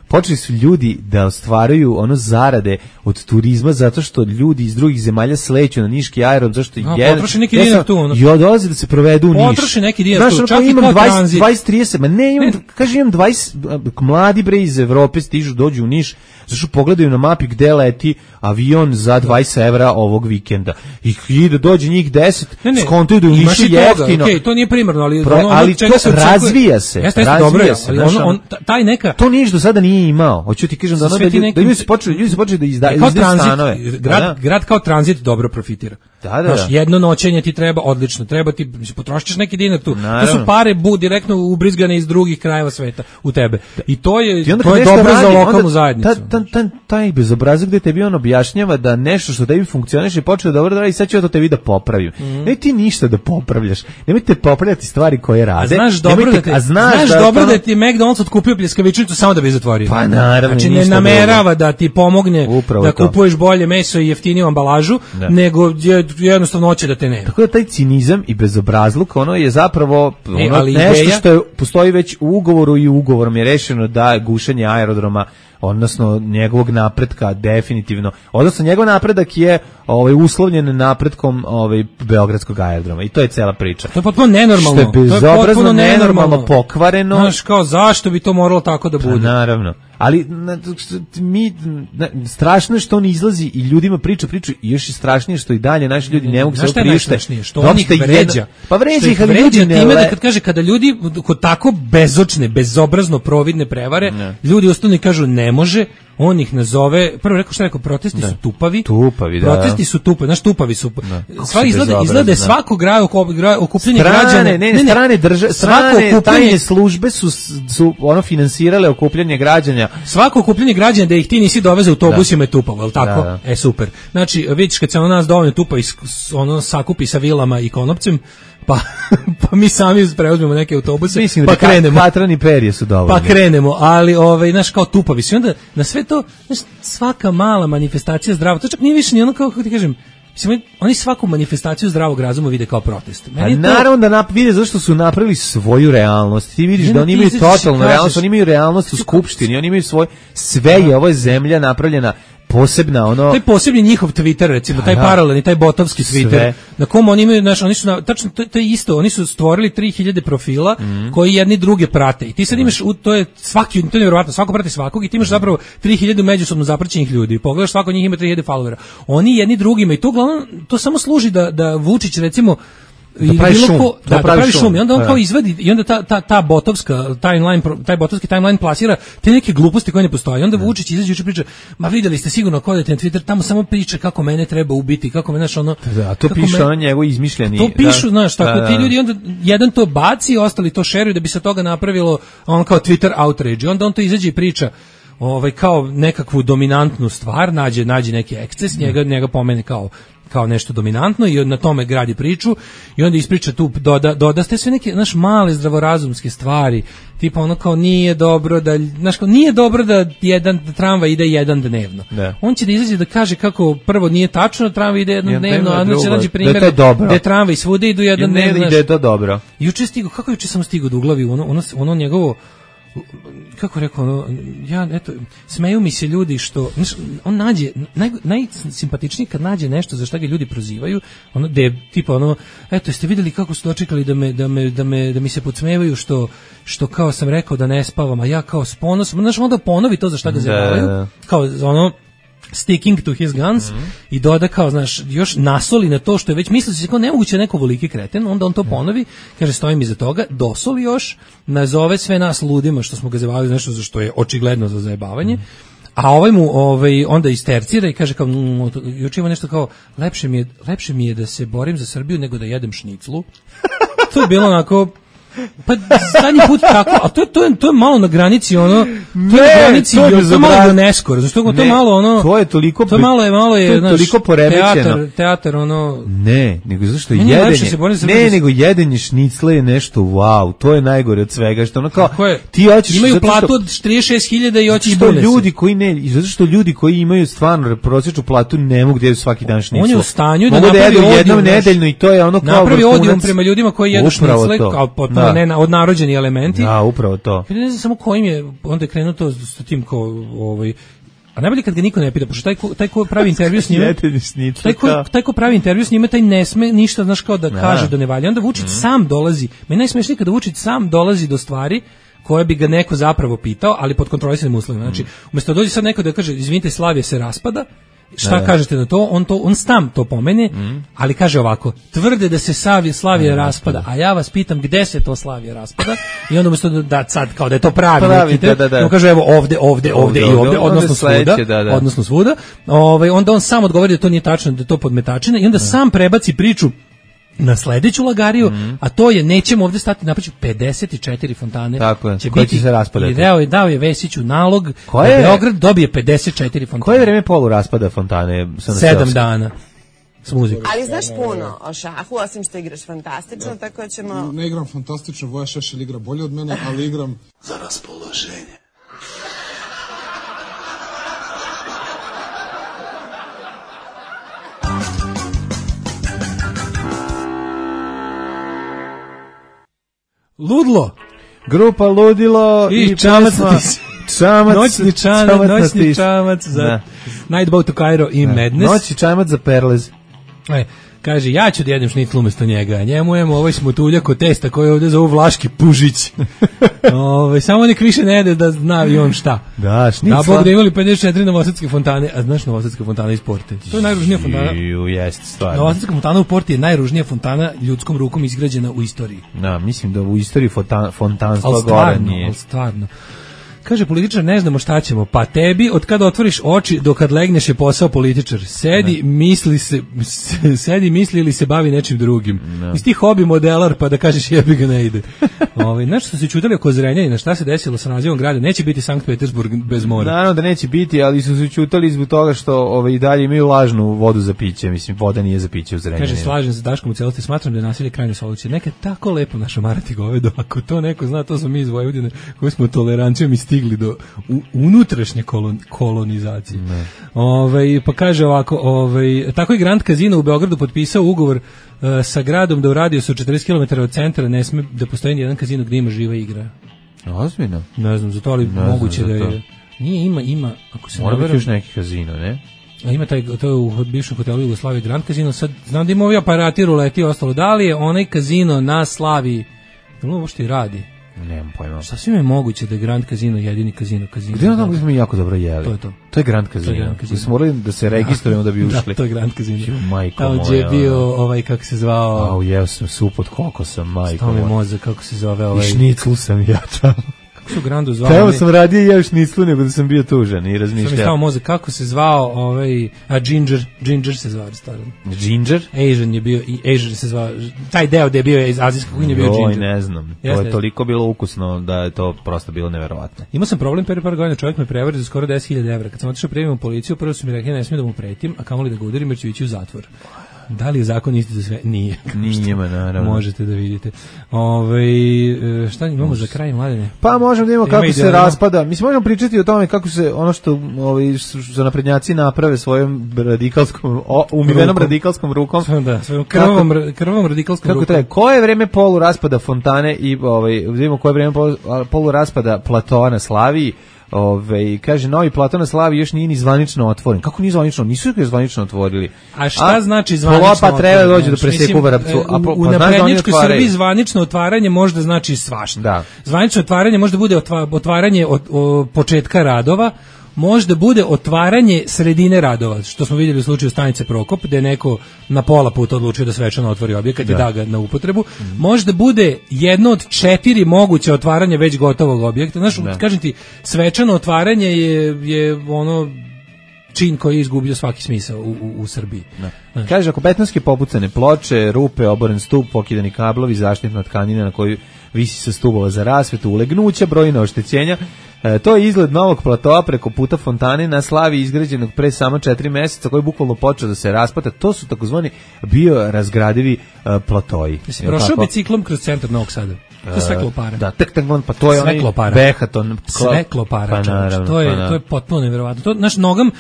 [SPEAKER 6] počeli su ljudi da ostvaruju ono zarade od turizma zato što ljudi iz drugih zemalja sleću na niški aerodrom, zašto
[SPEAKER 5] no, jedan... Potroši neki dinar tu. Ono.
[SPEAKER 6] I odlaze da se provedu u Niš.
[SPEAKER 5] Potroši neki dinar tu,
[SPEAKER 6] znaš,
[SPEAKER 5] čak i kao tranzit.
[SPEAKER 6] dvadeset trideset, ma ne, imam, ne. Kaže, imam dvadeset, mladi bre iz Evrope stižu, dođu u Niš, zašto pogledaju na mapi gde leti avion za dvadeset evra ovog vikenda. I, i da dođe njih deset, skontuju da u Nišu jeftino.
[SPEAKER 5] Okay, to nije primarno, ali...
[SPEAKER 6] Pro, ono, ali to se razvija se.
[SPEAKER 5] Jeste,
[SPEAKER 6] razvija
[SPEAKER 5] dobro,
[SPEAKER 6] se.
[SPEAKER 5] Ali ono, on, taj neka...
[SPEAKER 6] To Niš do sada nije imao. Hoću ti kažem da ono da, neki... da ljudi su počeli, ljudi su počeli da izdaju stanove.
[SPEAKER 5] Grad, da, da. grad kao tranzit dobro profitira.
[SPEAKER 6] Da, da,
[SPEAKER 5] znaš, jedno noćenje ti treba, odlično, treba ti, potrošiš neki dinar tu. Naravno. To su pare bu, direktno ubrizgane iz drugih krajeva sveta u tebe. I to je, to je dobro radi, za lokalnu zajednicu.
[SPEAKER 6] Ta, ta, ta, taj bezobrazak gde tebi on objašnjava da nešto što tebi funkcioniše i počeo dobro da radi, sad ću ja to tebi da popravim. Mm. Ne ti ništa da popravljaš. Nemojte popravljati stvari koje rade.
[SPEAKER 5] A znaš dobro
[SPEAKER 6] Nemojte,
[SPEAKER 5] da te,
[SPEAKER 6] a znaš,
[SPEAKER 5] znaš
[SPEAKER 6] da,
[SPEAKER 5] dobro
[SPEAKER 6] ono...
[SPEAKER 5] da ti McDonald's otkupio pljeskavičnicu samo da bi zatvorio.
[SPEAKER 6] Pa naravno.
[SPEAKER 5] Znači ne namerava da ti pomogne
[SPEAKER 6] upravo
[SPEAKER 5] da
[SPEAKER 6] to.
[SPEAKER 5] Kupuješ bolje meso i jeftiniju ambalažu, da. nego jednostavno hoće da te nema.
[SPEAKER 6] Tako da taj cinizam i bezobrazluk, ono je zapravo
[SPEAKER 5] e,
[SPEAKER 6] ono, nešto ideja... što je, postoji već u ugovoru i ugovorom je rešeno da gušenje aerodroma, odnosno njegovog napretka definitivno, odnosno njegov napredak je ovaj uslovljen napretkom ovaj beogradskog aerodroma i to je cela priča.
[SPEAKER 5] To je potpuno nenormalno.
[SPEAKER 6] Što je bezobrazno, nenormalno, pokvareno.
[SPEAKER 5] Znaš, kao zašto bi to moralo tako da bude?
[SPEAKER 6] Pa, naravno. Ali na, mi na, strašno je što on izlazi i ljudima priča priču i još je strašnije što i dalje naši ljudi ne mogu se priuštiti.
[SPEAKER 5] Što on ih vređa.
[SPEAKER 6] Pa vređa ih, ali ljudi ne
[SPEAKER 5] time da kad kaže kada ljudi kod tako bezočne, bezobrazno providne prevare, ne. ljudi ostanu i kažu ne ne može, on ih nazove, prvo rekao šta rekao, protesti da. su tupavi,
[SPEAKER 6] tupavi da,
[SPEAKER 5] protesti su tupavi, znaš tupavi su,
[SPEAKER 6] da.
[SPEAKER 5] sva izgleda, izgleda svako grad, okupljanje građana,
[SPEAKER 6] ne, ne, ne, strane, drža, strane tajne službe su, su ono finansirale okupljanje građana.
[SPEAKER 5] Svako okupljanje građana da ih ti nisi doveze u autobusima je tupavo, je tako? Da, da. E, super. Znači, vidiš kad se ono nas dovoljno tupa i ono sakupi sa vilama i konopcem, pa, pa mi sami preuzmemo neke autobuse,
[SPEAKER 6] mislim
[SPEAKER 5] pa
[SPEAKER 6] da
[SPEAKER 5] krenemo.
[SPEAKER 6] Katrani perje su dovoljne.
[SPEAKER 5] Pa krenemo, ali ovaj, znaš, kao tupavi su. I onda na sve to, znaš, svaka mala manifestacija zdrava, to čak nije više ni ono kao, kako ti kažem, mislim, oni svaku manifestaciju zdravog razuma vide kao protest.
[SPEAKER 6] Meni to... naravno da nap, vide zašto su napravili svoju realnost. Ti vidiš ne, da oni imaju totalnu realnost, oni imaju realnost u skupštini, oni imaju svoj, sve je, ovo je zemlja napravljena posebna, ono...
[SPEAKER 5] Taj posebni njihov Twitter, recimo, taj paralelni, taj botovski Twitter, sve. Na kom oni imaju, znaš, oni su, na, tačno, to, to je isto, oni su stvorili tri hiljade profila mm. koji jedni druge prate. I ti sad imaš, u, to je svaki, to je nevjerovatno, svako prati svakog i ti imaš zapravo tri hiljade međusobno zapraćenih ljudi. Pogledaš, svako od njih ima tri hiljade followera. Oni jedni drugima i to uglavnom, to samo služi da, da Vučić, recimo,
[SPEAKER 6] da pravi šum,
[SPEAKER 5] ko, da, da pravi šum. I onda on kao izvadi, i onda ta, ta, ta botovska timeline, taj botovski timeline plasira te neke gluposti koje ne postoje. I onda Vučić izađe juče priča, ma videli ste sigurno ako odete na Twitter, tamo samo priča kako mene treba ubiti, kako me, znaš, ono...
[SPEAKER 6] Da, to piše me, ono njegov izmišljeni...
[SPEAKER 5] To pišu, da, znaš, tako, da, da. Ti ljudi, onda jedan to baci, ostali to šeruju da bi se toga napravilo, on kao Twitter outrage. I onda on to izađe i priča, ovaj, kao nekakvu dominantnu stvar, nađe, nađe neki eksces, njega, njega pomene kao kao nešto dominantno i na tome gradi priču i onda ispriča tu, doda, doda ste sve neke, znaš, male zdravorazumske stvari, tipa ono kao nije dobro da, znaš, kao nije dobro da jedan da tramvaj ide jedan dnevno.
[SPEAKER 6] Da.
[SPEAKER 5] On će da izađe da kaže kako prvo nije tačno da tramvaj ide jedan dnevno, a onda će nađe primjer
[SPEAKER 6] da
[SPEAKER 5] tramvaj svuda idu jedan dnevno.
[SPEAKER 6] Ne, ide je to dobro.
[SPEAKER 5] Juče stigo, kako juče sam stigao do uglavi, ono, ono, ono njegovo, kako rekao, ono, ja, eto, smeju mi se ljudi što, znaš, on nađe, naj, najsimpatičniji kad nađe nešto za šta ga ljudi prozivaju, ono, da je, tipa, ono, eto, jeste vidjeli kako su dočekali da me, da me, da me, da mi se podsmevaju što, što kao sam rekao da ne spavam, a ja kao s ponosom, znaš, onda ponovi to za šta ga zabavaju, kao, ono, sticking to his guns mm-hmm. i doda kao, znaš, još nasoli na to što je već mislio se kao nemoguće neko voliki kreten, onda on to ponovi, kaže stojim iza toga, dosoli još, nazove sve nas ludima što smo ga zajebavali nešto za što je očigledno za zajebavanje, mm-hmm. a ovaj mu ovaj, onda istercira i kaže kao, mm, juče ima nešto kao, lepše mi, je, lepše mi je da se borim za Srbiju nego da jedem šniclu. To je bilo onako... Pa zadnji put tako, a to, to, je, to je malo na granici ono, to
[SPEAKER 6] ne,
[SPEAKER 5] je na granici,
[SPEAKER 6] to je,
[SPEAKER 5] to je malo neskoro, znači to je malo ono,
[SPEAKER 6] to je toliko,
[SPEAKER 5] to je malo je, malo je,
[SPEAKER 6] to je znaš, toliko poremećeno.
[SPEAKER 5] Teatar, teatar ono,
[SPEAKER 6] ne, nego zašto jedenje, ne, nego jedenje šnicle je nešto, wow, to je najgore od svega, što ono kao, ti hoćeš,
[SPEAKER 5] imaju platu od trideset šest hiljada i hoćeš
[SPEAKER 6] što ljudi koji ne, zato što ljudi koji imaju stvarno prosječnu platu ne mogu da jedu svaki dan šniclu.
[SPEAKER 5] On je u stanju da
[SPEAKER 6] napravi
[SPEAKER 5] odijum,
[SPEAKER 6] jednom nedeljno i to je ono kao
[SPEAKER 5] napravi odijum prema ljudima koji jedu šnicle, kao potpuno da. ne, odnarođeni elementi.
[SPEAKER 6] Da, upravo to.
[SPEAKER 5] Ne znam samo kojim je, onda je krenuo to s tim kao, ovaj, a najbolje kad ga niko ne pita, pošto taj ko, taj ko pravi intervju s njime, taj ko, taj ko pravi intervju s njime, taj ne sme ništa, znaš, kao da ja. kaže da ne valja. Onda Vučić mm-hmm. sam dolazi, meni najsmešnije kada Vučić sam dolazi do stvari koje bi ga neko zapravo pitao, ali pod kontrolisanim uslovima. Znači, umjesto da dođe sad neko da kaže, izvinite, Slavija se raspada, šta da, kažete na to? On to on sam to pomene, mm. ali kaže ovako: tvrde da se Savje Slavija raspada, a ja vas pitam gde se to Slavija raspada? I onda umjesto da, da sad kao da je to pravi, pravi neki, da, da, da. On kaže evo ovde, ovde, ovde, ovde i ovde, ovde odnosno svuda, da, da. odnosno svuda. Ovaj onda on sam odgovori da to nije tačno, da je to podmetačina i onda da. sam prebaci priču na sledeću lagariju, mm. a to je nećemo ovde stati, napraviću pedeset četiri fontane.
[SPEAKER 6] Tako je,
[SPEAKER 5] će
[SPEAKER 6] koji
[SPEAKER 5] biti,
[SPEAKER 6] će se raspadati.
[SPEAKER 5] I dao je, dao je Vesiću nalog
[SPEAKER 6] koje,
[SPEAKER 5] da Beograd dobije pedeset četiri fontane.
[SPEAKER 6] Koje je vreme polu raspada fontane?
[SPEAKER 5] Sedam dana. S muzikom.
[SPEAKER 11] Ali znaš puno o šahu, osim što igraš fantastično, da. tako ćemo...
[SPEAKER 12] Ne igram fantastično, Voja Šešelj igra bolje od mene, ali igram za raspoloženje.
[SPEAKER 5] Ludlo.
[SPEAKER 6] Grupa Ludilo
[SPEAKER 5] i, i čamac,
[SPEAKER 6] čamac,
[SPEAKER 5] noćni čamac, čamac, noćni čamac za da. Nightboat to Cairo i da. Madness.
[SPEAKER 6] Noćni čamac za Perlez.
[SPEAKER 5] E, kaže, ja ću da jedem šnicl umjesto njega. Njemu jemo ovaj smotuljak od testa koji ovdje zovu Vlaški Pužić. Ove, samo nek više ne jede da zna i on šta.
[SPEAKER 6] Da, šnicla.
[SPEAKER 5] Da, Bog da imali pedeset četiri novosadske fontane, a znaš novosadska fontana iz Porte? To je najružnija fontana.
[SPEAKER 6] Ju, jest, stvarno.
[SPEAKER 5] Novosadska fontana u Porti je najružnija fontana ljudskom rukom izgrađena u istoriji.
[SPEAKER 6] Da, mislim da u istoriji fontan, fontanstva gore nije.
[SPEAKER 5] Ali stvarno. Kaže političar, ne znamo šta ćemo. Pa tebi, od kada otvoriš oči do kad legneš je posao političar. Sedi, ne. misli se, sedi, misli ili se bavi nečim drugim. Ne. Iz tih hobi modelar, pa da kažeš jebi ga ne ide. Ovaj nešto su se čutali oko Zrenjanina, šta se desilo sa nazivom grada? Neće biti Sankt Petersburg bez mora.
[SPEAKER 6] Naravno da neće biti, ali su se čutali zbog toga što ovaj i dalje imaju lažnu vodu za piće. Mislim, voda nije za piće u Zrenjaninu.
[SPEAKER 5] Kaže, slažem se Daškom u celosti, smatram da je nasilje krajnje solucija. Neka tako lepo naša marati govedo, ako to neko zna, to smo mi iz Vojvodine koji smo tolerancijom i stigli do u, unutrašnje kolon, kolonizacije. Ovaj pa kaže ovako, ovaj tako i Grand Casino u Beogradu potpisao ugovor uh, sa gradom da u radijusu četrdeset kilometara od centra ne sme da postoji jedan kazino gdje ima živa igra.
[SPEAKER 6] Ozbiljno?
[SPEAKER 5] Ne znam, zato ali
[SPEAKER 6] ne
[SPEAKER 5] moguće da je.
[SPEAKER 6] To.
[SPEAKER 5] Nije, ima, ima, ako se
[SPEAKER 6] mora biti još neki kazino, ne?
[SPEAKER 5] A ima taj, to je u bivšem hotelu Jugoslavije Grand Casino, sad znam da ima ovi aparati, ruleti i ostalo, da li je onaj kazino na Slaviji, da li ovo što i radi?
[SPEAKER 6] Nemam pojma.
[SPEAKER 5] Sasvim je moguće da je Grand Casino jedini kazino kazino.
[SPEAKER 6] Gdje ono smo mi jako dobro jeli?
[SPEAKER 5] To je to.
[SPEAKER 6] To je Grand Casino. Da smo morali da se registrujemo da bi ušli.
[SPEAKER 5] Da, to je Grand Casino.
[SPEAKER 6] Majko
[SPEAKER 5] tamo
[SPEAKER 6] moja.
[SPEAKER 5] Tamo je bio ovaj, kako se zvao...
[SPEAKER 6] Au, jeo sam sup od kokosa, majko
[SPEAKER 5] moja. Stao mi mozak, kako se zove ovaj...
[SPEAKER 6] I šnicl sam ja tamo.
[SPEAKER 5] Kako su Grandu zvao?
[SPEAKER 6] Evo sam radio jeo šniclu nego da sam bio tužan i razmišljao.
[SPEAKER 5] Sam mi stao mozak, kako se zvao ovaj... A Ginger, Ginger se zvao restoran.
[SPEAKER 6] Ginger?
[SPEAKER 5] Asian je bio, i Asian se zvao... Taj deo gde je bio iz azijske kuhinje bio Ginger.
[SPEAKER 6] Oj, ne znam. To je toliko bilo ukusno da je to prosto bilo neverovatno.
[SPEAKER 5] Imao sam problem pre par godina, čovjek me prevario za skoro deset hiljada evra. Kad sam otišao prijavim u policiju, prvo su mi rekli ne smijem da mu pretim, a kamoli da ga udarim jer ću ići u zatvor. Da li je zakon isti za sve? Nije.
[SPEAKER 6] Nije, naravno.
[SPEAKER 5] Možete da vidite. Ove, šta imamo Može. za kraj, Mladene?
[SPEAKER 6] Pa možemo da imamo kako Ima se idealno. raspada. Mislim, možemo pričati o tome kako se ono što ovi, su naprednjaci naprave svojom radikalskom, o, umivenom rukom. radikalskom rukom.
[SPEAKER 5] Da, svojom krvom, kako, krvom radikalskom
[SPEAKER 6] kako
[SPEAKER 5] rukom.
[SPEAKER 6] Treba, koje je vreme polu raspada Fontane i ovaj, vidimo koje je vreme polu, polu raspada Platoa na Slaviji. Ove, kaže, novi Platon na Slavi još nije ni zvanično otvoren. Kako nije zvanično? Nisu ga zvanično otvorili.
[SPEAKER 5] A šta a, znači zvanično
[SPEAKER 6] otvoren? Pa treba dođe do preseku Vrapcu. A po,
[SPEAKER 5] u
[SPEAKER 6] pa
[SPEAKER 5] naprednjačkoj Srbiji zvanično otvaranje možda znači svašta.
[SPEAKER 6] Da.
[SPEAKER 5] Zvanično otvaranje možda bude otvaranje od, od početka radova, možda bude otvaranje sredine radova, što smo vidjeli u slučaju stanice Prokop, gde je neko na pola puta odlučio da svečano otvori objekat da. i da ga na upotrebu. Mm-hmm. Možda bude jedno od četiri moguće otvaranje već gotovog objekta. Znaš, da. kažem ti, svečano otvaranje je, je ono čin koji je izgubio svaki smisao u, u, u Srbiji.
[SPEAKER 6] Da. Kaže, ako betonske popucane ploče, rupe, oboren stup, pokidani kablovi, zaštitna tkanina na koju visi sa stubova za rasvetu, ulegnuća, brojna oštećenja. E, to je izgled novog platoa preko puta Fontane na Slavi izgrađenog pre samo četiri mjeseca koji je bukvalno počeo da se raspata. To su takozvani biorazgradivi e, platoji.
[SPEAKER 5] Jesi prošao biciklom kroz centar Novog Sada? To je sve klopara.
[SPEAKER 6] Da, tek tak pa to je sve onaj Behaton.
[SPEAKER 5] Sve klopara,
[SPEAKER 6] pa naravno,
[SPEAKER 5] to je
[SPEAKER 6] pa
[SPEAKER 5] to je potpuno neverovatno. To naš nogam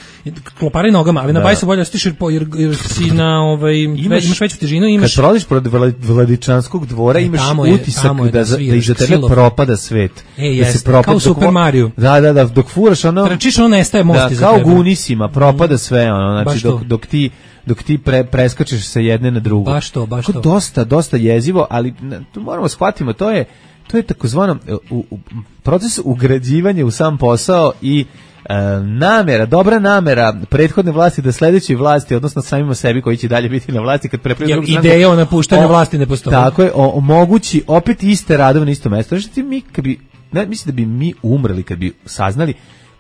[SPEAKER 5] klopara i nogama, ali da. na bajsu bolje stiš jer, jer, jer si na ovaj imaš, imaš veću težinu, imaš.
[SPEAKER 6] Kad prolaziš pored Vladičanskog dvora e, imaš je, utisak da, da, da, da iza tebe propada svet.
[SPEAKER 5] E,
[SPEAKER 6] da
[SPEAKER 5] se propada kao Super Mario.
[SPEAKER 6] Da, da, da, dok furaš ono.
[SPEAKER 5] Trčiš, ono nestaje most
[SPEAKER 6] iza tebe. Kao Gunisima propada sve ono, znači dok dok ti dok ti pre, preskačeš sa jedne na drugu.
[SPEAKER 5] Baš to, baš to.
[SPEAKER 6] Dosta, dosta jezivo, ali tu moramo shvatimo, to je to je takozvano u, u, proces ugrađivanja u sam posao i e, namera, dobra namera prethodne vlasti da sledećoj vlasti, odnosno samima sebi koji će dalje biti na vlasti kad prepređu drugu
[SPEAKER 5] stranku. Ideja o napuštanju vlasti ne postoji.
[SPEAKER 6] Tako je, omogući opet iste radove na isto mesto. Znači mi kad bi, ne, mislim da bi mi umrli kad bi saznali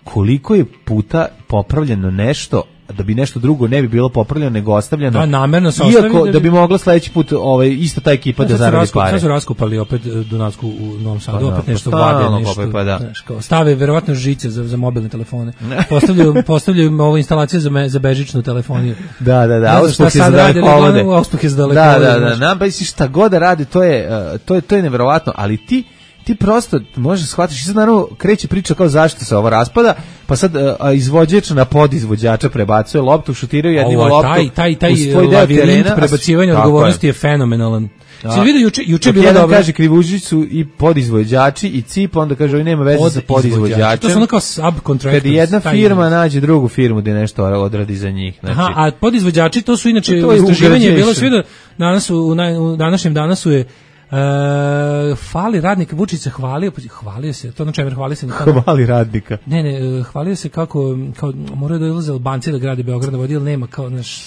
[SPEAKER 6] koliko je puta popravljeno nešto da bi nešto drugo ne bi bilo popravljeno nego ostavljeno.
[SPEAKER 5] A namerno se
[SPEAKER 6] ostavi. Iako da bi mogla sledeći put ovaj ista ta ekipa da zaradi pare.
[SPEAKER 5] Sad su raskopali opet Dunavsku u Novom Sadu,
[SPEAKER 6] pa
[SPEAKER 5] opet
[SPEAKER 6] da,
[SPEAKER 5] nešto
[SPEAKER 6] pa
[SPEAKER 5] vade, nešto.
[SPEAKER 6] Kopaj, pa da.
[SPEAKER 5] Znaš, kao, stave verovatno žice za za mobilne telefone. Postavljaju postavljaju ovu instalaciju za me, za bežičnu telefoniju.
[SPEAKER 6] Da, da, da.
[SPEAKER 5] Uspeh je za daleko. Uspeh je za daleko.
[SPEAKER 6] Da, da, da. Nam pa si šta god da radi, to je to je to je neverovatno, ali ti ti prosto možeš shvatiti, sad naravno kreće priča kao zašto se ovo raspada, pa sad a, izvođač na podizvođača prebacuje loptu, šutiraju jednim loptom.
[SPEAKER 5] Taj, taj, taj lavirint prebacivanja odgovornosti je, je fenomenalan. Si vidio juče, juče bilo dobro.
[SPEAKER 6] Kaže Krivužić su i podizvođači i C I P, onda kaže, oni nema veze sa podizvođačem.
[SPEAKER 5] To su ono kao subcontractors.
[SPEAKER 6] Kad jedna firma nađe drugu firmu gde nešto odradi za njih. Znači.
[SPEAKER 5] Aha, a podizvođači to su inače istraživanje je bilo sve da danas u, u današnjem danasu je Uh, hvali radnika, Vučić se hvalio, hvalio se, to na čemu hvali se nikako.
[SPEAKER 6] Hvali radnika.
[SPEAKER 5] Ne, ne, hvalio se kako, kao moraju da ilaze Albanci da grade Beograd na vodi, ili nema kao naš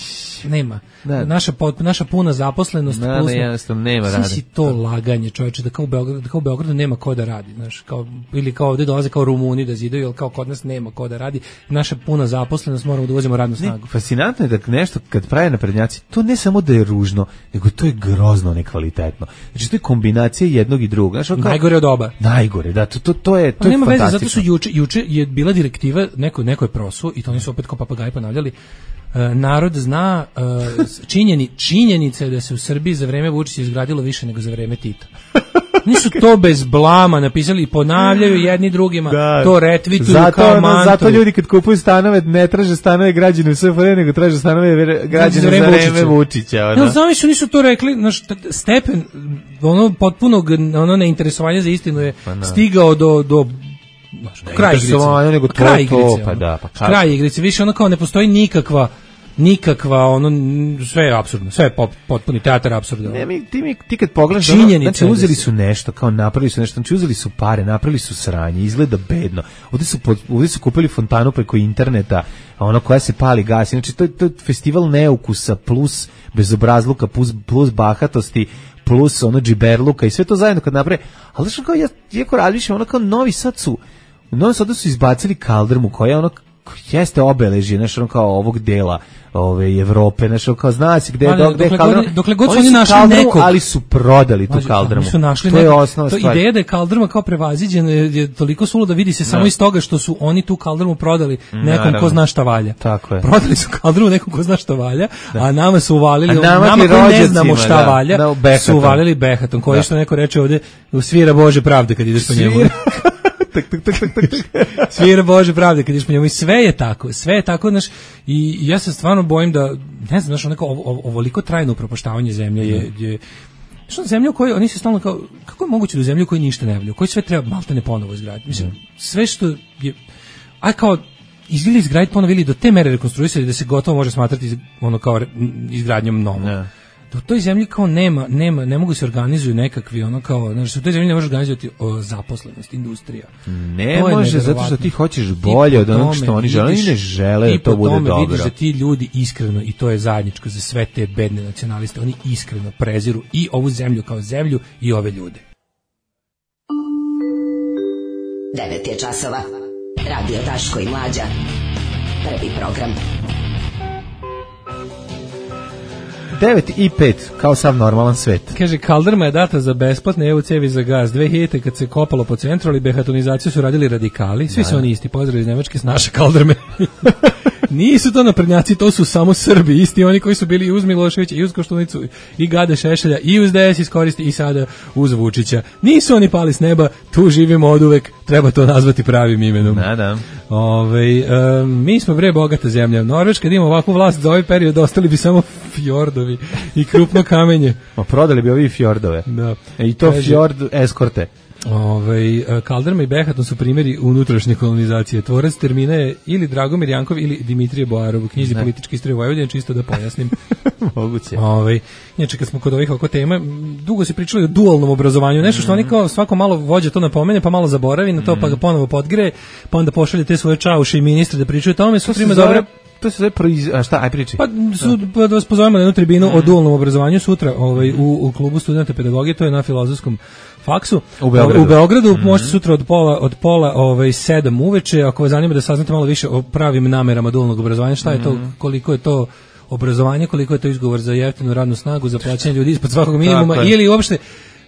[SPEAKER 5] Nema.
[SPEAKER 6] Da.
[SPEAKER 5] Naša, naša puna zaposlenost.
[SPEAKER 6] Da, ne, jednostavno nema rada.
[SPEAKER 5] Svi si to laganje, čovječe, da kao u Beogradu, da kao u Beogradu nema ko da radi, znaš, kao, ili kao ovdje dolaze kao Rumuni da zidaju, ili kao kod nas nema ko da radi. Naša puna zaposlenost, moramo da uvozimo radnu snagu.
[SPEAKER 6] Ne, fascinantno je da nešto, kad prave naprednjaci, to ne samo da je ružno, nego to je grozno nekvalitetno. Znači, to je kombinacija jednog i drugog. Znaš, kao,
[SPEAKER 5] najgore od oba.
[SPEAKER 6] Najgore, da, to, to, to je, to pa je
[SPEAKER 5] nema
[SPEAKER 6] fantastično.
[SPEAKER 5] Veze, zato su juče, juče je bila direktiva, neko, neko je prosuo, i to oni su opet kao papagaji ponavljali, uh, narod zna uh, činjeni, činjenice da se u Srbiji za vreme Vučića izgradilo više nego za vreme Tita. Nisu to bez blama napisali i ponavljaju jedni drugima, da, to retvituju zato, kao mantu.
[SPEAKER 6] Zato ljudi kad kupuju stanove ne traže stanove građane u S F R I, nego traže stanove građane za vreme Vučića. Vučića
[SPEAKER 5] ono. No, znam su nisu to rekli, znaš, stepen ono potpunog ono neinteresovanja za istinu je pa, stigao do do znaš, kraj igrice.
[SPEAKER 6] Nego to,
[SPEAKER 5] kraj igrice.
[SPEAKER 6] To, pa da, pa
[SPEAKER 5] kraj igrice, više ono kao ne postoji nikakva nikakva, ono, sve je apsurdno, sve je pop, potpuni teatar apsurda.
[SPEAKER 6] Ne, mi, ti, mi, ti kad pogledaš, ono, znači uzeli su nešto, kao napravili su nešto, znači uzeli su pare, napravili su sranje, izgleda bedno. Ovdje su, ovdje su kupili fontanu preko interneta, ono koja se pali gas, znači to je, to je festival neukusa plus bezobrazluka, plus, plus bahatosti, plus ono džiberluka i sve to zajedno kad naprave, ali znači kao ja, jako razmišljam, ono kao Novi Sad su, u Novom Sadu su izbacili kaldrmu koja je ono jeste obeležje, nešto ono kao ovog dela ove Evrope, nešto kao zna se gde je dok gde kaldrma.
[SPEAKER 5] Dokle god su oni našli nekog,
[SPEAKER 6] ali su prodali tu kaldrmu.
[SPEAKER 5] Su našli
[SPEAKER 6] to je osnovna
[SPEAKER 5] to
[SPEAKER 6] stvar.
[SPEAKER 5] Ideja da je kaldrma kao prevaziđena je, je toliko suluda, vidi se samo no. iz toga što su oni tu kaldrmu prodali nekom Naravno. ko zna šta valja.
[SPEAKER 6] Tako je.
[SPEAKER 5] Prodali su kaldrmu nekom ko zna šta valja, da. a nama su uvalili,
[SPEAKER 6] nama,
[SPEAKER 5] nama ko ne znamo šta da, valja,
[SPEAKER 6] da,
[SPEAKER 5] su uvalili behatom, koji da. što neko reče ovde, svira Bože pravde kad ideš po njemu. Tak, tak, tak, tak, tak. Svira Bože pravde kad ideš po njemu i sve je tako, sve je tako, znaš, i ja se stvarno bojim da, ne znam, znaš, onako ovo, ovoliko trajno upropaštavanje zemlje je, je što zemlja u kojoj, oni se stalno kao, kako je moguće da u zemlji u kojoj ništa ne valja, u kojoj sve treba malte ne ponovo izgraditi, mislim, sve što je, aj kao, ili izgraditi ponovo ili do te mere rekonstruisati da se gotovo može smatrati ono kao izgradnjom novo. U toj zemlji kao nema, nema, ne mogu se organizuju nekakvi ono kao, znači u toj zemlji ne može organizovati o, zaposlenost, industrija.
[SPEAKER 6] Ne može, zato što ti hoćeš bolje od onog što oni žele, oni ne žele da to bude dobro. I po tome vidiš da ti ljudi iskreno, i to je zajedničko za sve te bedne nacionaliste, oni iskreno preziru i ovu zemlju kao zemlju i ove ljude.
[SPEAKER 2] devet je časova. Radio Daško i Mlađa. Prvi program.
[SPEAKER 6] devet i pet, kao sav normalan svet.
[SPEAKER 5] Kaže, kaldrma je data za besplatne E U cevi za gaz. dve hiljadite kad se kopalo po centru, ali behatonizaciju su radili radikali. Svi da. su oni isti, pozdrav iz Nemačke s naše kaldrme. Nisu to naprednjaci, to su samo Srbi, isti oni koji su bili i uz Miloševića, i uz Koštunicu, i Gade Šešelja, i uz D S iskoristi, i sada uz Vučića. Nisu oni pali s neba, tu živimo oduvek, treba to nazvati pravim imenom.
[SPEAKER 6] Da, da.
[SPEAKER 5] Ove, um, mi smo bre bogata zemlja. Norveška, da ima ovakvu vlast za ovaj period, ostali bi samo fjordovi i krupno kamenje.
[SPEAKER 6] O, prodali bi ovi fjordove.
[SPEAKER 5] Da.
[SPEAKER 6] E, I to Kaže, fjord eskorte.
[SPEAKER 5] Ovaj kaldrma i behaton su primjeri unutrašnje kolonizacije. Tvorac termina je ili Dragomir Jankov ili Dimitrije Boarov u knjizi ne. Političke istorije Vojvodine, čisto da pojasnim.
[SPEAKER 6] Moguće.
[SPEAKER 5] Ovaj inače kad smo kod ovih oko tema, dugo se pričalo o dualnom obrazovanju, nešto što mm. oni kao svako malo vođa to napomene, pa malo zaboravi na to, mm. pa ga ponovo podgreje, pa onda pošalje te svoje čauše i ministre da pričaju o tome, su prima dobre.
[SPEAKER 6] To se zove proiz... A šta, aj priči.
[SPEAKER 5] Pa, su, pa da vas pozovemo na jednu tribinu mm. o dualnom obrazovanju sutra ovaj, u, u klubu studenta pedagogije, to je na Filozofskom faksu.
[SPEAKER 6] U Beogradu.
[SPEAKER 5] U Beogradu mm-hmm. možete sutra od pola, od pola ovaj, sedam uveče, ako vas zanima da saznate malo više o pravim namerama dualnog obrazovanja, šta je to, koliko je to obrazovanje, koliko je to izgovor za jeftinu radnu snagu, za plaćanje ljudi ispod svakog minimuma, ili uopšte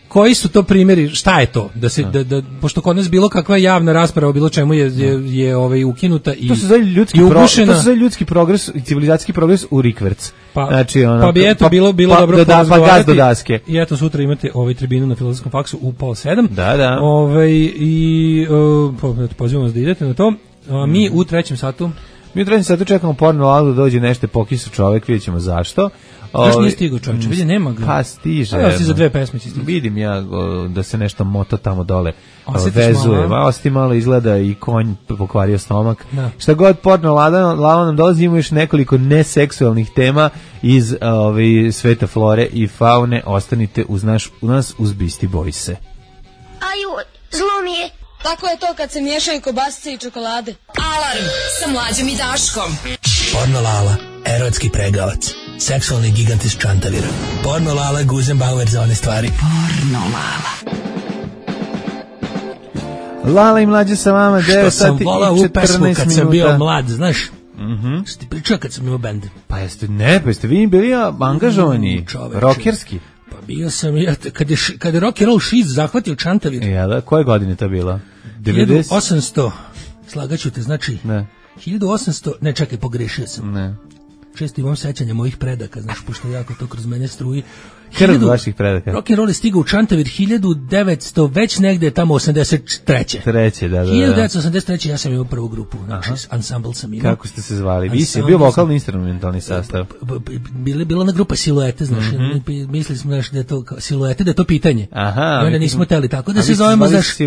[SPEAKER 5] koji su to primjeri, šta je to da se da, da pošto kod nas bilo kakva javna rasprava o bilo čemu je je, je ovaj ukinuta i
[SPEAKER 6] to se zove ljudski progres, to se zove ljudski progres i civilizacijski progres u rikverc.
[SPEAKER 5] Pa,
[SPEAKER 6] znači ono,
[SPEAKER 5] pa bi eto pa, bilo bilo pa, dobro
[SPEAKER 6] da, pa gaz do daske.
[SPEAKER 5] I eto sutra imate ovaj tribinu na Filozofskom faksu u pola sedam.
[SPEAKER 6] Da, da.
[SPEAKER 5] Ovaj i uh, pa pozivamo vas da idete na to. A mi mm. u trećem satu
[SPEAKER 6] Mi u trećem satu čekamo porno lalu da dođe nešto pokisu čovek, vidjet ćemo zašto.
[SPEAKER 5] Još nije stigao čovječe, vidi nema ga.
[SPEAKER 6] Pa stiže.
[SPEAKER 5] A si za dve pesme će stići.
[SPEAKER 6] Vidim ja o, da se nešto mota tamo dole vezuje. Ma, osti malo izgleda i konj pokvario stomak. Da. Šta god porno lala nam dolazi, ima još nekoliko neseksualnih tema iz ove, sveta flore i faune. Ostanite uz, naš, uz nas uz Beastie Boyse.
[SPEAKER 4] Aju, zlo mi je.
[SPEAKER 11] Tako je to kad se miješaju kobasice i čokolade.
[SPEAKER 2] Alarm sa Mlađom i Daškom.
[SPEAKER 13] Porno Lala, erotski pregavac.
[SPEAKER 5] seksualni gigant iz Čantavira. Porno Lala, Guzenbauer za one stvari.
[SPEAKER 2] Porno Lala.
[SPEAKER 6] Lala i mlađe sa vama, devet sati i četrnaest minuta. Što sam volao u pesmu
[SPEAKER 5] kad sam bio mlad, znaš?
[SPEAKER 6] Mhm.
[SPEAKER 5] Što ti pričao kad sam imao bend?
[SPEAKER 6] Pa jeste, ne, pa jeste vi bili angažovani, mm, rokerski.
[SPEAKER 5] Pa bio sam, ja, kad je, kad je rock and roll šiz zahvatio Čantavir.
[SPEAKER 6] Ja, da, koje godine to bilo?
[SPEAKER 5] hiljadu osamsto, slagaću te, znači,
[SPEAKER 6] ne.
[SPEAKER 5] hiljadu osamsto, ne čekaj, pogrešio sam.
[SPEAKER 6] Ne.
[SPEAKER 5] Često imam sećanja mojih predaka, znaš, pošto jako to kroz mene struji.
[SPEAKER 6] Krv vaših predaka.
[SPEAKER 5] Rock and roll je stigao u Čantavir hiljadu devetsto, već negde tamo osamdeset treće.
[SPEAKER 6] Treće, da, da, da.
[SPEAKER 5] hiljadu devetsto osamdeset treće ja sam imao prvu grupu, znači ansambl sam imao.
[SPEAKER 6] Kako ste se zvali? Vi si bio vokalni instrumentalni sastav.
[SPEAKER 5] Bila bila na grupa Siluete, znaš, mm-hmm. mislili smo znaš, da je to Siluete, da je to pitanje.
[SPEAKER 6] Aha.
[SPEAKER 5] I onda nismo teli tako da se zovemo, znaš,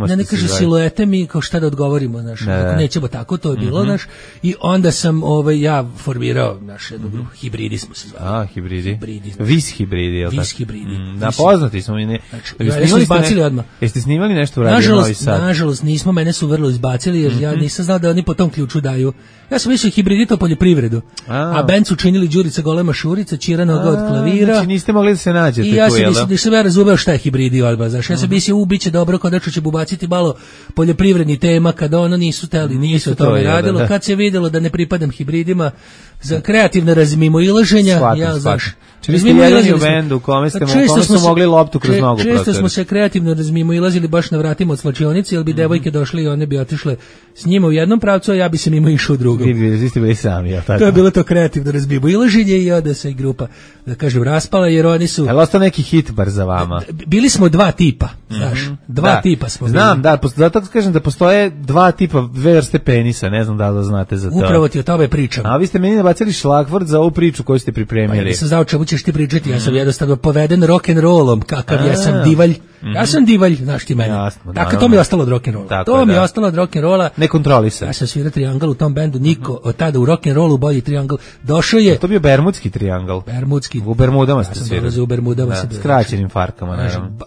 [SPEAKER 6] da
[SPEAKER 5] ne kaže Siluete, mi kao šta da odgovorimo, znaš, nećemo tako, to je bilo, znaš, i onda sam ovaj, ja formirao naš jednu grupu, Hibridi smo se zvali.
[SPEAKER 6] A, Hibridi. Vis Hibridi.
[SPEAKER 5] Vis Hibridi.
[SPEAKER 6] Mm, da, poznati smo mi. Ne.
[SPEAKER 5] Znači, ja smo izbacili odmah.
[SPEAKER 6] Jeste snimali nešto u Radio Novi Sad?
[SPEAKER 5] Nažalost, nismo, mene su vrlo izbacili, jer mm-hmm. ja nisam znao da oni po tom ključu daju. Ja sam mislio hibridito poljoprivredu, a, a band su činili Đurica Golema Šurica, Čira Noga od klavira.
[SPEAKER 6] Znači niste mogli da se nađete
[SPEAKER 5] i ja
[SPEAKER 6] tu,
[SPEAKER 5] sam mislio, da sam ja razumeo šta je hibridi odba, znaš, ja sam mislio, u, bit će dobro, konačno će ubaciti malo poljoprivredni tema, kada ono nisu teli, nisu to tome radilo, da. Kad se videlo da ne pripadam hibridima, za kreativne razmimoilaženja, ja, znaš,
[SPEAKER 6] vi ste jedini u bendu u kome ste su mogli loptu kroz nogu protiv.
[SPEAKER 5] Često smo se kreativno razmimoilazili baš na vratima od slačionice, jer bi devojke došle i one bi otišle s njima u jednom pravcu, a ja bi se mimo išao u drugom.
[SPEAKER 6] Vi ste bili sami, jel tako?
[SPEAKER 5] To je bilo to kreativno razmimoilaženje i onda se i grupa, da kažem, raspala, jer oni su...
[SPEAKER 6] Je li ostao neki hit bar za vama?
[SPEAKER 5] Bili smo dva tipa, znaš, dva da. tipa smo bili.
[SPEAKER 6] Znam, da, zato kažem da postoje dva tipa, dve vrste penisa, ne znam da li znate za to.
[SPEAKER 5] Upravo ti o tome pričam.
[SPEAKER 6] A vi ste meni nabacili šlagvort za ovu priču koju ste pripremili.
[SPEAKER 5] Pa ja nisam znao čemu ćeš ti pričati, ja sam jednostavno poveden rock and rollom, kakav ja sam divalj. Ja sam divalj, znaš ti mene.
[SPEAKER 6] Jasno,
[SPEAKER 5] tako to mi je ostalo od rock and rolla. To mi je ostalo od rock and rolla.
[SPEAKER 6] Ne kontrolisan.
[SPEAKER 5] Ja sam svirao triangl u tom bendu, niko od tada u rock and rollu bolji triangl. Došao je.
[SPEAKER 6] To bio bermudski triangl.
[SPEAKER 5] Bermudski.
[SPEAKER 6] U Bermudama ste svirali.
[SPEAKER 5] Ja u Bermudama se
[SPEAKER 6] s kraćenim farkama, naravno.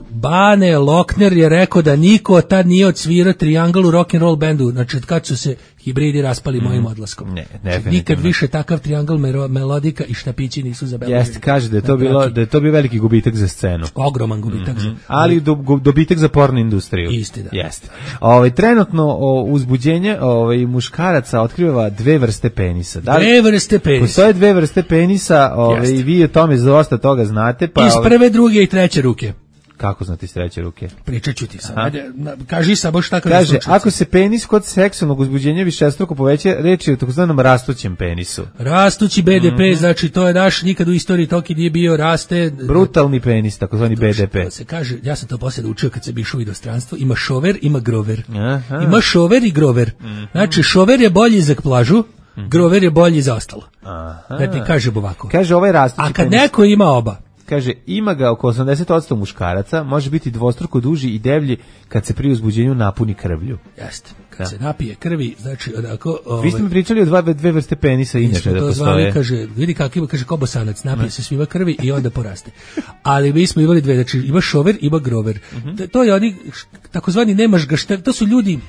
[SPEAKER 5] Bane Lokner je rekao da niko od tad nije odsvirao triangl u rock and roll bendu, znači kad su se hibridi raspali mm. mojim odlaskom.
[SPEAKER 6] Ne,
[SPEAKER 5] znači, nikad više takav triangl melodika i štapići nisu zabeležili.
[SPEAKER 6] Jeste, kaže da je to bilo da je to bio veliki gubitak za scenu.
[SPEAKER 5] Ogroman gubitak mm-hmm. za.
[SPEAKER 6] Ali do, dobitak za porno industriju.
[SPEAKER 5] Isti, da.
[SPEAKER 6] Jeste. Ovaj trenutno o, uzbuđenje ovaj muškaraca otkriva dve vrste penisa.
[SPEAKER 5] Da li, dve vrste penisa.
[SPEAKER 6] Postoje dve vrste penisa, ovaj i vi o tome dosta toga znate, pa
[SPEAKER 5] iz prve, druge i treće ruke.
[SPEAKER 6] Kako znate iz treće ruke?
[SPEAKER 5] Pričat ću ti sad. Ajde, kaži samo šta kada
[SPEAKER 6] kaže, ako se penis kod seksualnog uzbuđenja višestruko poveća, reč je o takozvanom rastućem penisu.
[SPEAKER 5] Rastući B D P, mm-hmm. znači to je naš, nikad u istoriji toki nije bio, raste...
[SPEAKER 6] Brutalni penis, takozvani B D P.
[SPEAKER 5] To se kaže, ja sam to poslije učio kad sam išao u inostranstvo, ima šover, ima grover. Aha. Ima šover i grover. Mm-hmm. Znači, šover je bolji za plažu, mm-hmm. grover je bolji za ostalo. Aha. Da ti kažem ovako.
[SPEAKER 6] Kaže, ovaj rastući penis.
[SPEAKER 5] A kad penis... neko ima oba,
[SPEAKER 6] kaže, ima ga oko osamdeset posto muškaraca, može biti dvostruko duži i devlji kad se pri uzbuđenju napuni krvlju.
[SPEAKER 5] Jeste, kad da. se napije krvi, znači onako...
[SPEAKER 6] Ovaj, vi ste mi pričali o dva, dve vrste penisa inače da postoje. Zvali,
[SPEAKER 5] kaže, vidi kako ima, kaže, kobosanac, napije se svima krvi i onda poraste. Ali mi smo imali dve, znači ima šover, ima grover. Uh-huh. To je oni, takozvani nemaš ga šta, to su ljudi...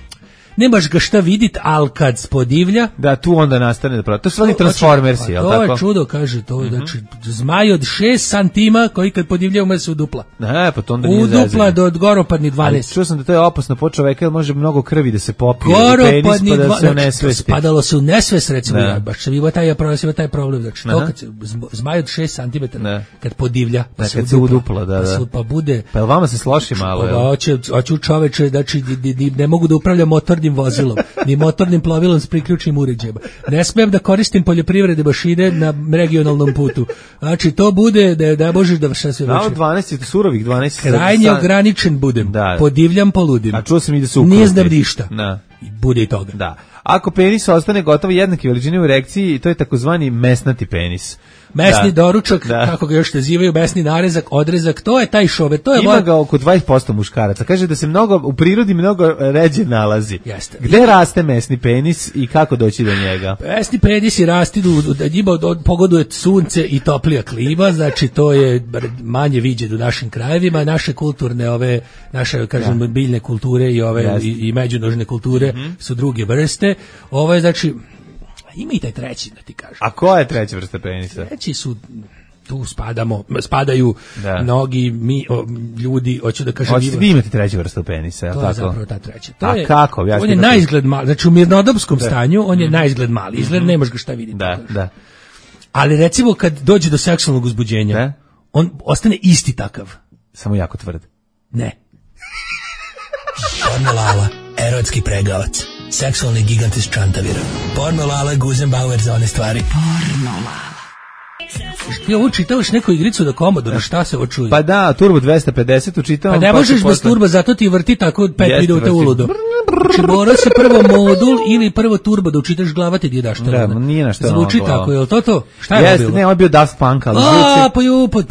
[SPEAKER 5] Nemaš ga šta vidit, al kad spodivlja...
[SPEAKER 6] Da, tu onda nastane da pravi. To su oni transformersi, jel' tako?
[SPEAKER 5] To je čudo, kaže, to je, mm-hmm. znači, zmaj od šest santima koji kad podivlja ume se udupla.
[SPEAKER 6] Ne, pa to onda nije
[SPEAKER 5] zezanje. Udupla do goropadni dvanaest.
[SPEAKER 6] Ali čuo sam da to je opasno po čoveka, jer može mnogo krvi da se popije. Goropadni dvanaest. Pa da se unesvesti.
[SPEAKER 5] Spadalo se u nesvest, recimo, ja, baš sam imao taj, taj problem, znači, to kad se, zmaj od šest santimetara, kad podivlja, pa
[SPEAKER 6] da,
[SPEAKER 5] se
[SPEAKER 6] kad udupla, da, da.
[SPEAKER 5] Pa bude...
[SPEAKER 6] Pa vama se sloši malo,
[SPEAKER 5] jel? Hoće, hoću čoveče, znači, ne mogu da upravljam motornim vozilom, ni motornim plovilom s priključnim uređajima. Ne smijem da koristim poljoprivredne mašine na regionalnom putu. Znači, to bude da, da možeš da vrša sve veće.
[SPEAKER 6] Na dvanaest, surovih dvanaest.
[SPEAKER 5] Krajnje san... ograničen budem. Da. Podivljam, poludim.
[SPEAKER 6] A čuo sam i da su ukruti.
[SPEAKER 5] Nije znam ništa.
[SPEAKER 6] Da.
[SPEAKER 5] I bude i toga.
[SPEAKER 6] Da. Ako penis ostane gotovo jednake veličine u erekciji, to je takozvani mesnati penis.
[SPEAKER 5] Mesni
[SPEAKER 6] da.
[SPEAKER 5] doručak, da. Kako ga još nazivaju, mesni narezak, odrezak, to je taj šover. To je
[SPEAKER 6] ima ga oko dvadeset posto muškaraca. Kaže da se mnogo u prirodi mnogo ređe nalazi.
[SPEAKER 5] Jeste.
[SPEAKER 6] Gde I... raste mesni penis i kako doći do njega?
[SPEAKER 5] Mesni penis i rasti da njima pogoduje sunce i toplija klima, znači to je manje viđeno u našim krajevima, naše kulturne ove naše kažem da. biljne kulture i ove Jeste. i, i međunožne kulture mm-hmm. su druge vrste. Ovo je znači ima i taj treći, da ti kažem.
[SPEAKER 6] A koja je treća vrsta penisa?
[SPEAKER 5] Treći su, tu spadamo, spadaju da. mnogi mi, o, ljudi, hoću da kažem...
[SPEAKER 6] Hoćete vi imate treću vrstu penisa, je li
[SPEAKER 5] tako? To je zapravo ta treća. To
[SPEAKER 6] A
[SPEAKER 5] je,
[SPEAKER 6] kako? Ja
[SPEAKER 5] on je naizgled mali, znači u mirnodopskom da. stanju, on je mm. naizgled mali, izgled mm-hmm. nemaš ga šta vidjeti.
[SPEAKER 6] Da, da.
[SPEAKER 5] Ali recimo kad dođe do seksualnog uzbuđenja, da? on ostane isti takav.
[SPEAKER 6] Samo jako tvrd.
[SPEAKER 5] Ne. Porno Lala, erotski pregavac, seksualni gigant iz Čantavira. Porno Lala, Guzenbauer za one stvari. Porno Lala. Ti ovo čitavaš neku igricu da Commodore, šta se ovo čuje?
[SPEAKER 6] Pa da, Turbo dvesta pedeset učitavam.
[SPEAKER 5] Pa ne možeš bez turba, zato ti vrti tako pet minuta uludo. Znači mora se prvo modul ili prvo turbo da učitaš glava ti daš to.
[SPEAKER 6] Da, nije na što.
[SPEAKER 5] Zvuči tako, je li to to? Šta je
[SPEAKER 6] Jeste,
[SPEAKER 5] bilo?
[SPEAKER 6] Ne, on je bio Daft Punk, ali
[SPEAKER 5] A, pa ju, pa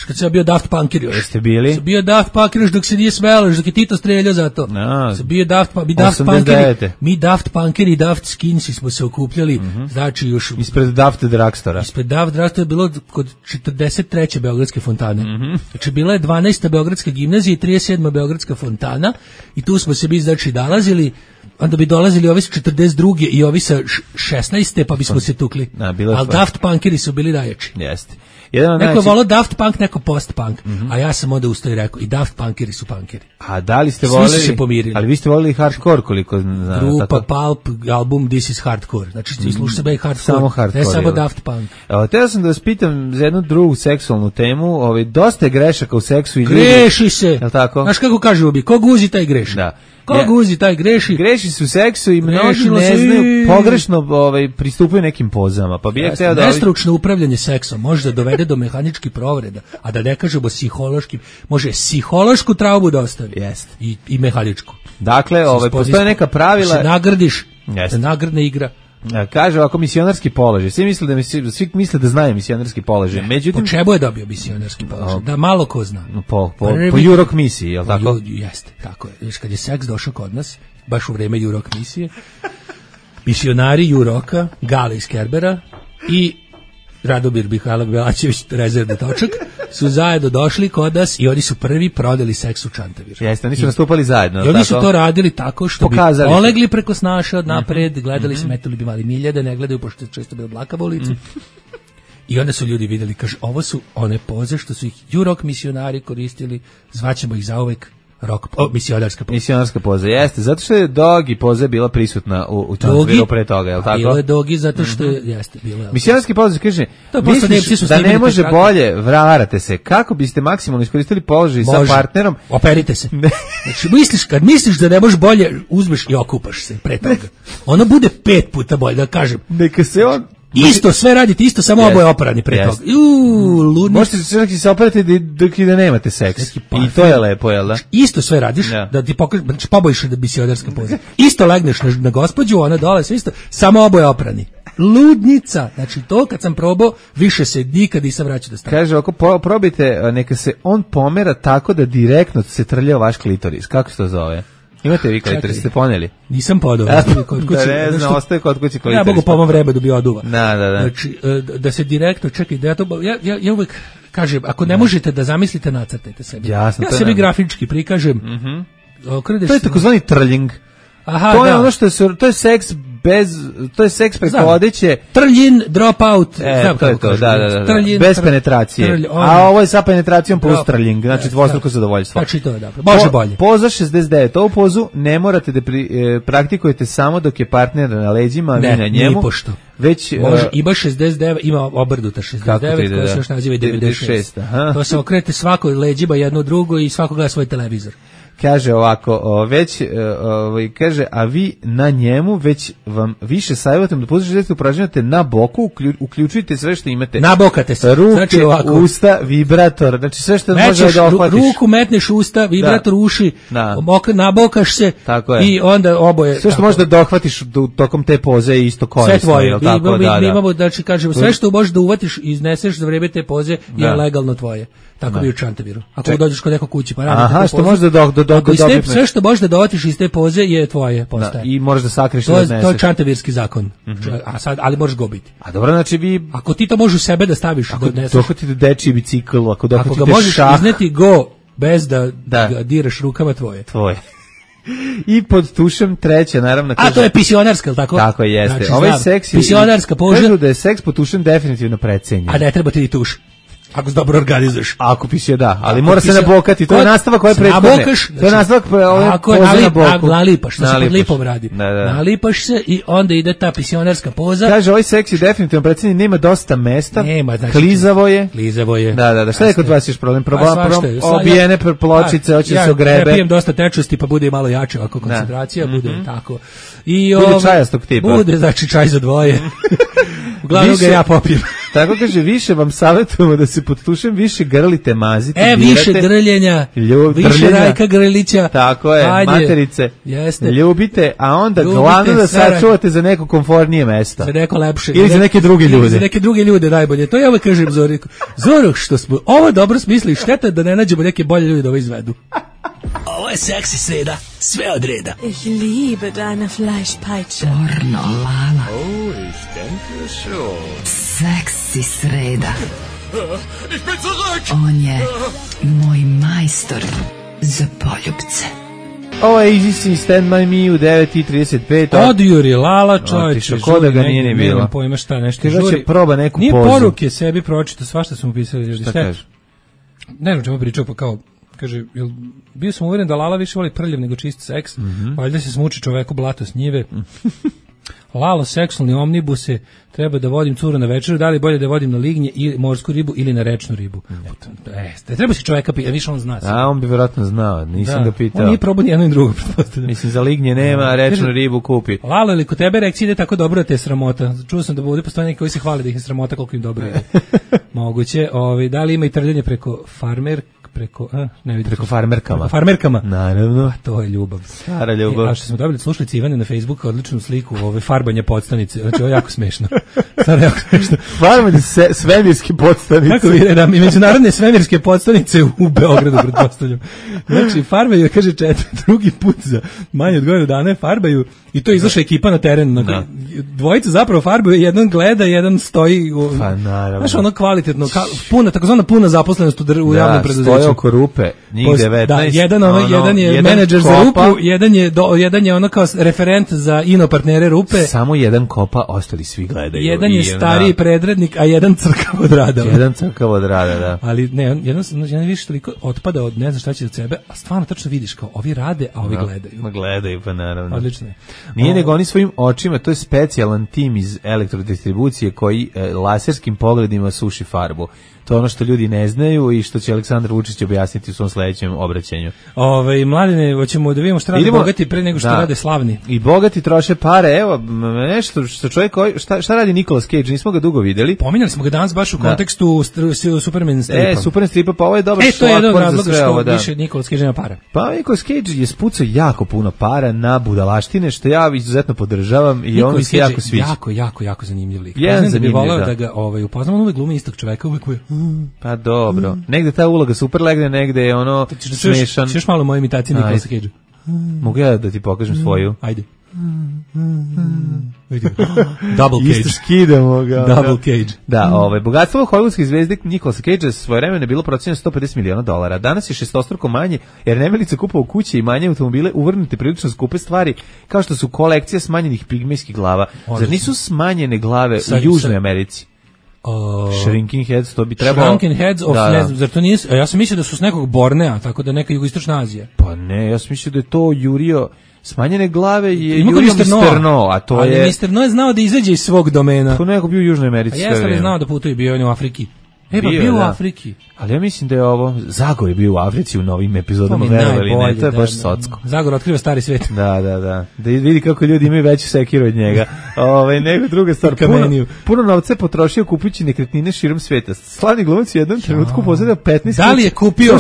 [SPEAKER 5] kad se bio Daft Punkir još.
[SPEAKER 6] Jeste bili?
[SPEAKER 5] Se bio Daft Punkir još dok se nije smelo, dok je Tito streljao za to.
[SPEAKER 6] No,
[SPEAKER 5] se bio Daft, mi Daft Punkiri, mi Daft Punkiri i Daft Skinsi smo se okupljali, mm-hmm. znači još...
[SPEAKER 6] Ispred Daft Dragstora.
[SPEAKER 5] Ispred Daft Dragstora je bilo kod četrdeset treće Beogradske fontane.
[SPEAKER 6] Mm-hmm.
[SPEAKER 5] Znači bila je dvanaesta Beogradska gimnazija i trideset sedma Beogradska fontana i tu smo se bi znači dalazili, onda bi dolazili ovi sa četrdeset druge i ovi sa šesnaeste pa bismo se tukli.
[SPEAKER 6] Na,
[SPEAKER 5] ali Daft Punkiri su bili najjači.
[SPEAKER 6] Jeste. Jedan
[SPEAKER 5] neko je
[SPEAKER 6] najči...
[SPEAKER 5] volao Daft Punk, neko post-punk, mm-hmm. a ja sam onda ustao i rekao, i Daft Punkeri su punkeri.
[SPEAKER 6] A da li ste voleli?
[SPEAKER 5] Svi su se pomirili.
[SPEAKER 6] Ali vi ste voleli hardcore koliko znam.
[SPEAKER 5] Grupa, Pulp, album This is Hardcore. Znači, ti slušaš sebe i hardcore.
[SPEAKER 6] Samo hardcore.
[SPEAKER 5] Ne samo Daft Punk.
[SPEAKER 6] Evo, teo sam da vas pitam za jednu drugu seksualnu temu. Ovaj, dosta je grešaka u seksu i ljudi.
[SPEAKER 5] Greši se.
[SPEAKER 6] Je li tako?
[SPEAKER 5] Znaš kako kaže ubi, ko guzi taj greši.
[SPEAKER 6] Da.
[SPEAKER 5] Ko ja, guzi taj greši.
[SPEAKER 6] Greši su u seksu i mnogi ne znaju, pogrešno ovaj, pristupaju nekim pozama. Pa bi ja hteo da...
[SPEAKER 5] Nestručno upravljanje seksom može da dovede do mehaničkih povreda, a da ne kažemo psihološki, može psihološku traumu da ostavi.
[SPEAKER 6] Jest.
[SPEAKER 5] I, i mehaničku.
[SPEAKER 6] Dakle, ovaj, postoje neka pravila...
[SPEAKER 5] Da se nagradiš, da nagradna igra.
[SPEAKER 6] Kaže ovako misionarski položaj. Svi misle da misli, svi misle da znaju misionarski položaj. Međutim,
[SPEAKER 5] po čemu je dobio misionarski položaj? Da malo ko zna.
[SPEAKER 6] Po po po Jurok misiji, je l' tako?
[SPEAKER 5] Jeste, tako je. Viš kad je seks došao kod nas, baš u vreme Jurok misije, misionari Juroka, Gale iz Kerbera i Radomir Mihajlov Belačević, rezervni točak, su zajedno došli kod nas i oni su prvi prodali seks u Čantaviru.
[SPEAKER 6] Jeste, oni su nastupali zajedno.
[SPEAKER 5] I oni su to radili tako što
[SPEAKER 6] Pokazali
[SPEAKER 5] bi polegli preko snaša od napred, gledali mm-hmm. smetuli bi mali miljede, ne gledaju pošto često bilo blaka u ulici. Mm. I onda su ljudi vidjeli, kaže, ovo su one poze što su ih Jurok misionari koristili, zvaćemo ih zauvek rock, o, misionarska poza.
[SPEAKER 6] Misionarska poza, jeste, zato što je Dogi poza bila prisutna u, u Čantaviru pre toga, je li tako?
[SPEAKER 5] Bilo je Dogi zato što je, jeste, bilo je.
[SPEAKER 6] Misionarski poza, kaže, misliš da ne može bolje, varate se, kako biste maksimalno iskoristili položaj sa partnerom?
[SPEAKER 5] Operite se. Znači, misliš, kad misliš da ne možeš bolje, uzmeš i okupaš se pre toga. Ono bude pet puta bolje, da kažem.
[SPEAKER 6] Neka se on...
[SPEAKER 5] Isto sve radite, isto samo yes. oboje operani pre toga. Uuu, ludnic.
[SPEAKER 6] Možete se čak i se operati dok i da nemate seks. I to je lepo, jel da?
[SPEAKER 5] Isto sve radiš, yeah. da ti pokažeš, znači pobojiš da bi si odarska poza. Isto legneš na, na gospođu, ona dole, sve isto, samo oboje oprani. Ludnica. Znači to kad sam probao, više se nikad nisam vraćao da stavim.
[SPEAKER 6] Kaže, ako po, probajte, neka se on pomera tako da direktno se trlja vaš klitoris. Kako se to zove? Imate vi klitoris, ste poneli?
[SPEAKER 5] Nisam podao.
[SPEAKER 6] Kod kući, da ne znam, ostaje kod kući klitoris.
[SPEAKER 5] Ja mogu po mom vremenu bi oduva.
[SPEAKER 6] Da, da, da.
[SPEAKER 5] Znači, da se direktno, čekaj, da ja to, ja, ja, ja uvek kažem, ako ne možete da zamislite, nacrtajte sebi.
[SPEAKER 6] Jasno,
[SPEAKER 5] ja sebi grafički prikažem.
[SPEAKER 6] Mm-hmm. To je takozvani trljing.
[SPEAKER 5] Aha,
[SPEAKER 6] to je
[SPEAKER 5] da.
[SPEAKER 6] ono što je, to je seks bez, to je seks preko odeće.
[SPEAKER 5] Trljin, drop out.
[SPEAKER 6] E,
[SPEAKER 5] znam
[SPEAKER 6] to je to,
[SPEAKER 5] kažem.
[SPEAKER 6] da, da, da.
[SPEAKER 5] Trljin,
[SPEAKER 6] bez
[SPEAKER 5] tr...
[SPEAKER 6] penetracije.
[SPEAKER 5] Trlj,
[SPEAKER 6] a ovo je sa penetracijom plus trljing, znači dvostruko zadovoljstvo.
[SPEAKER 5] Znači to je dobro, može
[SPEAKER 6] po,
[SPEAKER 5] bolje.
[SPEAKER 6] Poza šezdeset devet, ovu pozu ne morate da pri, e, praktikujete samo dok je partner na leđima,
[SPEAKER 5] ne,
[SPEAKER 6] vi na njemu.
[SPEAKER 5] Ne, pošto.
[SPEAKER 6] Već,
[SPEAKER 5] može, ima šezdeset devet, ima obrnuta šezdeset devet, koja se još naziva devedeset šest. To se okrete svako leđima jedno drugo i svako gleda svoj televizor.
[SPEAKER 6] Kaže ovako, o, već, o, kaže, a vi na njemu već vam više savjetujem da pozitivno upražnjate na boku, uklju, uključujte sve što imate.
[SPEAKER 5] Nabokate se.
[SPEAKER 6] Ruke, znači usta, vibrator, znači sve što
[SPEAKER 5] Mećeš,
[SPEAKER 6] može da ohvatiš.
[SPEAKER 5] Ruku metneš usta, vibrator
[SPEAKER 6] da.
[SPEAKER 5] uši,
[SPEAKER 6] da.
[SPEAKER 5] nabokaš se i onda oboje.
[SPEAKER 6] Sve što možeš da dohvatiš tokom te poze je isto korisno.
[SPEAKER 5] Sve tvoje.
[SPEAKER 6] Tako,
[SPEAKER 5] mi,
[SPEAKER 6] da,
[SPEAKER 5] mi
[SPEAKER 6] da.
[SPEAKER 5] imamo, znači kažemo, sve što možeš da uvatiš i izneseš za vreme te poze je da. legalno tvoje. Tako bi u Čantaviru. Ako dođeš kod nekog kući pa radiš
[SPEAKER 6] Aha, što možeš da do, do, do,
[SPEAKER 5] ako do, do, sve što možeš da dovatiš iz te poze je tvoje, postaje.
[SPEAKER 6] Da, i možeš da sakriješ
[SPEAKER 5] to,
[SPEAKER 6] da odneseš.
[SPEAKER 5] To je Čantavirski zakon.
[SPEAKER 6] Mm-hmm.
[SPEAKER 5] A sad, ali možeš ga ubiti.
[SPEAKER 6] A dobro, znači vi...
[SPEAKER 5] Ako ti to možeš u sebe da staviš,
[SPEAKER 6] ako
[SPEAKER 5] da odneseš.
[SPEAKER 6] Ako dohvatite dečiji bicikl, ako dohvatite šah...
[SPEAKER 5] Ako ga možeš šah, izneti go bez da,
[SPEAKER 6] da
[SPEAKER 5] ga diraš rukama tvoje.
[SPEAKER 6] Tvoje. I pod tušem treća, naravno.
[SPEAKER 5] A to je pisionarska, ili tako?
[SPEAKER 6] Tako jeste.
[SPEAKER 5] Znači,
[SPEAKER 6] ovaj seks je...
[SPEAKER 5] Pisionarska poža.
[SPEAKER 6] Kažu da je seks pod tušem definitivno precenjen.
[SPEAKER 5] A ne treba ti tuš. Ako se dobro organizuješ.
[SPEAKER 6] Ako pisio da, ali ako mora se nabokati, to je nastavak koje prethodne.
[SPEAKER 5] Nabokaš,
[SPEAKER 6] to je nastavak ove poze na boku.
[SPEAKER 5] Nalipaš, što se pod lipom radi.
[SPEAKER 6] Da, da.
[SPEAKER 5] Nalipaš se i onda ide ta pisionarska poza.
[SPEAKER 6] Kaže, ovaj seks je definitivno precenjen, nema dosta mesta,
[SPEAKER 5] nema, znači,
[SPEAKER 6] klizavo je.
[SPEAKER 5] Klizavo je.
[SPEAKER 6] Da, da, da, šta je kod vas još problem? Problem, obijene pločice, hoće se ogrebe.
[SPEAKER 5] Ja pijem dosta tečnosti, pa bude malo jače ovako koncentracija, bude tako. I
[SPEAKER 6] bude čajastog tipa.
[SPEAKER 5] Bude, znači čaj za dvoje. Uglavnom ga ja popijem.
[SPEAKER 6] Tako kaže, više vam savjetujemo da se pod tušem više grlite, mazite,
[SPEAKER 5] e,
[SPEAKER 6] dirate.
[SPEAKER 5] Više grljenja,
[SPEAKER 6] ljub,
[SPEAKER 5] više
[SPEAKER 6] grljenja.
[SPEAKER 5] Rajka Grlića.
[SPEAKER 6] Tako je, ajde, materice.
[SPEAKER 5] Jeste.
[SPEAKER 6] Ljubite, a onda ljubite, glavno da sačuvate za neko komfornije mesto.
[SPEAKER 5] Za neko lepše.
[SPEAKER 6] Ili za neke druge ljude.
[SPEAKER 5] Za neke druge ljude najbolje. To ja uvek kažem Zoriku. Zoru, što smo ovo dobro smisli, šteta da ne nađemo neke bolje ljude da ovo izvedu. Ovo je seksi sreda, sve od reda.
[SPEAKER 11] Ich liebe deine Fleischpeitsche.
[SPEAKER 2] Pornolala.
[SPEAKER 10] Oh, ich denke schon.
[SPEAKER 2] Seksi sreda.
[SPEAKER 10] Ich bin zurück.
[SPEAKER 2] On je moj majstor za poljubce.
[SPEAKER 6] Ovo je Easy Stand By Me u devet i trideset pet.
[SPEAKER 5] Odjuri Lala, čovječe.
[SPEAKER 6] Ko da ga nije ni bilo.
[SPEAKER 5] Nemam pojma šta nešto
[SPEAKER 6] žuri. Kaže proba neku
[SPEAKER 5] nije
[SPEAKER 6] pozu.
[SPEAKER 5] Nije poruke sebi pročita, svašta sam upisali.
[SPEAKER 6] Šta kaže?
[SPEAKER 5] Ne znam čemu pričao, pa kao, kaže, jel, bio sam uvjeren da Lala više voli prljav nego čist seks, mm-hmm. valjda se smuči čoveku blato s njive. Lalo, seksualni omnibuse, treba da vodim curu na večeru, da li bolje da vodim na lignje ili morsku ribu ili na rečnu ribu. E, treba si čoveka pitati, više on zna.
[SPEAKER 6] A, on bi vjerojatno znao, nisam
[SPEAKER 5] da.
[SPEAKER 6] ga pitao.
[SPEAKER 5] On nije probao ni jedno i drugo.
[SPEAKER 6] Mislim, za lignje nema, a rečnu ribu kupi.
[SPEAKER 5] Lalo, ili kod tebe reakcija ide tako dobro da te je sramota? Čuo sam da bude postoje neki koji se hvali da ih je sramota koliko im dobro ide. Moguće. Ovi, da li ima i trljenje preko farmer, preko, a, ne vidim.
[SPEAKER 6] Preko farmerkama.
[SPEAKER 5] Preko farmerkama.
[SPEAKER 6] Naravno.
[SPEAKER 5] A to je ljubav.
[SPEAKER 6] Stara ljubav.
[SPEAKER 5] E, a što smo dobili slušalice Ivane na Facebooku, odličnu sliku ove farbanje podstanice. Znači, ovo je jako smešno. Stvarno jako smešno.
[SPEAKER 6] Farbanje se, svemirske podstanice.
[SPEAKER 5] Kako vi da, i međunarodne svemirske podstanice u Beogradu, pretpostavljam. Znači, farbaju, kaže četiri, drugi put za manje od godinu dana farbaju i to izašla ekipa na teren. Na, dvojica zapravo farbaju, jedan gleda, jedan stoji. U,
[SPEAKER 6] pa naravno.
[SPEAKER 5] Znaš, ono kvalitetno, ka, puna, takozvana puna zaposlenost u, dr, u
[SPEAKER 6] da,
[SPEAKER 5] javnom preduzeću.
[SPEAKER 6] Stoje oko rupe, njih devetnaest.
[SPEAKER 5] Da, jedan, ono, ono, jedan je jedan menadžer kopa, za rupu, jedan je, do, jedan je ono kao referent za ino partnere rupe.
[SPEAKER 6] Samo jedan kopa, ostali svi gledaju.
[SPEAKER 5] Jedan je stariji predrednik, a jedan crkav od rada.
[SPEAKER 6] Jedan crkav od rada, da.
[SPEAKER 5] Ali ne, jedan, jedan više toliko otpada od ne znam šta će od sebe, a stvarno tačno vidiš kao ovi rade, a ovi
[SPEAKER 6] no,
[SPEAKER 5] gledaju.
[SPEAKER 6] Ma gledaju, pa naravno.
[SPEAKER 5] Odlično je.
[SPEAKER 6] Nije
[SPEAKER 5] o,
[SPEAKER 6] nego oni svojim očima, to je specijalan tim iz elektrodistribucije koji e, laserskim pogledima suši farbu. To je ono što ljudi ne znaju i što će Aleksandar Vučić objasniti u svom sledećem obraćanju.
[SPEAKER 5] Ove, mladine, hoćemo da vidimo šta rade bogati pre nego što
[SPEAKER 6] da,
[SPEAKER 5] rade slavni.
[SPEAKER 6] I bogati troše pare, evo, nešto što čovjek, šta, šta radi Nicolas Cage, nismo ga dugo videli.
[SPEAKER 5] Pominjali smo ga danas baš u da. kontekstu Superman stripa.
[SPEAKER 6] E, Superman stripa, pa ovo je dobar
[SPEAKER 5] e, to je jedan
[SPEAKER 6] od
[SPEAKER 5] razloga što
[SPEAKER 6] ovo, da.
[SPEAKER 5] više Nicolas Cage nema para.
[SPEAKER 6] Pa Nicolas Cage je spucao jako puno para na budalaštine, što ja izuzetno podržavam i on mi se jako sviđa.
[SPEAKER 5] Jako, jako, jako zanimljiv lik.
[SPEAKER 6] Jedan zanimljiv,
[SPEAKER 5] da bi voleo
[SPEAKER 6] da.
[SPEAKER 5] da ga ovaj, upoznamo, on uvek glumi istog čoveka, uvek je...
[SPEAKER 6] Pa dobro, mm. negde ta uloga super legne, negde je ono smešan.
[SPEAKER 5] Češ malo moje imitacije Nicolasa Cage.
[SPEAKER 6] Mogu ja da ti pokažem svoju?
[SPEAKER 5] Ajde. Double Cage.
[SPEAKER 6] Isto skidamo ga.
[SPEAKER 5] Double Cage.
[SPEAKER 6] Da, ovaj, bogatstvo hollywoodske zvezde Nicolasa Cagea svoje vremena je bilo procenjeno sto pedeset miliona dolara. Danas je šestostruko manje, jer nemilice kupovao kuće i manje automobile uvrnute prilično skupe stvari, kao što su kolekcija smanjenih pigmejskih glava. Zar nisu smanjene glave u Južnoj Americi?
[SPEAKER 5] Uh,
[SPEAKER 6] Shrinking Heads, to bi trebalo...
[SPEAKER 5] Shrinking Heads of,
[SPEAKER 6] da,
[SPEAKER 5] ne znam, zar to nije... Ja sam mislio da su s nekog Bornea, tako da neka jugoistočna Azija.
[SPEAKER 6] Pa ne, ja sam mislio da je to jurio... Smanjene glave je jurio mister No, a to
[SPEAKER 5] ali
[SPEAKER 6] je...
[SPEAKER 5] Ali mister No je znao da izađe iz svog domena.
[SPEAKER 6] To neko bio u Južnoj Americi sve
[SPEAKER 5] vreme. A
[SPEAKER 6] jeste
[SPEAKER 5] li znao da putuje, bio on u Afriki. E, pa bio, bio u Afriki.
[SPEAKER 6] Ali ja mislim da je ovo... Zagor je bio u Africi u novim epizodama, verovali ne, to je baš socko.
[SPEAKER 5] Zagor otkriva stari svet.
[SPEAKER 6] Da, da, da. Da vidi kako ljudi imaju veću sekiru od njega. Ove, nego druga stvar. Puno, puno novca je potrošio kupujući nekretnine širom sveta. Slavni glumac u jednom trenutku posjedio petnaest...
[SPEAKER 5] Da li je kupio...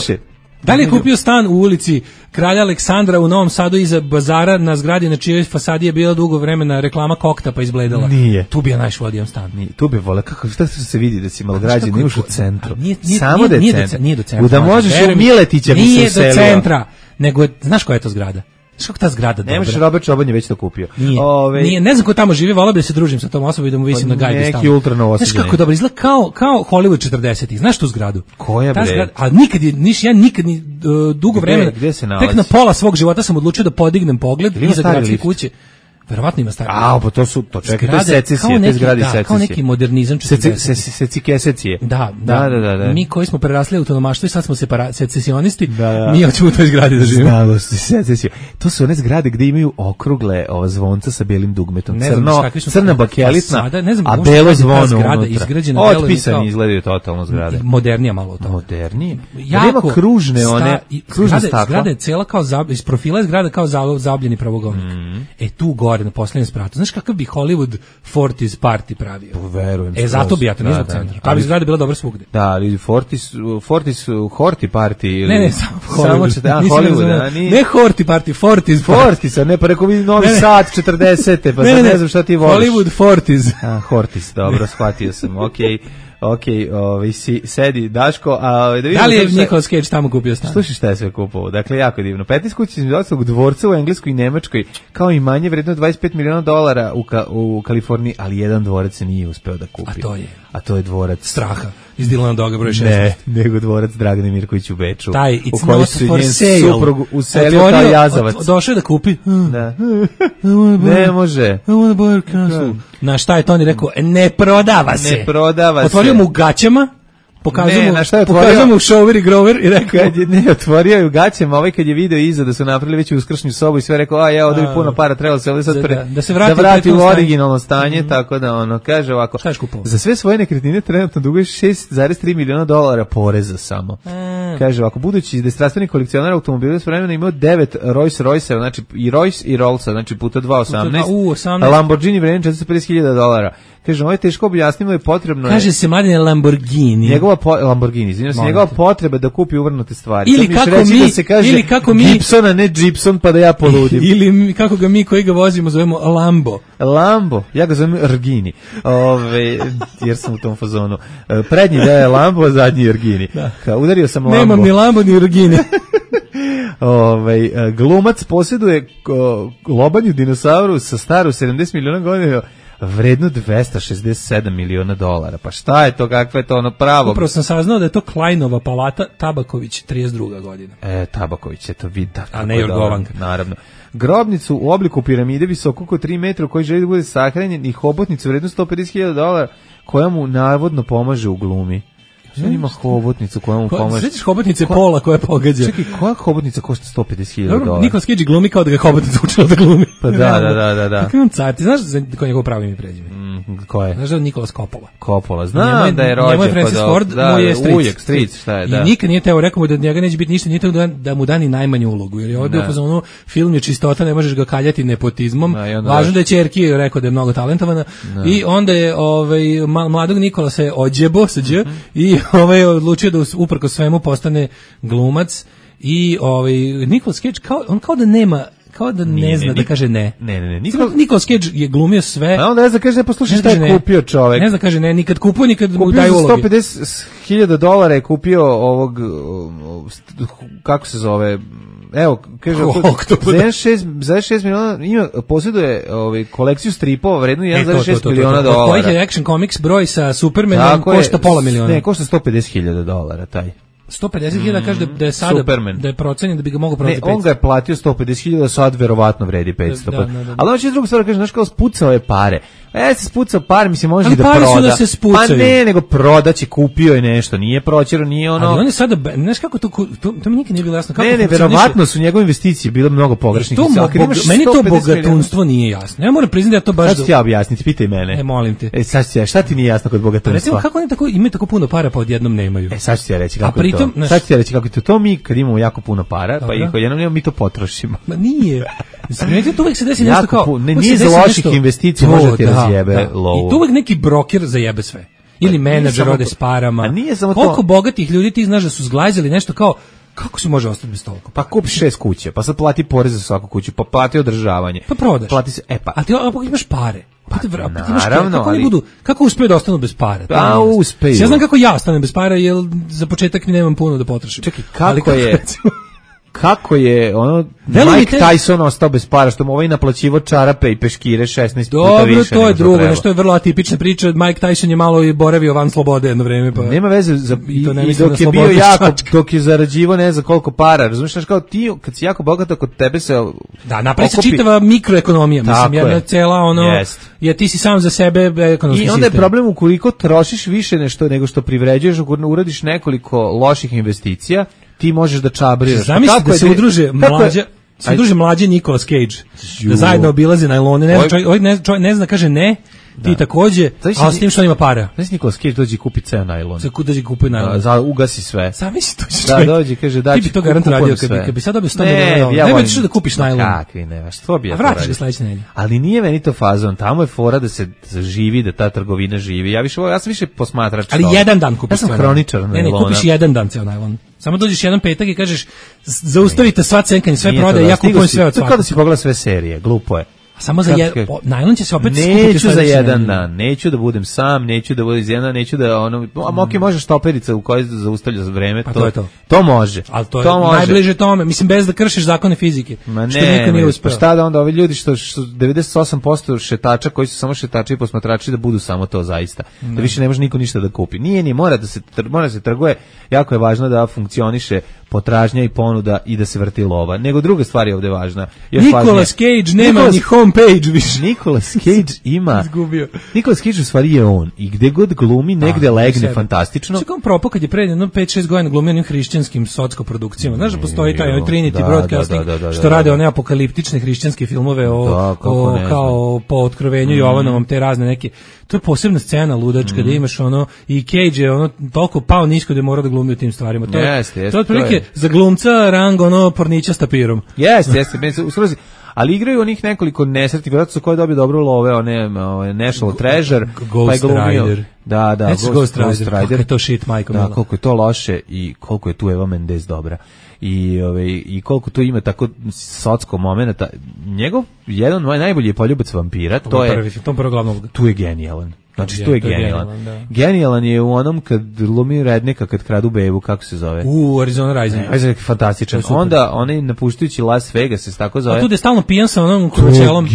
[SPEAKER 5] Da li je kupio stan u ulici Kralja Aleksandra u Novom Sadu iza bazara na zgradi na čijoj fasadi je bila dugo vremena reklama kokta pa izbledala?
[SPEAKER 6] Nije.
[SPEAKER 5] Tu bi ja najš vodio stan.
[SPEAKER 6] Nije. Tu bi vole, kako šta se vidi da si malograđen, imaš u centru.
[SPEAKER 5] Nije, nije,
[SPEAKER 6] samo da je
[SPEAKER 5] nije,
[SPEAKER 6] centar.
[SPEAKER 5] Nije do centra.
[SPEAKER 6] Da možeš u Miletića bi se
[SPEAKER 5] Nije
[SPEAKER 6] uselio.
[SPEAKER 5] do centra, nego, znaš koja je to zgrada? Znaš kako ta zgrada dobra?
[SPEAKER 6] Ne možeš, Robert Čoban je već to kupio.
[SPEAKER 5] Nije,
[SPEAKER 6] Ove...
[SPEAKER 5] nije, ne znam ko tamo živi, volao bi da se družim sa tom osobom i da mu visim pa na gajbi
[SPEAKER 6] neki
[SPEAKER 5] stalno.
[SPEAKER 6] ultra novosađeni.
[SPEAKER 5] Znaš kako dobro, izgleda kao, kao Hollywood četrdesetih. Znaš tu zgradu?
[SPEAKER 6] Koja bre?
[SPEAKER 5] Zgrada, a nikad je, niš, ja nikad ni uh, dugo
[SPEAKER 6] gde,
[SPEAKER 5] vremena,
[SPEAKER 6] gde se nalazi?
[SPEAKER 5] Tek na pola svog života sam odlučio da podignem pogled iza gradske kuće. Verovatno ima stari.
[SPEAKER 6] A, pa to su, to čekaj, to je secesija, te zgradi secesije.
[SPEAKER 5] Kao neki modernizam četrdesetih.
[SPEAKER 6] Secesije.
[SPEAKER 5] Da, da, da, da. Mi koji smo prerasli autonomaštvo i sad smo secesionisti, mi hoćemo u toj zgradi da živimo.
[SPEAKER 6] Znalo se, secesiju. To su one zgrade gde imaju okrugle ova zvonca sa belim dugmetom. Crno, crna bakelitna, a belo zvono unutra. Otpisani izgledaju totalno zgrade.
[SPEAKER 5] Modernija malo to.
[SPEAKER 6] Modernije? Jako kružne one, kružne stakla.
[SPEAKER 5] Zgrada je cela kao, iz profila je zgrada kao zabljeni pravougovnik. E tu gore na poslednjem spratu. Znaš kakav bi Hollywood forties party pravio?
[SPEAKER 6] Verujem.
[SPEAKER 5] E zato bi ja to nizvog centra. Ta bi zgrada bila dobra svugde.
[SPEAKER 6] Da, ali forties, forties, horti party ili...
[SPEAKER 5] Ne, ne, samo Hollywood.
[SPEAKER 6] Samo a, Hollywood, a ni...
[SPEAKER 5] Ne horti party, forties.
[SPEAKER 6] Forties, a ne, pa rekao vi Novi Sad četrdesete, pa ne, sad ne, ne znam šta ti voliš.
[SPEAKER 5] Hollywood forties.
[SPEAKER 6] A, hortis, dobro, shvatio sam, okej. Okay. Ok, ovaj, si, sedi Daško, a da vidimo...
[SPEAKER 5] Da li je Nicolas Cage tamo kupio stan?
[SPEAKER 6] Slušaj šta je sve kupovao, dakle jako divno. petnaest kuća iz ostalog dvorca u Engleskoj i Nemačkoj, kao i manje vredno dvadeset pet miliona dolara u, ka, u Kaliforniji, ali jedan dvorac se nije uspeo da kupi.
[SPEAKER 5] A to je?
[SPEAKER 6] A to je dvorac...
[SPEAKER 5] Straha, iz Dilana Doga broj šest.
[SPEAKER 6] Ne, nego dvorac Dragane Mirković u Beču.
[SPEAKER 5] Taj, it's
[SPEAKER 6] u koji
[SPEAKER 5] not
[SPEAKER 6] su
[SPEAKER 5] for
[SPEAKER 6] njen
[SPEAKER 5] sale.
[SPEAKER 6] Suprug uselio kao jazavac.
[SPEAKER 5] Od, došao je da kupi.
[SPEAKER 6] Da. Ne može.
[SPEAKER 5] I wanna buy a castle. Na šta je Toni rekao? Ne prodava se.
[SPEAKER 6] Ne prodava se.
[SPEAKER 5] Otvorio mu gaćama. Pokazao mu,
[SPEAKER 6] na
[SPEAKER 5] pokazao mu Shower i Grover i rekao...
[SPEAKER 6] Kad je ne otvorio je u gaćama, ovaj kad je video iza da su napravili već uskršnju sobu i sve rekao, a ja ovdje bi puno para, trebalo se ovdje sad
[SPEAKER 5] da,
[SPEAKER 6] pre,
[SPEAKER 5] da, da se vrati,
[SPEAKER 6] da vrati
[SPEAKER 5] u,
[SPEAKER 6] u originalno stanje, mm-hmm. Tako da ono, kaže ovako, za sve svoje nekretnine trenutno duguje šest zarez tri miliona dolara poreza samo. Mm. Kaže ovako, budući da je strastveni kolekcionar automobila s vremena imao devet Rolls Royce, znači i Royce i Rollsa, znači puta dva osamnaest, a Lamborghini vremena četiristo pedeset hiljada dolara. Kaže, ovo je teško objasnimo, je potrebno...
[SPEAKER 5] Kaže je, se Mladine Lamborghini.
[SPEAKER 6] Njegova po, Lamborghini, izvinjam se, njegova potreba da kupi uvrnute stvari.
[SPEAKER 5] Ili kako mi,
[SPEAKER 6] da se kaže
[SPEAKER 5] ili kako mi...
[SPEAKER 6] Gibson, a ne Gibson, pa da ja poludim.
[SPEAKER 5] Ili kako ga mi koji ga vozimo zovemo Lambo.
[SPEAKER 6] Lambo, ja ga zovem Rgini, Ove, jer sam u tom fazonu. Prednji da je Lambo, a zadnji je Rgini. Da. Udario sam Lambo.
[SPEAKER 5] Nemam ni Lambo, ni Rgini.
[SPEAKER 6] Ove, glumac posjeduje lobanju dinosauru sa staru sedamdeset miliona godina, vredno dvesta šezdeset sedam miliona dolara. Pa šta je to, kakva je to ono pravo?
[SPEAKER 5] Upravo sam saznao da je to Kleinova palata, Tabaković, trideset druga godina.
[SPEAKER 6] E, Tabaković, je to vidi.
[SPEAKER 5] A ne Jorgovanka.
[SPEAKER 6] Naravno. Grobnicu u obliku piramide visoko oko tri metra u kojoj želi da bude sahranjen i hobotnicu vredno sto pedeset hiljada dolara koja mu navodno pomaže u glumi. Šta ima hobotnicu koja mu pomaže?
[SPEAKER 5] Svećiš hobotnice Ko... pola koja pogađa.
[SPEAKER 6] Čekaj, koja hobotnica košta sto pedeset hiljada dolara?
[SPEAKER 5] Nikolas Cage glumi kao da ga hobotnica učila da glumi.
[SPEAKER 6] Pa da, da, da, da. da.
[SPEAKER 5] Kako on car? Ti znaš za koje njegovo pravo ime i prezime?
[SPEAKER 6] Mm, ko je?
[SPEAKER 5] Znaš da je Nikolas Coppola?
[SPEAKER 6] Coppola, znam da je rođen.
[SPEAKER 5] Njemu je Francis Ford,
[SPEAKER 6] da,
[SPEAKER 5] mu je stric.
[SPEAKER 6] Ujak, stric, šta je, da.
[SPEAKER 5] I nikad nije teo, rekao mu da njega neće biti ništa, nije teo da, da mu dani najmanju ulogu. Jer je ovdje u fazonu, film je čistota, ne možeš ga kaljati nepotizmom. Da, važno da je ćerki, rekao da je mnogo talentovana. Da. I onda je ovaj, mladog Nikolasa je ođebo sa dž, mm-hmm. i ovaj, odlučio da uprko svemu postane glumac. I ovaj, Nicolas Cage, kao, on kao da nema kao da ne nije, zna ne, da kaže ne.
[SPEAKER 6] Ne, ne, ne.
[SPEAKER 5] Nikol... Nikolas Cage je glumio sve.
[SPEAKER 6] A onda ne zna kaže ne, poslušaj šta je kupio čovjek.
[SPEAKER 5] Ne zna kaže ne, nikad kupio, nikad mu daju uloge.
[SPEAKER 6] Kupio sto pedeset hiljada dolara je kupio ovog, kako se zove, evo, kaže, za šest miliona ima, posjeduje ovaj, kolekciju stripova vrednu jedan zarez šest miliona dolara.
[SPEAKER 5] Koji je Action Comics broj sa Supermanom košta pola miliona.
[SPEAKER 6] Ne, košta sto pedeset hiljada dolara taj.
[SPEAKER 5] sto pedeset hiljada kaže da je sada Superman. Da je procenjen da bi ga mogao prodati petsto.
[SPEAKER 6] Ne, on ga je platio sto pedeset hiljada, sad verovatno vredi petsto. Da, da, da, da. Ali on će drugu stvar kaže, znaš kao spucao je pare. E, se spucao pare, mislim, može i da proda.
[SPEAKER 5] Ali pare su da se spucaju.
[SPEAKER 6] Pa ne, nego prodaće, kupio je nešto, nije proćero, nije ono...
[SPEAKER 5] Ali on je sada, znaš kako to, to, to mi nikad nije bilo jasno. Kako
[SPEAKER 6] ne, ne, verovatno su njegove investicije bile mnogo pogrešnih.
[SPEAKER 5] To, boga, meni to bogatunstvo nije jasno. Ja moram priznati da je to baš...
[SPEAKER 6] Sad ću ti ja objasniti, pitaj mene.
[SPEAKER 5] E, molim te.
[SPEAKER 6] E, sad ću ti ja, šta ti nije jasno kod bogatunstva?
[SPEAKER 5] Recimo, kako oni tako, imaju tako puno para pa odjednom nemaju?
[SPEAKER 6] E, sad ću ti ja reći kako je to. Sad ću ti ja reći kako je to. To mi, kad imamo jako puno para, pa ih odjednom nemamo, mi to potrošimo.
[SPEAKER 5] Ma nije. Smijenite, to uvijek se desi nešto kao...
[SPEAKER 6] Ne, nije za loših investicija, može ti razjebe lovu.
[SPEAKER 5] I tu uvijek neki broker zajebe sve. Ili menadžer ode s parama.
[SPEAKER 6] A nije samo
[SPEAKER 5] to. Koliko bogatih ljudi ti znaš da su zglajzali nešto kao, kako se može ostati bez toliko?
[SPEAKER 6] Pa kupi šest kuće, pa sad plati porez za svaku kuću, pa plati održavanje.
[SPEAKER 5] Pa prodaš.
[SPEAKER 6] Plati se, e pa.
[SPEAKER 5] A ti ako imaš pare. Pa, pa
[SPEAKER 6] naravno,
[SPEAKER 5] imaš pare, kako
[SPEAKER 6] ali...
[SPEAKER 5] oni budu, kako uspeju da ostanu bez para?
[SPEAKER 6] Pa uspeju.
[SPEAKER 5] Ja znam kako ja ostanem bez para, jer za početak nemam puno da potrošim.
[SPEAKER 6] Čekaj, kako, kako je... kako je ono
[SPEAKER 5] Veli
[SPEAKER 6] Mike
[SPEAKER 5] te...
[SPEAKER 6] Tyson ostao bez para, što mu ovaj naplaćivo čarape i peškire šesnaest
[SPEAKER 5] Dobro,
[SPEAKER 6] puta više.
[SPEAKER 5] to je drugo, nešto je vrlo atipična priča. Mike Tyson je malo i boravio van slobode jedno vreme. Pa...
[SPEAKER 6] Nema veze, za, i,
[SPEAKER 5] to ne
[SPEAKER 6] i dok je bio jako,
[SPEAKER 5] šačka.
[SPEAKER 6] dok je zarađivo ne za koliko para, razumiješ, kao ti, kad si jako bogat, kod tebe se
[SPEAKER 5] da, napravi se
[SPEAKER 6] okupi...
[SPEAKER 5] čitava mikroekonomija, mislim, jedna
[SPEAKER 6] je.
[SPEAKER 5] cela ono, yes. je ti si sam za sebe ekonomski sistem.
[SPEAKER 6] I onda je problem ukoliko trošiš više nešto nego što privređuješ, ukoliko uradiš nekoliko loših investicija, ti možeš da čabriraš.
[SPEAKER 5] Zamisli da se je, udruže mlađa, se udruže mlađe Nicolas Cage, Ju. da zajedno obilaze najlone, ne, čovjek, ovaj ne, čovjek ne zna, kaže ne, ti da. takođe, ali s tim što ima para.
[SPEAKER 6] Znaš Nicolas Cage dođe i kupi ceo najlon.
[SPEAKER 5] Za kud dođe kupi najlon.
[SPEAKER 6] Da, za, ugasi sve.
[SPEAKER 5] Zamisli to će
[SPEAKER 6] čovjek. Da, dođe, kaže da
[SPEAKER 5] ti bi to garant radio, kad bi, kad bi sad dobio sto milijuna.
[SPEAKER 6] Ja
[SPEAKER 5] ne bi da kupiš najlon.
[SPEAKER 6] Kakvi, ne, što bi ja to
[SPEAKER 5] radio. A vratiš ga sledeće nedelje.
[SPEAKER 6] Ali nije meni to fazon, tamo je fora da se živi, da ta trgovina živi. Ja više, ja sam više posmatrač.
[SPEAKER 5] Ali
[SPEAKER 6] to.
[SPEAKER 5] jedan dan kupiš.
[SPEAKER 6] Ja sam hroničar najlona.
[SPEAKER 5] Ne, ne, kupiš jedan dan ceo najlon. Samo dođeš jedan petak i kažeš zaustavite sva cenkanje, sve prodaje, ja kupujem sve od svakog.
[SPEAKER 6] Kao da si pogledao sve serije, glupo je.
[SPEAKER 5] Samo za jedan, najlon će se opet skupiti.
[SPEAKER 6] Neću za jedan dan, neću da budem sam, neću da budem iz jedna, neću da ono, a moki može štoperica u kojoj zaustavlja za vreme, to,
[SPEAKER 5] to je to.
[SPEAKER 6] To može.
[SPEAKER 5] Ali to, to je može. Najbliže tome, mislim bez da kršiš zakone fizike.
[SPEAKER 6] Ma ne, što niko nije uspeo. Pa šta da onda ovi ljudi što, što devedeset osam posto šetača koji su samo šetači i posmatrači da budu samo to zaista. Da, da više ne može niko ništa da kupi. Nije ni mora da se mora da se trguje, jako je važno da funkcioniše potražnja i ponuda i da se vrti lova. Nego druga stvar je ovde važna. Još
[SPEAKER 5] Nicolas Cage nema Nicolas, ni homepage više.
[SPEAKER 6] Nicolas Cage ima.
[SPEAKER 5] Izgubio.
[SPEAKER 6] Nicolas Cage u stvari je on. I gde god glumi, negde A, legne sebe. Fantastično.
[SPEAKER 5] Čekaj, on propao kad je pre jedno pet šest godina glumio onim hrišćanskim socko produkcijama. Znaš da postoji taj ovaj Trinity da, Broadcasting da, da, da, što da, da, rade da. one apokaliptične hrišćanske filmove o, da, o kao po otkrovenju mm. Jovanovom, te razne neke. To je posebna scena ludačka mm. da imaš ono i Cage je ono toliko pao nisko da je morao da glumi u tim stvarima. To je
[SPEAKER 6] yes, yes,
[SPEAKER 5] to je otprilike za glumca rang ono pornića s tapirom.
[SPEAKER 6] Jeste, jeste, u srezi. Ali igraju onih nekoliko nesretnih, vjerojatno su koji dobiju dobro love, one, one National Treasure,
[SPEAKER 5] Ghost pa Rider.
[SPEAKER 6] Da, da,
[SPEAKER 5] Ghost, Ghost Rider. Kako je to shit, majko.
[SPEAKER 6] Da, koliko je to loše i koliko je tu Eva Mendes dobra. I ove i koliko tu ima tako socsko momenata. Njegov jedan moj najbolji poljubac vampira, to, to je
[SPEAKER 5] prvi, to prvo glavnog.
[SPEAKER 6] Tu je genijalan. Znači
[SPEAKER 5] je,
[SPEAKER 6] tu je
[SPEAKER 5] to
[SPEAKER 6] genijalan.
[SPEAKER 5] Je genijalan,
[SPEAKER 6] genijalan je u onom kad glumi rednika kad kradu bebu, kako se zove?
[SPEAKER 5] U Arizona Rising.
[SPEAKER 6] Ne, fantastičan. Onda onaj napuštajući Las Vegas se tako zove.
[SPEAKER 5] A tu je stalno pijan sa onom kručelom.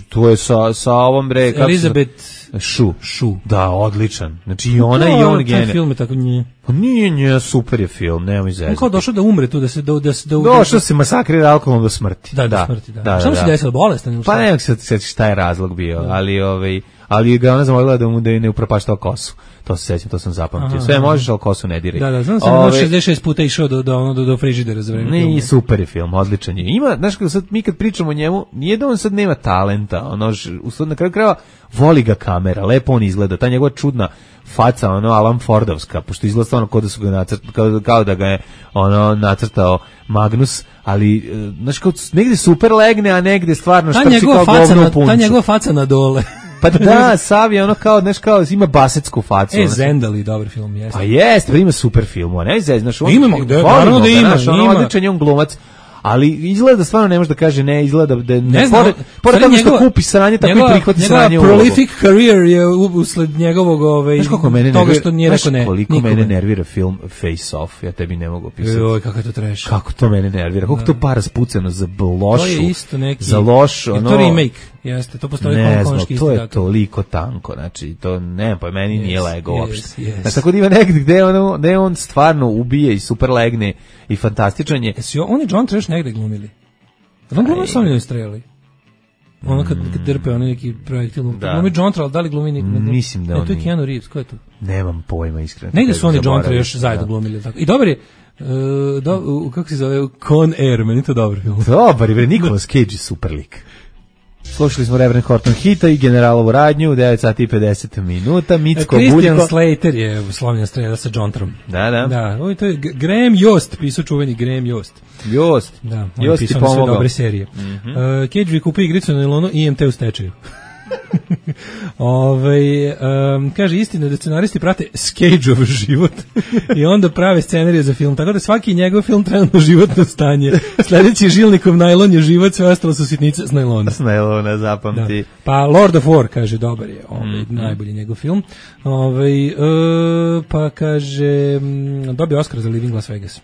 [SPEAKER 6] Tu je sa sa ovom bre kako
[SPEAKER 5] Elizabeth
[SPEAKER 6] Šu.
[SPEAKER 5] Šu.
[SPEAKER 6] Da, odličan. Znači i ona i on genijalan.
[SPEAKER 5] Film je tako nje.
[SPEAKER 6] Pa nije, nije, super je film, nemoj zezati.
[SPEAKER 5] On kao došao da umre tu, da se... Da, da, da,
[SPEAKER 6] došao se masakrira alkoholom do smrti.
[SPEAKER 5] Da, do smrti, da. da, da, da. Šta mu se desilo, bolestan?
[SPEAKER 6] Pa ne, se se šta je razlog bio, da. ali ovaj, ali ga ona zamolila da mu da ne upropaštao kosu. To se sećam, to sam zapamtio. Sve možeš, al kosu ne diraj.
[SPEAKER 5] Da, da, znam sam Ove, šezdeset šest puta išao do do do, do frižidera za vreme.
[SPEAKER 6] Ne, i super je film, odličan je. Ima, znaš kako sad mi kad pričamo o njemu, nije da on sad nema talenta, ono u na kraju krajeva voli ga kamera, lepo on izgleda, ta njegova čudna faca, ono Alan Fordovska, pošto izgleda stvarno kao da su ga nacrtali, kao, kao da ga je ono nacrtao Magnus, ali znaš kao negde super legne, a negde stvarno štrči kao govno u punču.
[SPEAKER 5] Ta njegova faca na dole.
[SPEAKER 6] Pa da, Sav je ono kao, znaš kao, ima basetsku facu.
[SPEAKER 5] E, Zendali, dobar film, jeste.
[SPEAKER 6] Pa jeste, pa ima super film, ne znaš, znaš, on...
[SPEAKER 5] Imamo, da, naravno da ima,
[SPEAKER 6] znaš, ono, odličan je on glumac, ali izgleda da stvarno ne može da kaže ne, izgleda da...
[SPEAKER 5] Ne znam,
[SPEAKER 6] pored toga što kupi sranje, tako i prihvati sranje u ulogu.
[SPEAKER 5] Prolific career je usled njegovog, ove, toga što nije rekao ne.
[SPEAKER 6] Znaš koliko mene nervira film Face Off, ja tebi ne mogu opisati.
[SPEAKER 5] Joj, kako je to trash.
[SPEAKER 6] Kako to mene nervira, koliko to para spuceno za lošu,
[SPEAKER 5] to je isto neki,
[SPEAKER 6] za loš, ono...
[SPEAKER 5] to remake, jeste, to postoji
[SPEAKER 6] ne
[SPEAKER 5] znam,
[SPEAKER 6] to je toliko tanko, znači, to ne, pa meni nije lego uopšte. Znači, tako da ima negdje gde on, gde on stvarno ubije i super legne i fantastičan je.
[SPEAKER 5] Jesi oni John Trash negde glumili? On glumi sa onim streli. Ono kad, kad drpe onaj neki projektil. Glumi John Travolta, da li glumi neki?
[SPEAKER 6] Mislim da
[SPEAKER 5] ne,
[SPEAKER 6] on
[SPEAKER 5] to je Keanu Reeves, ko je to?
[SPEAKER 6] Nemam pojma, iskreno.
[SPEAKER 5] Negde su oni John Travolta još zajedno glumili. Tako. I dobar je, uh, do, uh, kako se zove, Con Air, meni to dobro film.
[SPEAKER 6] Dobar je, Nicolas Cage je super lik. Slušali smo Reverend Horton Hita i Generalovu radnju, devet sati i pedeset minuta, Micko Buljko.
[SPEAKER 5] Christian Slater je slovnja strela sa John Trom.
[SPEAKER 6] Da, da.
[SPEAKER 5] Da, ovo to je Graham Yost, pisao čuveni Graham Yost.
[SPEAKER 6] Yost.
[SPEAKER 5] Da, on
[SPEAKER 6] Yost
[SPEAKER 5] je pisao sve dobre serije. Mm-hmm. uh, Cage vi kupi igricu na Ilonu i I M T u stečaju. Ove, um, kaže istina da scenaristi prate Cage-ov život i onda prave scenarije za film, tako da svaki njegov film trenutno životno stanje. Sledeći Žilnikov najlon je život, sve ostalo su sitnice s najlona.
[SPEAKER 6] S najlona, zapamti.
[SPEAKER 5] Da. Pa Lord of War, kaže, dobar je, ovaj, mm-hmm. najbolji njegov film. Ovaj, uh, pa kaže, dobio Oscar za Living Las Vegas.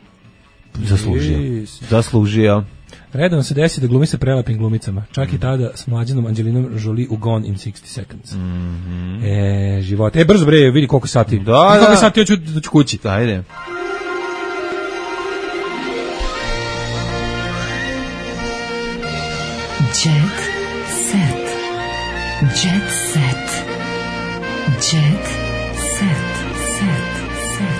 [SPEAKER 6] Zaslužio. Yes. Zaslužio.
[SPEAKER 5] Redom se desi da glumi sa prelepim glumicama. Čak mm. i tada s mlađenom Angelinom Jolie u Gone in sixty seconds. Mm-hmm. E, život. E, brzo bre, vidi koliko sati.
[SPEAKER 6] Da, da.
[SPEAKER 5] Koliko sati hoću da ću kući.
[SPEAKER 6] Ajde.
[SPEAKER 2] Jet set. Jet set. Jet set. Set. Set.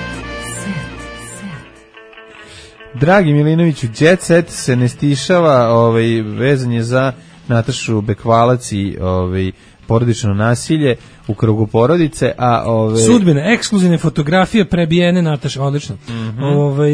[SPEAKER 2] Set.
[SPEAKER 6] Dragi Milinoviću, Jet Set se ne stišava, ovaj, vezan je za Natašu Bekvalac i ovaj, porodično nasilje u krugu porodice, a ove...
[SPEAKER 5] Sudbine, ekskluzivne fotografije prebijene Nataše, odlično. Mm-hmm. Ove,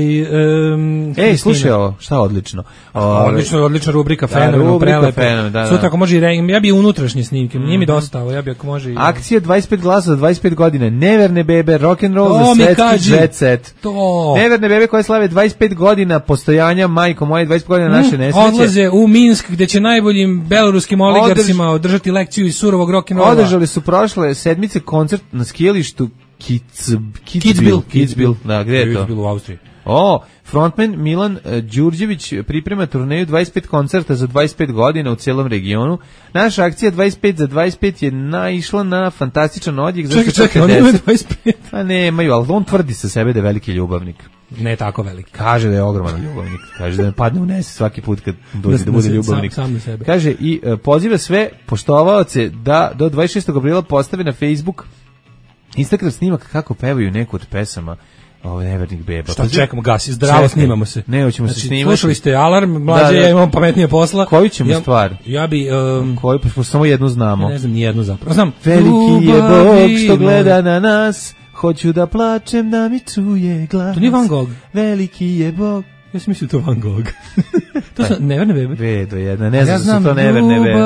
[SPEAKER 5] um,
[SPEAKER 6] Ej, slušaj ovo, šta odlično?
[SPEAKER 5] Ove... Odlično, odlična rubrika, fenomenalno, prelepo. Da, da. Sutra ako može i re... ja bi unutrašnje snimke, mm-hmm. nije mi dosta ovo, ja bi ako može i...
[SPEAKER 6] Akcija dvadeset pet glasova za dvadeset pet godina, neverne bebe, rock'n'roll za svetski jet set.
[SPEAKER 5] To.
[SPEAKER 6] Neverne bebe koje slave dvadeset pet godina postojanja, majko moje, dvadeset pet godina naše nesreće.
[SPEAKER 5] Odlaze u Minsk gde će najboljim beloruskim oligarsima Održ... održati lekciju iz surovog rock'n'rolla.
[SPEAKER 6] Održali su prošle sedmice koncert na skijalištu Kitzbühel, Kitzbühel, da, gde je to?
[SPEAKER 5] Kitzbühel u Austriji.
[SPEAKER 6] O, frontman Milan uh, Đurđević priprema turneju dvadeset pet koncerta za dvadeset pet godina u cijelom regionu. Naša akcija dvadeset pet za dvadeset pet je naišla na fantastičan odjek.
[SPEAKER 5] Čekaj, čekaj, oni imaju dvadeset pet.
[SPEAKER 6] Pa nemaju, ali on tvrdi sa sebe da je veliki ljubavnik.
[SPEAKER 5] Ne tako veliki.
[SPEAKER 6] Kaže da je ogroman ljubavnik. Kaže da me padne u nese svaki put kad dođe da bude ljubavnik.
[SPEAKER 5] Sam, sam na sebe.
[SPEAKER 6] Kaže i uh, poziva sve poštovaoce da do dvadeset šestog aprila postave na Facebook Instagram snimak kako pevaju neku od pesama ovo nevernih beba.
[SPEAKER 5] Šta čekamo, gasi, zdravo, čekaj, snimamo se.
[SPEAKER 6] Ne, hoćemo znači, se snimati.
[SPEAKER 5] Slušali ste alarm, mlađe, da, da. Ja imam pametnije posla.
[SPEAKER 6] Koju ćemo ja, stvar?
[SPEAKER 5] Ja bi... Um,
[SPEAKER 6] Koju, pa samo jednu znamo.
[SPEAKER 5] Ja ne znam, nijednu zapravo. Znam.
[SPEAKER 6] Veliki je Bog što gleda na nas, hoću da plačem da mi čuje glas.
[SPEAKER 5] To nije Van Gogh.
[SPEAKER 6] Veliki je Bog.
[SPEAKER 5] Ja sam mislio to Van Gogh. To su neverne bebe.
[SPEAKER 6] Bedo jedna, ne znam ja znam, su to neverne bebe.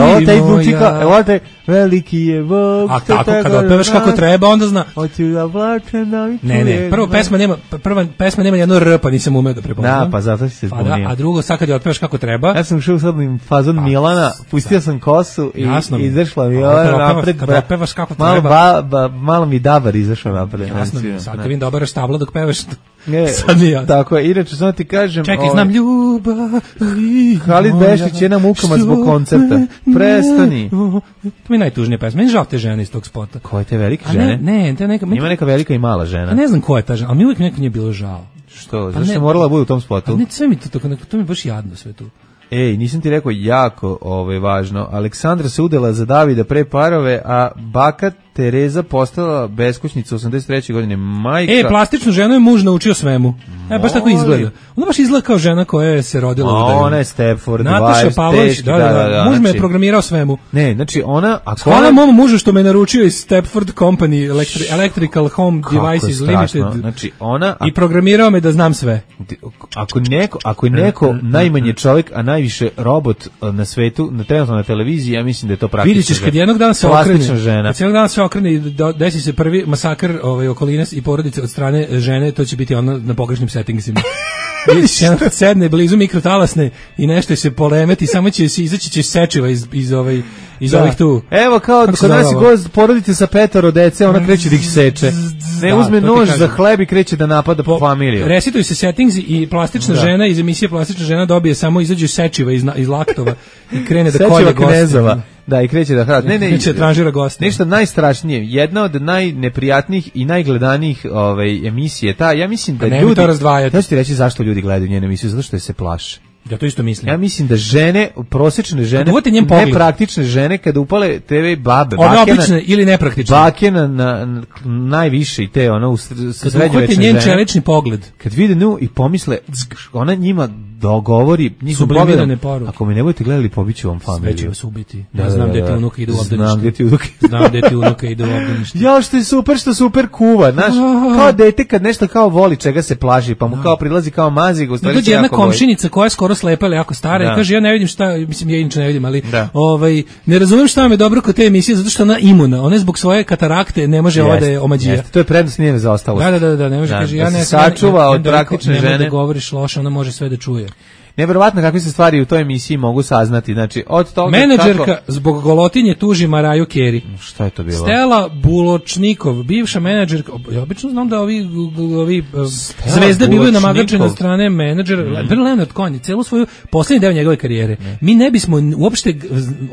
[SPEAKER 6] Ovo taj bučika, evo taj veliki je Bog.
[SPEAKER 5] A tako, kada otpevaš kako treba, onda zna.
[SPEAKER 6] Hoću da plačem da mi čuje.
[SPEAKER 5] Ne, ne, prvo pesma nema, prva pesma nema jedno R, pa nisam umeo da prepoznam.
[SPEAKER 6] Da, pa zato si se zbunio.
[SPEAKER 5] Pa da, a drugo, sad kad je otpevaš kako treba.
[SPEAKER 6] Ja sam šao sad fazon pa, Milana, pustio sam kosu i
[SPEAKER 5] jasno
[SPEAKER 6] izašla mi ova napred.
[SPEAKER 5] Kada otpevaš kako treba.
[SPEAKER 6] Malo, ba, ba, malo mi dabar izašao napred.
[SPEAKER 5] Jasno, sad kad vidim dobar stablo dok pevaš.
[SPEAKER 6] Ne, sad nije. Tako je, inače samo ti kažem...
[SPEAKER 5] Čekaj, znam ljubav...
[SPEAKER 6] Halid Bešić je na mukama zbog koncerta. Prestani.
[SPEAKER 5] To mi je najtužnija pesma. Meni žao te žene iz tog spota.
[SPEAKER 6] Koje te velike žene?
[SPEAKER 5] Ne, ne, te neka...
[SPEAKER 6] Ima neka velika i mala žena.
[SPEAKER 5] A ne znam ko je ta žena, ali mi uvijek nekako nije bilo žao.
[SPEAKER 6] Što? Zašto je morala bude u tom spotu?
[SPEAKER 5] Pa ne, sve mi to tako, to mi je baš jadno sve tu.
[SPEAKER 6] Ej, nisam ti rekao jako ovaj, važno. Aleksandra se udela za Davida pre parove, a baka Tereza postala beskućnica osamdeset treće godine. Majka...
[SPEAKER 5] E, plastičnu ženu je muž naučio svemu. E, baš tako izgleda. Ona baš izgleda kao žena koja je se rodila u udaju.
[SPEAKER 6] Ona je Stepford,
[SPEAKER 5] Nataša Pavlović, da, da, da, da. Muž znači, me je programirao svemu.
[SPEAKER 6] Ne, znači ona...
[SPEAKER 5] Hvala mom mužu što me naručio iz Stepford Company, Electri, Electrical Home Devices Limited.
[SPEAKER 6] Znači ona...
[SPEAKER 5] I programirao me da znam sve.
[SPEAKER 6] Ako, neko, ako je neko najmanje čovjek, a najviše robot na svetu, na trenutno na televiziji, ja mislim da je to praktično.
[SPEAKER 5] Vidjet ćeš kad jednog dana se okrene, kad jednog dana se okrene i desi se prvi masakr ovaj, okoline i porodice od strane žene, to će biti ono na pogrešnim settingsima. Sedne blizu mikrotalasne i nešto se polemeti, samo će se izaći će sečiva iz, iz, ovaj, iz da. ovih tu.
[SPEAKER 6] Evo kao kod nas je gost porodice sa petoro dece, ona kreće da ih seče. Ne da, uzme nož za hleb i kreće da napada po familiju.
[SPEAKER 5] Resituju se settings i plastična da. žena iz emisije plastična žena dobije samo izađu sečiva iz, iz laktova i krene da kolje goste.
[SPEAKER 6] Da, i kreće da hrati. Ne, ne,
[SPEAKER 5] kreće da tranžira goste.
[SPEAKER 6] Nešto najstrašnije, jedna od najneprijatnijih i najgledanijih ovaj, emisije, ta, ja mislim da
[SPEAKER 5] pa
[SPEAKER 6] ljudi...
[SPEAKER 5] Ja
[SPEAKER 6] ću ti reći zašto ljudi gledaju njenu emisiju, zato što se plaše.
[SPEAKER 5] Ja to isto mislim.
[SPEAKER 6] Ja mislim da žene, prosječne žene, nepraktične žene, kada upale te ve babe,
[SPEAKER 5] one obične ili nepraktične.
[SPEAKER 6] Bake na, na, na najviše i te, ono, u srednjovečne žene. Kada uhvate
[SPEAKER 5] njen čelični pogled.
[SPEAKER 6] Kad vide nju i pomisle, ona njima dogovori, njihom pogledom, ako me ne budete gledali, pobiću vam familiju.
[SPEAKER 5] Sve će vas ubiti. Ja da, znam gde ti unuka ide u obdanište.
[SPEAKER 6] Znam gde ti unuka
[SPEAKER 5] Znam gde ti unuka ide u obdanište.
[SPEAKER 6] Ja, što je super, što super kuva, znaš, kao dete kad nešto kao voli, čega se plaši, pa mu kao prilazi kao mazi, u stvari se
[SPEAKER 5] jako komšinica koja je skoro slepa ili jako stara da. I kaže ja ne vidim šta, mislim ja inače ne vidim, ali da. ovaj ne razumem šta vam je dobro kod te emisije zato što ona imuna, ona zbog svoje katarakte ne može ova da je omađija. Jeste,
[SPEAKER 6] to je prednost njene zaostalosti.
[SPEAKER 5] Da, da, da, da, ne može da, kaže
[SPEAKER 6] da
[SPEAKER 5] ja ne
[SPEAKER 6] sačuva od praktične žene.
[SPEAKER 5] Da govoriš loše, ona može sve da čuje.
[SPEAKER 6] Neverovatno kakve se stvari u toj emisiji mogu saznati. Znači, od toga
[SPEAKER 5] menadžerka
[SPEAKER 6] kako...
[SPEAKER 5] zbog golotinje tuži Maraju Carey.
[SPEAKER 6] Šta je to bilo?
[SPEAKER 5] Stella Buločnikov, bivša menadžerka. Ja obično znam da ovi, ovi zvezde bivaju namagačene od strane menadžera. Mm. Leonard Cohen, celu svoju poslednji deo njegove karijere. Mm. Mi ne bismo uopšte,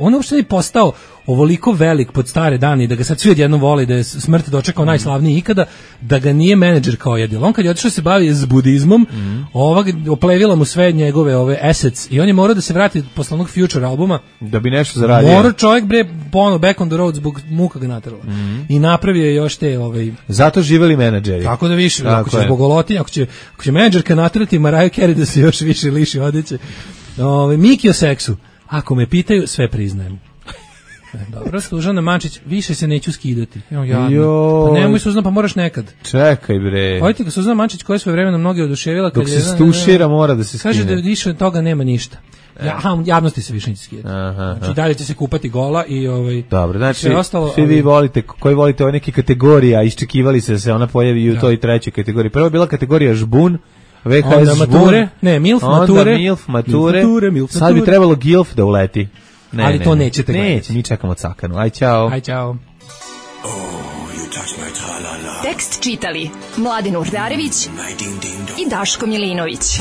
[SPEAKER 5] on uopšte ne postao ovoliko velik pod stare dane i da ga sad svi odjednom vole, da je smrt dočekao mm. najslavniji ikada, da ga nije menadžer kao jedil. On kad je otišao se bavi s budizmom, mm. ova oplevila mu sve njegove ove assets i on je morao da se vrati posle onog Future albuma
[SPEAKER 6] da bi nešto zaradio.
[SPEAKER 5] Morao čovjek bre ponovo back on the road zbog muka ga naterala. Mm. I napravio je još te ovaj
[SPEAKER 6] zato živeli menadžeri.
[SPEAKER 5] Tako da više, tako ako će zbog golotinja, ako će ako će menadžerka naterati Mariah Carey da se još više liši odeće. Ovaj Miki o seksu. Ako me pitaju, sve priznajem. Dobro, Suzana Mančić, više se neću skidati. Evo ja. Pa nemoj Suzana, pa moraš nekad.
[SPEAKER 6] Čekaj bre.
[SPEAKER 5] Hojte ga Suzana Mančić koja je svoje vreme na mnoge oduševila kad
[SPEAKER 6] dok se stušira mora da se skine.
[SPEAKER 5] Kaže da više od toga nema ništa. Ja, aha, javnosti se više neće skidati. Aha, znači dalje će se kupati gola i ovaj.
[SPEAKER 6] Dobro, znači ostalo, svi vi volite, koji volite ove neke kategorije, a iščekivali se da se ona pojavi u toj trećoj kategoriji. Prvo je bila kategorija žbun. V H S
[SPEAKER 5] mature, ne, milf mature,
[SPEAKER 6] onda milf mature, mature milf sad mature. Bi trebalo gilf da uleti. Ne,
[SPEAKER 5] ali
[SPEAKER 6] ne,
[SPEAKER 5] to nećete gledati.
[SPEAKER 6] Neće, mi čekamo cakanu. Aj, čao.
[SPEAKER 5] Aj, čao. Oh,
[SPEAKER 2] tekst čitali Mladin Urdarević i Daško Milinović.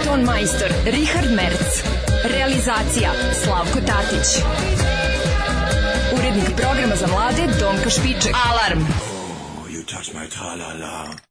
[SPEAKER 2] Ton majstor Richard Merc. Realizacija Slavko Tatić. Urednik programa za mlade Donka Špiček. Alarm! Oh, you touch my tra-la-la.